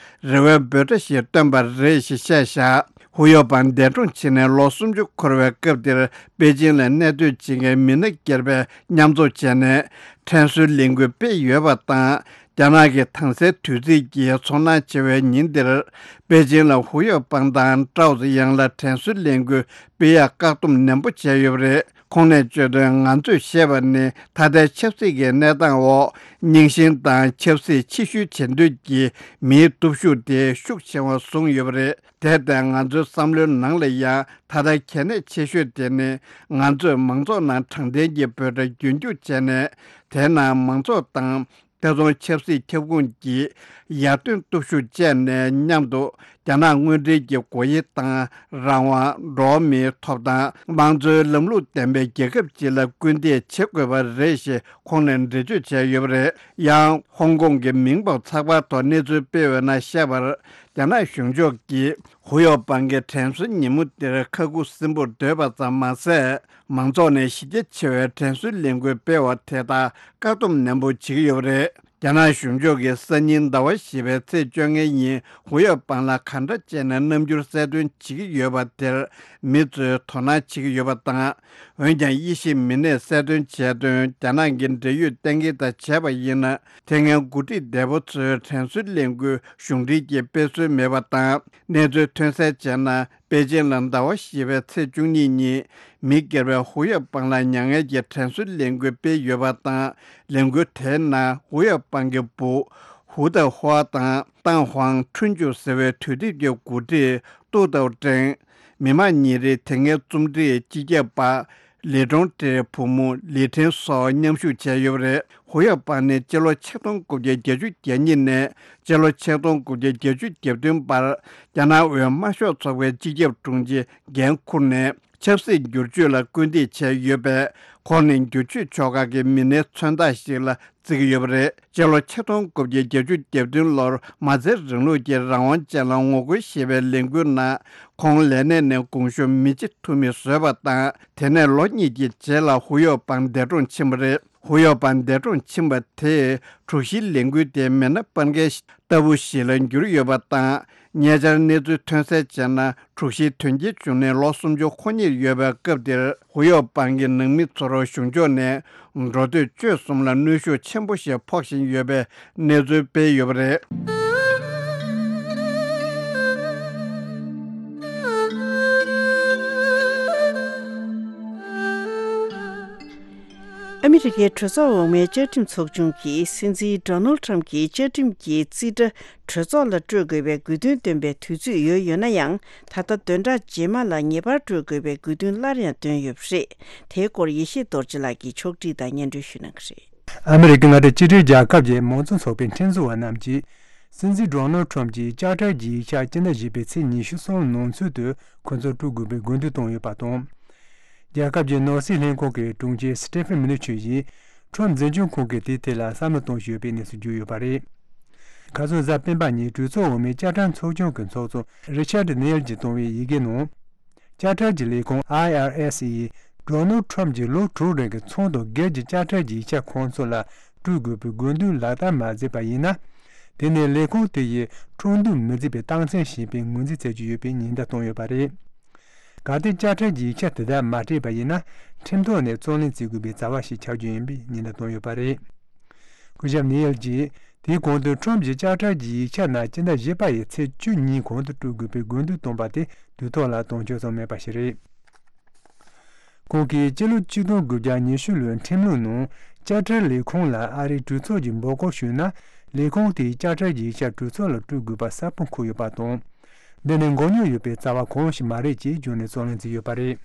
རེ་བའི་འབོད་སྒྲ་ཞིག་བཏོན་པ་རེད་ཞེས་བཤད་བཞག་ཧུ་ཡོ་པང་འདས་གྲོངས་ཕྱིན་ནས་ལོ་སུམ་ཅུ་འཁོར་བའི་སྐབས་དེར། པེ་ཅིང་ལ་གནས་སྡོད་བྱེད་མཁན་མི་སྣ་སྒེར་པས་མཉམ་འཛོམས་བྱས་ནས། དྲན་གསོའི་ལས་འགུལ་སྤེལ་ཡོད་པ་དང་། རྒྱ་ནག་གི་དྭངས་གསལ་དུས་ཚིགས་ཀྱི་ཚོར་སྣང་ཆེ་བའི་ཉིན་འདིར། པེ་ཅིང་ལ་ཧུའུ་ཡོ་པང་དང་ཀྲའོ་ཙེ་ཡང་ལ་དྲན་གསོའི་ལས་འགུལ་སྤེལ་ཡག་བཀག་སྡོམ་ནན་པོ་བྱས་ཡོད་པ་རེད། ཁོང་ནས་བརྗོད་དོན། ང་ཚོས་ཤེས་པ་ནི། ད་ལྟའི་ཆབ་སྲིད་ཀྱི་གནས་སྟངས་འོག་རྙིང་ཞེན་དང་ཆབ་སྲིད་ཕྱི་བཤོལ་བྱེད་འདོད་ཀྱི་མིའི་སྟོབས་ཤུགས་དེ་ཤུགས་ཆེ་བ་བཟུང་ཡོད་པ་རེད། དེར་བརྟེན། ང་ཚོའི་བསམ་བློའི་ནང་ལ་ཡང་ད་ལྟ་གལ་གནད་ཆེ་ཤོས་དེ་ནི། ང་ཚོས་མང་ཚོགས་ནང་དྲང་བདེན་གྱི་འབོད་སྒྲ་རྒྱུན་སྐྱོང་བྱས་ནས། དེའི་ནང་མང་ཚོགས་དང་། ཐེ་ཚོམ་ཆབ་སྲིད་ཁྱབ་ཁོངས་ཀྱི་ཡར་ཐོན་སྟོབས་ཤུགས་བཅས་ནས་མཉམ་དུ། རྒྱ་ནག་དངོས་འབྲེལ་གྱི་སྒོ་དབྱེ་དང་། རང་དབང་། འགྲོ་བ་མིའི་ཐོབ་ཐང་། དམངས་གཙོའི་ལམ་ལུགས་ལྡན་པའི་རྒྱལ་ཁབ་ཅིག་ལ་སྐུལ་འདེད་བྱེད་དགོས་པ་རེད་ཞེས་ཁོང་ནས་འགྲེལ་བརྗོད་བྱས་ཡོད་པ་རེད། ཡང་། ཧོང་ཀོང་གི་མིང་འབོར་ཚགས་པར་ཐོག་གནས་ཚུལ་སྤེལ་བའི་ནང་བཤད་པར། རྒྱ་ནག་གཞུང་ཕྱོགས་ཀྱིས་ཧུའུ་ཡོ་པང་གི་དྲན་གསོའི་ཉིན་མོ་འདིར་ཁ་ཁུ་སིམ་པོར་སྡོད་པ་ཙམ་མ་ཟད། མང་ཚོགས་ནས་གཞི་རྒྱ་ཆེ་བའི་དྲན་གསོའི་ལས་འགུལ་སྤེལ་བ་དེ་དག་བཀག་སྡོམ་ནན་པོ་བྱེད་ཀྱི་ཡོད་པ་རེད། རྒྱ་ནག་གཞུང་ཕྱོགས་ཀྱིས་སང་ཉིན་ཟླ་བ་བཞི་པའི་ཚེས་བཅོ་ལྔའི་ཉིན་ཧུའུ་ཡོ་པང་ལ་ག་འདྲ་བྱས་ནས་རྣམ་འགྱུར་གསལ་སྟོན་བྱེད་ཀྱི་ཡོད་པ་དེར། མི་ཚོས་དོ་སྣང་བྱེད་ཀྱི་ཡོད་པ་དང་། འོན་ཀྱང་། དབྱེ་ཞིབ་མི་སྣས་གསལ་སྟོན་བྱས་དོན། རྒྱ་ནག་གི་འབྲེལ་ཡོད་གཏན་འཁེལ་དང་བྱས་པ་ཡིན་ན། དེ་སྔའི་འགོ་ཁྲིད་འདས་པོ་ཚོའི་དྲན་གསོའི་ལས་འགུལ་གཞུང་འབྲེལ་གྱིས་སྤེལ་སྲོལ་མེད་པ་དང་། གནས་ཚུལ་ཐོན་གསལ་བྱས་ན། པེ་ཅིང་ལ་ཟླ་བ་བཞི་པའི་ཚེས་བཅུ་གཉིས་ཉིན། མི་སྒེར་བས་ཧུའུ་ཡོ་པང་ལ་མྱ་ངན་གྱི་དྲན་གསོའི་ལས་འགུལ་སྤེལ་ཡོད་པ་དང་། ལས་འགུལ་དེའི་ནང་ཧུའུ་ཡོ་པང་གི་བུ། ཧུའུ་ཏའོ་ཧྭ་དང་། ཏང་ཧུའང་ཁྲུན་ཅུ་ཟེར་བའི་དུས་དེབ་ཀྱི་འགོ་ཁྲིད། ཏུའུ་ཏའོ་ཀྲེང་། མི་དམངས་ཉིན་རེའི་དེ་སྔའི་རྩོམ་སྒྲིག་སྤྱི་ཁྱབ་པ། ལི་ཀྲུང་ཀྲེའི་བུ་མོ་ལི་ཁྲེན་སོགས་མཉམ་ཞུགས་བྱས་ཡོད་པ་རེད། ཧུའུ་ཡོ་པང་ནི་སྤྱི་ལོ་ཆིག་སྟོང་དགུ་བརྒྱ་བརྒྱད་ཅུ་གྱ་གཉིས་ནས་སྤྱི་ལོ་ཆིག་སྟོང་དགུ་བརྒྱ་བརྒྱད་ཅུ་གྱ་བདུན་བར་རྒྱ་ནག་དབུས་དམར་ཤོག་ཚོགས་པའི་སྤྱི་ཁྱབ་དྲུང་ཆེ་འགན་འཁུར་ནས། ཆབ་སྲིད་བསྒྱུར་བཅོས་ལ་སྐུལ་འདེད་བྱས་ཡོད་པས། ཁོང་ནི་བསྒྱུར་བཅོས་ཕྱོགས་ཁག་གི་མི་སྣའི་མཚོན་རྟགས་ཤིག་ལ་བརྩི་གི་ཡོད་པ་རེད། སྤྱི་ལོ་ཆིག་སྟོང་དགུ་བརྒྱ་བརྒྱད་ཅུ་གྱ་བདུན་ལོར་མ་རྩའི་རིང་ལུགས་ཀྱི་རང་དབང་ཅན་ལ་ངོ་རྒོལ་ཞེས་པའི་ལས་འགུལ་ནང་། ཁོང་ལས་གནས་ནས་དགོངས་ཞུ་མི་བྱེད་ཐུབ་མིན་བཟོས་པ་དང་། དེ་ནས་ལོ་གཉིས་ཀྱི་རྗེས་ལ་ཧུའུ་ཡོ་པང་འདས་གྲོངས་ཕྱིན་པ་རེད། ཧུའུ་ཡོ་པང་འདས་གྲོངས་ཕྱིན་པ་དེས་དྲུག་བཞིའི་ལས་འགུལ་དེ་མེ་ནད་སྤར་མཁན་ལྟ་བུ་ཞིག་ལ་གྱུར་ཡོད་པ་དང་། ཉེ་ཆར་གནས་ཚུལ་ཐོན་གསལ་བྱས་ན། དྲུག་བཞིའི་དོན་རྐྱེན་བྱུང་ནས་ལོ་སུམ་ཅུ་འཁོར་ཉེར་ཡོད་པའི་སྐབས་དེར། ཧུའུ་ཡོ་པང་གི་ནང་མི་ཚོར་གཞུང་ཕྱོགས་ནས་འགྲོ་སྡོད་སྤྱོད་གསུམ་ལ་གནོན་ཤུགས་ཆེན་པོ་ཞིག་ཕོག་བཞིན་ཡོད་པའི་གནས་ཚུལ་སྤེལ་ཡོད་པ་རེད། ཨ་མི་རི་ཀའི་གྲོས་ཚོགས་འོག་མའི་བཅའ་ཁྲིམས་ཚོགས་ཆུང་གིས་སྲིད་འཛིན་ཌོ་ནལ་ཁྲམ་གྱི་བཅའ་ཁྲིམས་ཀྱི་རྩིས་ཁྲ་གྲོས་ཚོགས་ལ་སྤྲོད་དགོས་པའི་དགོས་འདུན་བཏོན་པའི་དུས་ཚོད་ཡོལ་ཡོད་ན་ཡང་། ད་ལྟ་བདུན་ཕྲག་རྗེས་མ་ལ་ངེས་པར་སྤྲོད་དགོས་པའི་དགོས་འདུན་སླར་ཡང་བཏོན་ཡོད་པ་རེད། དེའི་སྐོར་ཡེ་ཤེས་རྡོ་རྗེ་ལགས་ཀྱིས་ཕྱོགས་སྒྲིག་དང་སྙན་སྒྲོན་ཞུ་གནང་གི་རེད། ཨ་མི་རི་ཀའི་མངའ་སྡེ་གཅིག་སྒྲིལ་རྒྱལ་ཁབ་ཀྱི་མང་གཙོ་ཚོགས་པའི་ཁྲིམས་བཟོ་བ་རྣམས་ཀྱིས། སྲིད་འཛིན་ཌོ་ནལ་ཁྲམ་གྱི་བསྐྱར་གྲགས་ཀྱི་ཡིག་ཆ་སྤྱི་ཟླ་བཞི་པའི་ཚེས་ཉི་ཤུ་རྩ་གསུམ་ནང་ཚུད་དུ་ཁོ་ཚོར་སྤྲོད་དགོས་པའི་དགོས་འདུན་བཏོན་ཡོད་པ་དང་། རྒྱལ་ཁབ་ཀྱི་ནོར་སྲིད་ལྷན་ཁང་གི་དྲུང་ཆེ་སི་ཏེ་ཕན་མི་ནི་ཆུ་ཡིས། ཁྲོམ་འཛིན་སྐྱོང་ཁང་གིས་དེའི་ཐད་ལ་བསམ་བློ་གཏོང་བཞིན་ཡོད་པའི་གནས་ཚུལ་བརྗོད་ཡོད་པ་རེད། ཁ་སང་གཟའ་སྤེན་པ་ཉིན་གྲོས་ཚོགས་འོག་མའི་བསྐྱར་གྲགས་ཚོགས་ཆུང་གི་ཚོགས་གཙོ་རི་ཆར་ཌི་ནེལ་གྱིས་བཏང་བའི་ཡི་གེ་ནང་། བསྐྱར་གྲགས་ཀྱི་ལས་ཁུངས་ཨའི་ཨར་ཨེས་ཡིས་ཌོ་ནལ་ཁྲོམ་གྱི་ལོ་དྲུག་རིང་གི་ཚོང་དང་སྒེར་གྱི་བསྐྱར་གྲགས་ཀྱི་ཡིག་ཆ་ཁོང་ཚོ་ལ་སྤྲོད་དགོས་པའི་དགོས་འདུན་ལག་བསྟར་མ་མཛད་པ་ཡིན་ན། དེ་ནི་ལས་ཁུངས་དེ་ཡིས་ཁྲོམ་སྡོམ་མི་མཛད་པའི་རྟགས་མཚན་ཞིག་ཡིན་པའི་ངོས་འཛིན་བྱེད་ཀྱི་ཡོད་པའི་ཉེན་བརྡ་བཏང་ཡོད་པ་རེད། གལ་ཏེ་བསྐྱར་གྲགས་ཀྱི་ཡིག་ཆ་དེ་དག་མ་སྤྲད་པ་ཡིན་ན། ཁྲིམས་ཐོག་ནས་རྩོད་གླེང་བྱེད་དགོས་པའི་བྱ་བ་ཞིག་ཆགས་རྒྱུ་ཡིན་པའི་ཉེན་བརྡ་བཏང་ཡོད་པ་རེད། སྐུ་ཞབས་ནེ་ཡལ་གྱིས་དེའི་གོང་དུ་ཁྲོམ་གྱི་བསྐྱར་གྲགས་ཀྱི་ཡིག་ཆ་ནང་སྤྱི་ཟླ་བཞི་པ་ཡི་ཚེས་བཅུ་གཉིས་གོང་དུ་སྤྲོད་དགོས་པའི་དགོས་འདུན་བཏོན་པ་དེ་དུས་ཐོག་ལ་དོན་འཁྱོལ་བྱུང་མེད་པ་ཞིག་རེད། ཁོང་གིས་སྤྱི་ལོ་ཆིག་སྟོང་དགུ་བརྒྱ་ཉི་ཤུ་ལོའི་ཁྲིམས་ལུགས་ནང་བསྐྱར་གྲགས་ལས་ཁུངས་ལ་ཨ་རིའི་གྲོས་ཚོགས་ཀྱིས་འབོད་སྐུལ་ཞུས་ན། ལས་ཁུངས་དེས་བསྐྱར་གྲགས་ཀྱི་ཡིག་ཆ་གྲོས་ཚོགས་ལ་སྤྲོད་དགོས་པ་གསལ་པོ་འཁོད་ཡོད་པ་དང་། འདི་ནི་མགོ་རྙོག་ཡོད་པའི་རྩ་བ་གང་ཞིག་མ་རེད་ཅེས་བརྗོད་ནས་རྩོད་གླེང་བྱས་ཡོད་པ་རེད།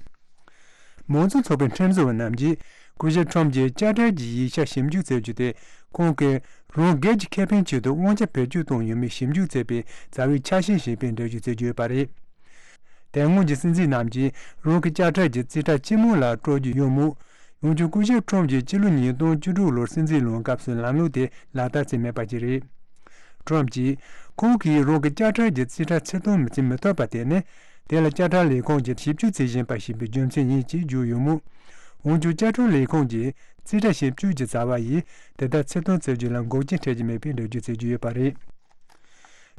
མང་གཙོ་ཚོགས་པའི་ཁྲིམས་བཟོ་བ་རྣམས་ཀྱིས། སྐུ་ཞབས་ཁྲོམ་གྱིས་བསྐྱར་གྲགས་ཀྱི་ཡིག་ཆ་ཞིབ་འཇུག་བྱེད་རྒྱུ་དེ། ཁོང་གིས་རང་སྒེར་གྱི་ཁེ་ཕན་ཆེད་དུ་དབང་ཆ་བེད་སྤྱོད་བཏང་ཡོད་མེད་ཞིབ་འཇུག་བྱེད་པའི་རྩ་བའི་ཆ་ཤས་ཤིག་ཡིན་པའི་འགྲེལ་བརྗོད་བྱེད་ཀྱི་ཡོད་པ་རེད། དེ་སྔོན་གྱི་སྲིད་འཛིན་རྣམས་ཀྱིས་རང་གི་བསྐྱར་གྲགས་ཀྱི་རྩིས་ཁྲ་སྤྱི་དམངས་ལ་སྤྲོད་རྒྱུ་ཡོད་མོད། འོན་ཀྱང་སྐུ་ཞབས་ཁྲོམ་གྱིས་སྤྱི་ལོ་ཉིས་སྟོང་བཅུ་དྲུག་ལོར་སྲིད་འཛིན་ལངས་སྐབས་སུ་ལམ་ལུགས་དེ་ལག་བསྟར་བྱས་མེད་པ་ཞིག་རེད། ཁྲོམ་གྱིས་ཁོང་གིས་རང་གི་བསྐྱར་གྲགས་ཀྱི་རྩིས་ཁྲ་ཕྱིར་གཏོང་བྱེད་མི་ཐུབ་པ་དེ་ནི། དེ་ལ་བསྐྱར་གྲགས་ལས་ཁུངས་ཀྱིས་ཞིབ་འཇུག་བྱེད་བཞིན་པ་ཞིག་ཡིན་པའི་རྒྱུ་མཚན་ཡིན་ཞེས་བརྗོད་ཡོད་མོད། འོན་ཀྱང་བསྐྱར་གྲགས་ལས་ཁུངས་ཀྱིས་རྩིས་ཁྲ་ཞིབ་འཇུག་གི་བྱ་བ་ཡིས་དེ་ལྟར་ཕྱིར་གཏོང་བྱེད་རྒྱུ་ལ་འགོག་རྐྱེན་འཕྲད་ཀྱི་མེད་པའི་འགྲེལ་བརྗོད་བྱེད་ཀྱི་ཡོད་པ་རེད།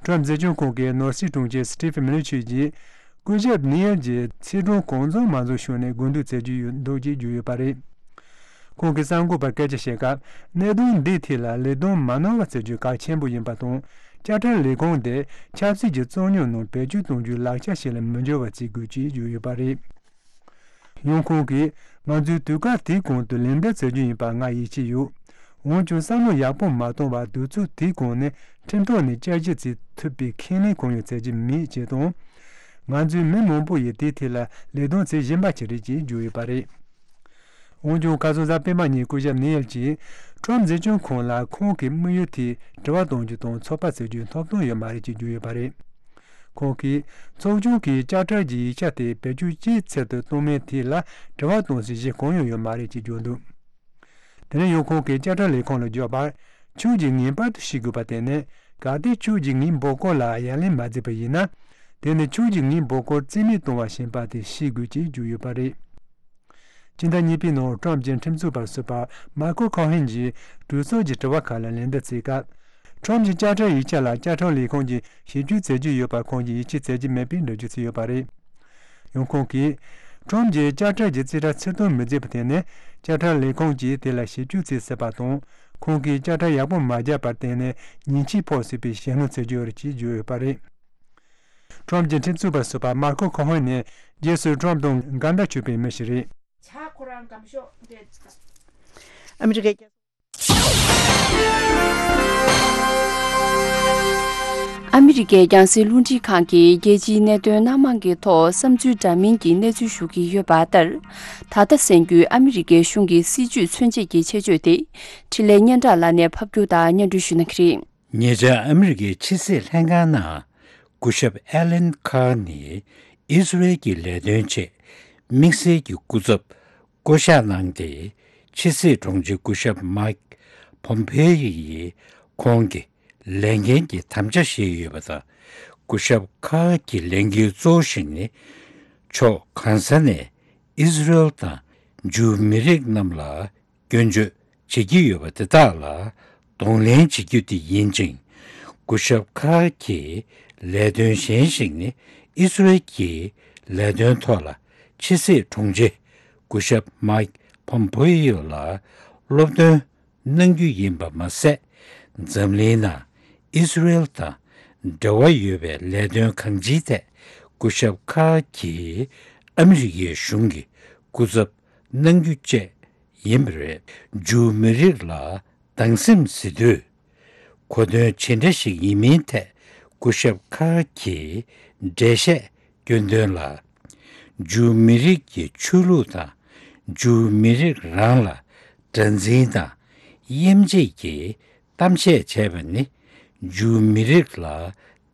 ཁྲོམ་འཛིན་སྐྱོང་ཁང་གི་ནོར་སྲིད་དྲུང་ཆེ་སི་ཏི་ཕི་མི་ལི་ཆུས་ཀྱིས། སྐུ་ཞབས་ནི་ཡལ་གྱིས་ཚེས་གྲངས་གང་འཚམ་མ་འཛོམས་ཤོག་ནས་དགོས་འདུན་བྱེད་ཀྱི་ཡོད་འདུག་ཅེས་བརྗོད་ཡོད་པ་རེད། ཁོང་གིས་གསར་འགོད་པར་སྐད་ཆ་བཤད་སྐབས། གནད་དོན་འདིའི་ཐད་ལ་ལས་དོན་མ་གནང་བ་བྱ་རྒྱུ་གལ་ཆེན་པོ་ཡིན་པ་དང་། དཔྱ་ཁྲལ་ལས་ཁུངས་དེ་ཆབ་སྲིད་ཀྱི་རྩོད་རྙོག་ནང་བེད་སྤྱོད་གཏོང་རྒྱུའི་ལག་ཆ་ཞིག་ལ་མི་འགྱུར་བ་བྱེད་དགོས་ཅེས་བརྗོད་ཡོད་པ་རེད། ཡང་ཁོང་གིས། ང་ཚོས་དུས་སྐབས་དེའི་གོང་དུ་ལན་འདེབས་བྱ་རྒྱུ་ཡིན་པ་ང་ཡིད་ཆེས་ཡོད། འོན་ཀྱང་བསམ་བློ་ཡག་པོ་མ་གཏོང་བར་དུས་ཚོད་དེའི་གོང་ནས་ཁྲིམས་ཐོག་ནས་བསྐྱར་ཞིབ་བྱེད་ཐུབ་པའི་ཁས་ལེན་གང་ཡང་བྱ་རྒྱུ་མེད་ཅེས་དང་། ང་ཚོའི་མི་མང་པོ་ཡིས་དེའི་ཐད་ལ་ལས་དོན་བྱེད་བཞིན་པ་ཞིག་རེད་ཅེས་བརྗོད་ཡོད་པ་རེད། འོན་ཀྱང་ཁ་སང་གཟའ་སྤེན་པ་ཉིན་སྐུ་ཞབས་ནེ་ཡལ་གྱིས་ཁྲོམ་འཛིན་སྐྱོང་ཁང་ལ་ཁོང་གི་དམིགས་ཡུལ་དེ་དྲི་བ་གཏོང་རྒྱུ་དང་ཚོད་དཔག་བྱེད་རྒྱུའི་ཐོབ་ཐང་ཡོད་མ་རེད་ཅེས་བརྗོད་ཡོད་པ་རེད། ཁོང་གིས་ཚོགས་ཆུང་གིས་དཔྱ་ཁྲལ་གྱི་ཡིག་ཆ་དེ་བེད་སྤྱོད་ཅིའི་ཆེད་དུ་བཏང་མིན་དེ་ལ་དྲི་བ་གཏོང་སའི་གཞི་གང་ཡང་ཡོད་མ་རེད་ཅེས་བརྗོད་འདུག་དེ་ནས་ཡང་ཁོང་གིས་དཔྱ་ཁྲལ་ལས་ཁུངས་ལ་བརྗོད་པར། ཁྱོད་ཀྱིས་ངེས་པར་དུ་ཤེས་དགོས་པ་དེ་ནི། གལ་ཏེ་ཁྱོད་ཀྱིས་ངའི་འབོད་སྐུལ་ལ་ཡ་ལན་མ་བརྩིས་པ་ཡིན་ན། དེ་ནི་ཁྱོད་ཀྱིས་ངའི་འབོད་སྐུལ་རྩིས་མེད་གཏོང་བ་ཞིག་ཡིན་པ་དེ་ཤེས་དགོས་ཅེས་བརྗོད་ཡོད་པ་རེད། སྤྱི་ཟླ་གཉིས་པའི་ནང་ཀྲམ་གྱི་ཁྲིམས་རྩོད་པ་ཟུར་པ་མཱ་ཁོ་ཁོ་ཧན་གྱིས་གྲོས་ཚོགས་ཀྱི་དྲི་བ་ཁག་ལ་ལན་འདེབས་བྱས་སྐབས། ཀྲམ་གྱི་དཔྱ་ཁྲལ་ཡིག་ཆ་ལ་དཔྱ་ཁྲལ་ལས་ཁུངས་ཀྱིས་ཞིབ་འཇུག་བྱེད་ཀྱི་ཡོད་པར་ཁོང་གིས་ཡིད་ཆེས་བྱེད་ཀྱི་མེད་པའི་འགྲེལ་བརྗོད་བྱས་ཡོད་པ་རེད། ཡང་ཁོང་གིས། ཀྲམ་གྱིས་དཔྱ་ཁྲལ་གྱི་རྩིས་ཁྲ་ཕྱིར་གཏོང་མི་བྱེད་པ་དེ་ནི་དཔྱ་ཁྲལ་ལས་ཁུངས་ཀྱིས་དེ་ལ་ཞིབ་འཇུག་བྱེད་སྲིད་པ་དང་། ཁོང་གིས་དཔྱ་ཁྲལ་ཡག་པོ་མ་བརྒྱབ་པར་བརྟེན་ནས་ཉེས་ཆད་ཕོག་སྲིད་པའི་ཞེད་སྣང་བྱེད་ཀྱི་ཡོད་རེད་ཅེས་བརྗོད་ཡོད་པ་རེད། ཀྲམ་གྱི་ཁྲིམས་རྩོད་པ་ཟུར་པ་མར་ཁོ་ཁོ་ཧོན་ནི་རྗེས་སུ་ཀྲམ་དང་འགལ་ཟླ་བྱུང་བའི་མི་ཞིག་རེད། ཨ་མི་རི་ཀའི་རྒྱང་སྲིང་རླུང་འཕྲིན་ཁང་གིས་རྒྱལ་སྤྱིའི་གནད་དོན་སྣ་མང་གི་ཐོག་བསམ་ཚུལ་འདྲ་མིན་གྱི་གནས་ཚུལ་ཞུ་གི་ཡོད་པ་ལྟར། ད་ལྟ་གསན་རྒྱུའི་ཨ་མི་རི་ཀའི་གཞུང་གི་སྲིད་ཇུས་མཚོན་བྱེད་ཀྱི་ཆེད་བརྗོད་དེ། འཕྲིན་ལས་སྙན་གྲགས་ལགས་ནས་ཕབ་སྒྱུར་དང་སྙན་སྒྲོན་ཞུ་གནང་གི་རེད། ཉེ་ཆར་ཨ་མི་རི་ཀའི་ཕྱི་སྲིད་ལྷན་ཁང་ནང་སྐུ་ཞབས་ཨེ་ལན་ཁཱར་ནི་ཨི་སི་རེལ་གྱི་ལས་དོན་ཆེད་དམིགས་བསལ་གྱི་སྐུ་ཚབ་བསྐོ་གཞག་གནང་སྟེ། ཕྱི་སྲིད་དྲུང་ཆེ་སྐུ་ཞབས་མཱིག་ཕོམ་ཕེ་ཡི་ཡིས་ཁོང་གི་ལས་འགན་གྱི་དམ་བཅའ་བཞེས་ཡོད་པ་དང་། སྐུ་ཞབས་ཁཱར་གྱི་ལས་འགན་གཙོ་བོ་ཞིག་ནི། ཕྱོགས་གང་ས་ནས་ཨི་སི་རེལ་དང་ཇུའུ་མི་རིགས་རྣམས་ལ་སྐྱོན་བརྗོད་བྱེད་ཀྱི་ཡོད་པ་དེ་དག་ལ་གདོང་ལེན་བྱེད་རྒྱུ་དེ་ཡིན་ཅིང་། སྐུ་ཞབས་ཁཱར་གྱི་ལས་དོན་གཞན་ཞིག་ནི་ཨི་སི་རེལ་གྱི་ལས་དོན་ཐོག་ལ་ཕྱི་སྲིད་དྲུང་ཆེ་སྐུ་ཞབས་མཱིག་ཕོམ་ཕེ་ཡོ་ལ་སློབ་སྟོན་གནང་རྒྱུ་ཡིན་པ་མ་ཟད། འཛམ་གླིང་ནང་ཨི་སི་རེལ་དང་འབྲེལ་བ་ཡོད་པའི་ལས་དོན་གང་ཅིའི་ཐད་སྐུ་ཞབས་ཁཱར་གྱིས་ཨ་མི་རི་ཀའི་གཞུང་གི་སྐུ་ཚབ་གནང་རྒྱུ་བཅས་ཡིན་པ་རེད། ཇུའུ་མི་རིགས་ལ་སྡང་སེམས་ཟེར་དུས། གོ་དོན་ཇི་འདྲ་ཞིག་ཡིན་མིན་ཐད་སྐུ་ཞབས་ཁཱར་གྱིས་འགྲེལ་བཤད་སྐྱོན་དོན་ལ། ཇུའུ་མི་རིགས་ཀྱི་ཆོས་ལུགས་དང་ཇུའུ་མི་རིགས་རང་ལ་དགྲར་འཛིན་དང་དབྱེ་འབྱེད་ཀྱི་གཏམ་བཤད་བྱས་པ་ནི། ཇུའུ་མི་རིགས་ལ་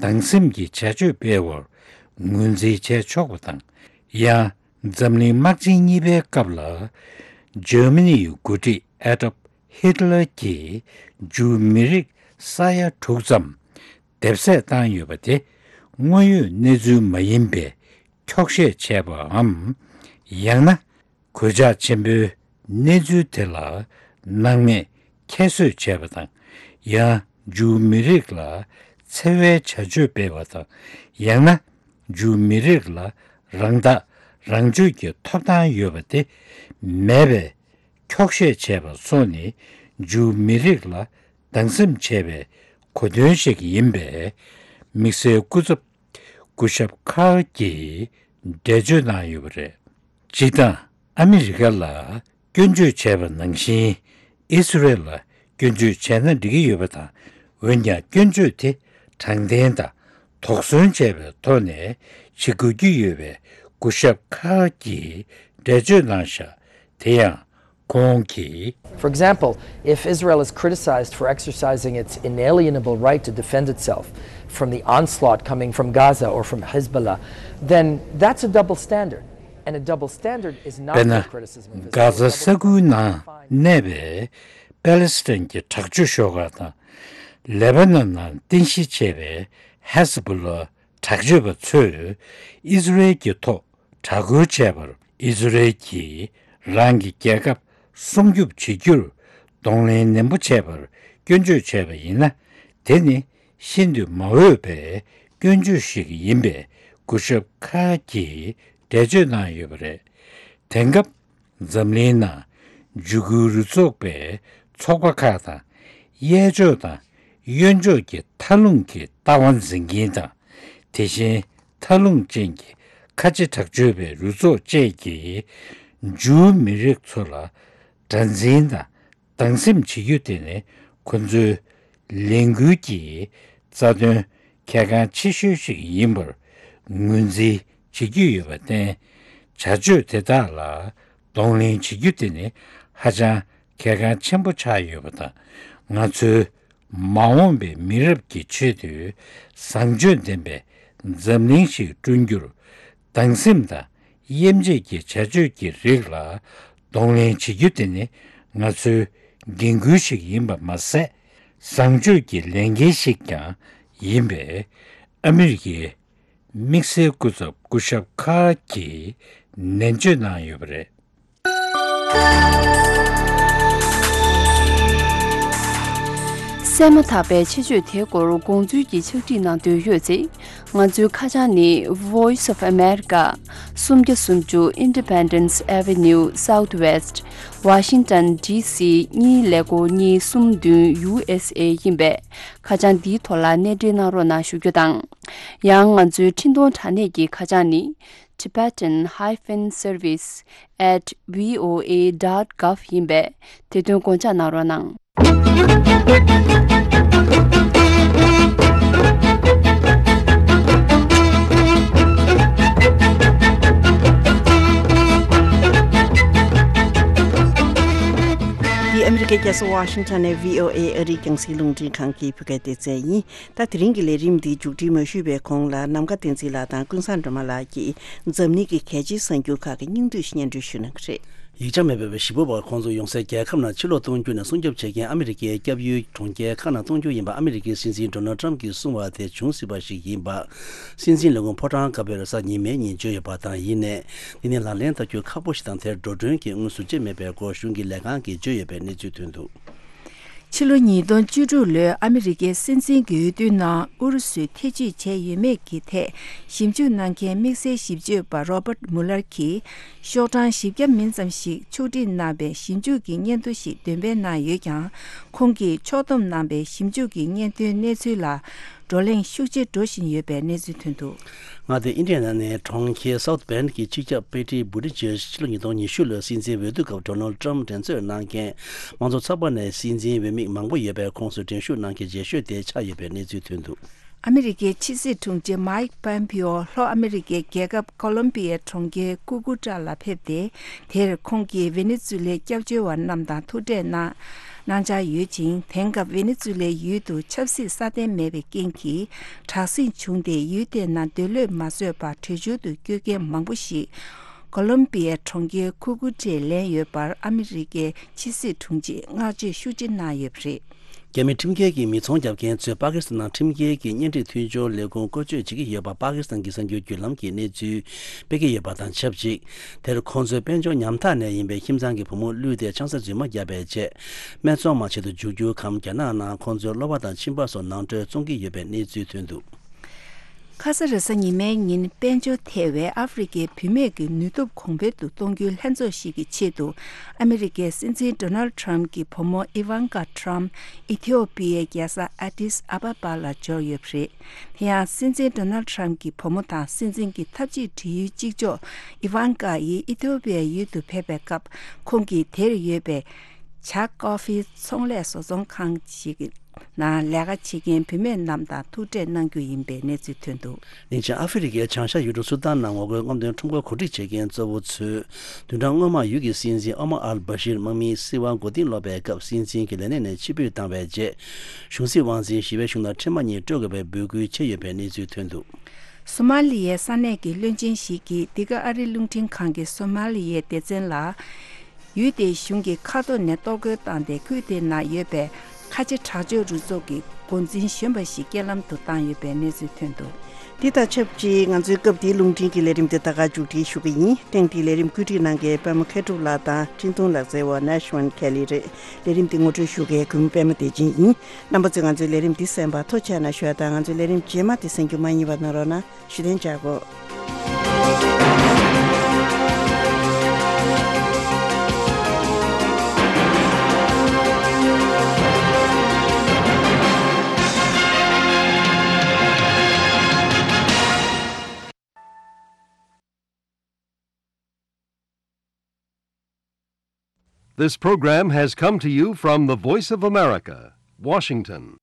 སྡང་སེམས་ཀྱི་བྱ་སྤྱོད་སྤེལ་བར་ངོས་འཛིན་བྱས་ཆོག་པ་དང་། ཡང་འཛམ་གླིང་དམག་ཆེན་གཉིས་པའི་སྐབས་ལ། འཇར་མ་ནི་ཡི་འགོ་ཁྲིད་ཨེ་ཌོལཕ་ཧི་ཊི་ལར་གྱིས་ཇུའུ་མི་རིགས་ས་ཡ་དྲུག་ཙམ་སྡེབ་གསོད་བཏང་ཡོད་པ་དེ། དངོས་ཡོད་གནས་ཚུལ་མ་ཡིན་པའི་འཁྱོག་བཤད་བྱས་པའམ། ཡང་ན། གོད་ཆག་ཆེན་པོའི་གནས་ཚུལ་དེ་ལ་སྣང་མེད་ཁྱད་གསོད་བྱས་པ་དང་། ཡང་ཇུའུ་མི་རིགས་ལ་འཚེ་བའི་བྱ་སྤྱོད་སྤེལ་བ་དང་། ཡང་ན་ཇུའུ་མི་རིགས་ལ་རང་ཐག་རང་གཅོད་ཀྱི་ཐོབ་ཐང་ཡོད་པ་དེ་མེད་པའི་འཁྱོག་བཤད་བྱས་པ་སོགས་ནི་ཇུའུ་མི་རིགས་ལ་སྡང་སེམས་བྱས་པའི་གོ་དོན་ཞིག་ཡིན་པས། དམིགས་བསལ་སྐུ་ཚབ་སྐུ་ཞབས་ཁཱར་གྱིས་འགྲེལ་བརྗོད་གནང་ཡོད་པ་རེད། སྤྱིར་བཏང་ཨ་མི་རི་ཀ་ལ་སྐྱོན་བརྗོད་བྱས་པ་ནང་བཞིན་ཨི་སི་རེལ་ལ་སྐྱོན་བརྗོད་བྱས་ན་འགྲིག་གི་ཡོད་པ་དང་། འོན་ཀྱང་སྐྱོན་བརྗོད་དེ་དྲང་བདེན་དང་དོགས་ཟོན་བྱས་པའི་ཐོག་ནས་བྱེད་དགོས་ཀྱི་ཡོད་པའི་སྐུ་ཞབས་ཁཱར་གྱིས་འགྲེལ་བརྗོད་གནང་བཞག་དེ་ཡང་། ཁོང་གིས། For example, if Israel is criticized for exercising its inalienable right to defend itself from the onslaught coming from Gaza or from Hezbollah, then that's a double standard. And a double standard is not དཔེར་ན། what criticism of Israel is། གྷ་ཟ་ས་ཁུལ་ནང་གནས་པའི་པེ་ལེ་སི་ཐན་གྱི་དྲག་སྤྱོད་ཤོག་ཁག་དང་། ལེ་པ་ནན་ནང་རྟེན་གཞི་བྱས་པའི་ཧེ་ཟ་བྷོ་ལ་དྲག་སྤྱོད་པ་ཚོས་ཨི་སི་རེལ་གྱི་ཐོག་དྲག་རྒོལ་བྱས་པར་ཨི་སི་རེལ་གྱིས་རང་གི་རྒྱལ་ཁབ་སྲུང་སྐྱོབ་བྱེད་རྒྱུར་གདོང་ལེན་ནན་པོ་བྱས་པར་སྐྱོན་བརྗོད་བྱས་པ་ཡིན་ན། དེ་ནི་ཤིན་ཏུ་མ་འོས་པའི་སྐྱོན་བརྗོད་ཞིག་ཡིན་པའི་སྐུ་ཞབས་ཁཱར་གྱིས་འགྲེལ་བརྗོད་གནང་ཡོད་པ་རེད། དེང་སྐབས་འཛམ་གླིང་ནང་ འཇུ་སྐུལ་རུ་ཚོགས་པའི་ཚོགས་པ་ཁག་དང་། གཡས་ཕྱོགས་དང་གཡོན་ཕྱོགས་ཀྱི་མཐའ་ལྷུང་གི་ལྟ་བ་འཛིན་མཁན་དང་། དེ་བཞིན་མཐའ་ལྷུང་ཅན་གྱི་ཁ་ཆེ་དྲག་སྤྱོད་པའི་རུ་ཚོགས་བཅས་ཀྱིས་འཇུའུ་མི་རིགས་ཚོ་ལ་དགྲར་འཛིན་དང་སྡང་སེམས་བྱེད་རྒྱུ་དེ་ནི་ཁོ་ཚོའི་ལས་འགུལ་གྱི་རྩ་དོན་གལ་འགངས་ཆེ་ཤོས་ཤིག་ཡིན་པར་ངོས་འཛིན་བྱེད་ཀྱི་ཡོད་པར་བརྟེན། བྱ་སྤྱོད་དེ་དག་ལ་གདོང་ལེན་བྱེད་རྒྱུ་དེ་ནི་ཧ་ཅང་གལ་འགངས་ཆེན་པོ་ཆགས་ཡོད་པ་དང་། ང་ཚོའི་མ་འོངས་པའི་མི་རབས་ཀྱི་ཆེད་དུ་བཟང་སྤྱོད་ལྡན་པའི་འཛམ་གླིང་ཞིག་བསྐྲུན་རྒྱུར། སྡང་སེམས་དང་དབྱེ་འབྱེད་ཀྱི་བྱ་སྤྱོད་ཀྱི་རིགས་ལ་གདོང་ལེན་བྱེད་རྒྱུ་དེ་ནི་ང་ཚོའི་འགན་ཁུར་ཞིག་ཡིན་པ་མ་ཟད། བཟང་སྤྱོད་ཀྱི་ལས་འགན་ཞིག་ཀྱང་ཡིན་པས། ཨ་མི་རི་ཀའི་དམིགས་བསལ་སྐུ་ཚབ་སྐུ་ཞབས་ཁ་གིས་ནན་བརྗོད་གནང་ཡོད་པ་རེད། གསན་མ་ཐག་པའི་ཆེད་བརྗོད་དེའི་སྐོར་དགོངས་ཚུལ་གྱི་ཕྱག་བྲིས་གནང་འདོད་ཡོད་ཚེ། ང་ཚོའི་ཁ་བྱང་ནི། Voice of America། སུམ་བརྒྱ་སུམ་ཅུ་Independence Avenue Southwest། Washington D C གཉིས་ཀླད་ཀོར་གཉིས་གསུམ་བདུན། U S A ཡིན་པས། ཁ་བྱང་འདིའི་ཐོག་ལ་གནས་འབྲེལ་གནང་རོགས་གནང་ཞུ་རྒྱུ་དང་། ཡང་ང་ཚོའི་འཕྲིན་གཏོང་དྲ་གནས་ཀྱི་ཁ་བྱང་ནི། Tibetan hyphen service at V O A dot gov ཡིན་པས། དེ་དོན་དགོངས་འཇགས་གནང་རོགས་གནང་། འདི་ཨ་མི་རི་ཀའི་རྒྱལ་ས་ཝ་ཤིང་ཊོན་ནས་V O A ཨ་རིའི་རྒྱང་སྲིང་རླུང་འཕྲིན་ཁང་གི་བོད་སྐད་སྡེ་ཚན་ཡིན། ད་དེ་རིང་གི་ལས་རིམ་འདི་མཇུག་སྒྲིལ་མ་ཞུས་པའི་གོང་ལ། ནམ་མཁའ་བསྟན་འཛིན་ལགས་དང་ཀུན་བཟང་སྒྲོལ་མ་ལགས་ཀྱིས་འཛམ་གླིང་གི་གལ་ཆེའི་གསར་འགྱུར་ཁག་གི་སྙིང་བསྡུས་སྙན་སྒྲོན་ཞུ་གནང་གི་རེད། ཡིག་ཆ་མེད་པའི་བོད་ཞི་བོད་བར་ཁོང་ཚོ་ཡོང་སའི་རྒྱལ་ཁབ་ནང་ཕྱིར་ལོག་གཏོང་རྒྱུ་ནས་སྲུང་སྐྱོབ་བྱེད་མཁན་ཨ་མི་རི་ཀའི་སྐྱབས་ཡུལ་གྲོང་ཁྱེར་ཁག་ནང་གཏོང་རྒྱུ་ཡིན་པ་ཨ་མི་རི་ཀའི་སྲིད་འཛིན་ཌོ་ནལ་ཊམ་གྱིས་གསུངས་པ་དེ་འབྱུང་སྲིད་པ་ཞིག་ཡིན་པ། སྲིད་འཛིན་ལས་ཁུངས་ཕོ་བྲང་དཀར་པོའི་རེས་གཟའ་ཉི་མའི་ཉིན་བརྗོད་ཡོད་པ་དང་། ཡིན་ནའི། འདི་ནི་ལག་ལེན་བསྟར་རྒྱུ་ཁག་པོ་ཞིག་དང་། དེར་འགྲོ་གྲོན་གྱི་དངོས་སུ་བཅད་མེད་པའི་སྐོར་གཞུང་གི་ལས་ཁང་གིས་བརྗོད་ཡོད་པའི་གནས་ཚུལ་ཐོན་འདུག། ཕྱི་ལོ་ཉིས་སྟོང་བཅུ་དྲུག་ལོའི་ཨ་མི་རི་ཀའི་སྲིད་འཛིན་གྱི་འོས་བསྡུའི་ནང་ཨུ་རུ་སུས་ཐེ་བྱུས་བྱས་ཡོད་མེད་ཀྱི་ཐད་ཞིབ་འཇུག་གནང་མཁན་དམིགས་བསལ་ཞིབ་དཔྱོད་པ་རོ་བར་མུ་ལར་གྱིས། ཤོག་གྲངས་བཞི་བརྒྱ་མིན་ཙམ་ཞིག་ཕྱོགས་སྒྲིག་གནང་པའི་ཞིབ་འཇུག་གི་སྙན་ཐོ་ཞིག་འདོན་སྤེལ་གནང་ཡོད་ཀྱང་། ཁོང་གིས་ཕྱོགས་བསྡོམས་གནང་པའི་ཞིབ་འཇུག་གི་སྙན་ཐོའི་གནས་ཚུལ་ལ་བགྲོ་གླེང་ཤུགས་ཆེ་འགྲོ་བཞིན་ཡོད་པའི་གནས་ཚུལ་ཐོན་འདུག། མངའ་སྡེ་ཨིན་ཌི་ཡ་ན་ནས་གྲོང་ཁྱེར་སའུཐ་བྷེན་གྱི་སྤྱི་ཁྱབ་པེ་ཏི་བུ་ཏི་ཇེ་ཕྱི་ལོ་ཉིས་སྟོང་ཉི་ཤུ་ལོའི་སྲིད་འཛིན་འོས་བསྡུ་སྐབས་ཌོ་ནལ་ཊམ་འགྲན་རྩོད་གནང་མཁན་དམངས་གཙོ་ཚོགས་པ་ནས་སྲིད་འཛིན་འོས་མི་མང་པོ་ཡོད་པའི་ཁོངས་སུ་འགྲན་ཞུགས་གནང་མཁན་རྗེས་ཤོས་དེ་ཆགས་ཡོད་པའི་གནས་ཚུལ་ཐོན་འདུག། ཨ་མི་རི་ཀའི་ཕྱི་སྲིད་དྲུང་ཆེ་མཱིག་པོམ་པིའོ་ལྷོ་ཨ་མི་རི་ཀའི་རྒྱལ་ཁབ་ཀོ་ལོམ་པི་ཡའི་གྲོང་ཁྱེར་ཀུ་ཀུ་ཀྲ་ལ་ཕེབས་ཏེ། དེར་ཁོང་གིས་ཝེ་ནེ་ཛུ་ལའི་སྐྱབས་བཅོལ་བ་རྣམས་དང་ཐུག་འཕྲད་གནང་གནང་འཆར་ཡོད་ཅིང་། དེང་སྐབས་ཝེ་ནེ་ཛུ་ལའི་ཡུལ་དུ་ཆབ་སྲིད་སྲ་བརྟན་མེད་པའི་རྐྱེན་གྱིས་དྲག་ཟིང་བྱུང་སྟེ། ཡུལ་དེའི་ནང་སྡོད་ལོས་མ་བཟོད་པར་བྲོས་བྱོལ་དུ་བསྐྱོད་མཁན་མང་པོ་ཞིག་ཀོ་ལོམ་པི་ཡའི་གྲོང་ཁྱེར་ཀུ་ཀུ་ཀྲའི་ལེན་ཡོད་པར་ཨ་མི་རི་ཀའི་ཕྱི་སྲིད་དྲུང་ཆེས་བསྔགས་བརྗོད་ཤུགས་ཆེ་གནང་ཡོད་པ་རེད། རྒྱ་མི་ཁྲིམས་འགལ་གྱི་མི་ཚོང་རྒྱག་མཁན་ཚོས་པ་ཀི་སི་ཐན་ནང་ཁྲིམས་འགལ་གྱི་གཉེན་སྒྲིག་མཐུན་སྦྱོར་ལས་ཁུངས་བཀོལ་སྤྱོད་བྱེད་ཀྱི་ཡོད་པ། པ་ཀི་སི་ཐན་གྱི་གསར་འགྱུར་བརྒྱུད་ལམ་གྱིས་གནས་ཚུལ་སྤེལ་གྱི་ཡོད་པ་དང་ཆབས་ཅིག། དེར་ཁོང་ཚོའི་དཔལ་འབྱོར་ཉམ་ཐག་ནས་ཡིན་པའི་ཁྱིམ་ཚང་གི་བུ་མོ་བླུས་ཏེ་ཆང་ས་རྫུན་མ་བརྒྱབ་པའི་རྗེས། སྨད་འཚོང་མ་བྱེད་དུ་འཇུག་རྒྱུའི་གམ་རྒྱ་ནག་ནང་ཁོང་ཚོའི་གློ་བ་དང་གཅིན་པ་སོགས་ནང་ཁྲོལ་བཙོང་གི་ཡོད་པའི་གནས་ཚུལ་ཐོན་འདུག། ཁ་ས་རེས་གཟའ་ཉི་མའི་ཉིན་དཔལ་འབྱོར་ཐལ་བའི་ཨ་ཧྥེ་རི་ཁའི་བུད་མེད་ཀྱི་ནུས་སྟོབས་གོང་འཕེལ་དུ་གཏོང་རྒྱུའི་ལྷན་ཚོགས་ཤིག་གི་ཆེད་དུ། ཨ་མི་རི་ཀའི་སྲིད་འཛིན་ཌོ་ནལ་ཊམ་གྱི་བུ་མོ་ཨི་ཝན་ཀ་ཊམ་ཨི་ཐི་ཡོ་པི་ཡའི་རྒྱལ་ས་ཨ་ཏིས་ཨ་བ་བ་ལ་འབྱོར་ཡོད་པ་རེད། དེ་ཡང་སྲིད་འཛིན་ཌོ་ནལ་ཊམ་གྱི་བུ་མོ་དང་སྲིད་འཛིན་གྱི་འཐབ་ཇུས་འབྲེལ་ཡོད་གཅིག་ལྕོགས་ཨི་ཝན་ཀ་ཡིས་ཨི་ཐི་ཡོ་པི་ཡའི་ཡུལ་དུ་ཕེབས་པའི་སྐབས། ཁོང་གིས་དེར་ཡོད་པའི་ཇཱག་ཀོ་ཧྥི་ཚོང་ལས་བཟོ་ཚོང་ཁང་ཞིག་གི་ནང་ལས་ཀ་བྱེད་མཁན་བུད་མེད་རྣམས་དང་ཐུག་འཕྲད་གནང་རྒྱུ་ཡིན་པའི་གནས་ཚུལ་ཐོན་འདུག། ནིང་ཆེན་ཨ་ཧྥེ་རི་ཁའི་བྱང་ཤར་ཡུལ་གྲུ་སུ་དཱན་ནང་ངོ་རྒོལ་རྔམ་སྟོན་ཁྲོམ་སྐོར་གོ་སྒྲིག་བྱེད་མཁན་གཙོ་བོ་ཚོས། བདུན་ཕྲག་སྔོན་མ་ཡུལ་གྱི་སྲིད་འཛིན་ཨོ་མར་ཨལ་བྷ་ཤིར་དམག་མིས་སྲིད་དབང་མགོ་རྟིང་སློག་པའི་སྐབས་སྲིད་འཛིན་གྱི་ལས་གནས་ནས་ཕྱིར་འབུད་བཏང་བའི་རྗེས། གཞུང་སྲིད་དབང་འཛིན་ཞི་བའི་གཞུང་ལ་འཕྲིན་མ་གཉིས་སྤྲོད་དགོས་པའི་འབོད་སྐུལ་བྱས་ཡོད་པའི་གནས་ཚུལ་ཐོན་འདུག། སོ་མ་ལི་ཡའི་ས་གནས་ཀྱི་བློན་ཆེན་ཞིག་གིས་འདི་ག་ཨ་རི་རླུང་འཕྲིན་ཁང་གི་སོ་མ་ལི་ཡའི་སྡེ་ཚན་ལ། ཡུལ་དེའི་གཞུང་གི་མཁའ་ཐོག་ནས་གཏོར་རྒོལ་བཏང་སྟེ། ཁུལ་དེའི་ནང་ཡོད་པའི་ཁ་ཆེ་དྲག་སྤྱོད་རུ་ཚོགས་ཀྱི་འགོ་འཛིན་གཞོན་པ་ཞིག་རྐྱེན་ལམ་དུ་བཏང་ཡོད་པའི་གནས་ཚུལ་ཐོན་འདུག། འདི་དང་ཆབས་ཅིག་ང་ཚོའི་སྐབས་འདིའི་རླུང་འཕྲིན་གྱི་ལས་རིམ་འདི་ད་ག་མཇུག་སྒྲིལ་ཞུ་གི་ཡིན། ཐེངས་འདིའི་ལས་རིམ་བཀོད་སྒྲིག་གནང་མཁན་པད་མ་མཁས་གྲུབ་ལགས་དང་འཕྲིན་གཏོང་ལག་རྩལ་བ་ནེ་ཤི་ཝན་ཁེ་ལི་རེད། ལས་རིམ་འདི་ངོ་སྤྲོད་ཞུ་མཁན་གུས་མོ་པད་མ་བདེ་ཆེན་ཡིན། རྣམ་པ་ཚོས་ང་ཚོའི་ལས་རིམ་འདི་གསན་པར་ཐུགས་རྗེ་གནང་ཞུ་བ་དང་། ང་ཚོའི་ལས་རིམ་རྗེས་མ་འདི་གསན་རྒྱུ་མ་བསྙེལ་བ་གནང་རོགས་གནང་། བཞུགས་གདན་འཇགས་དགོས། This program has come to you from the Voice of America, Washington.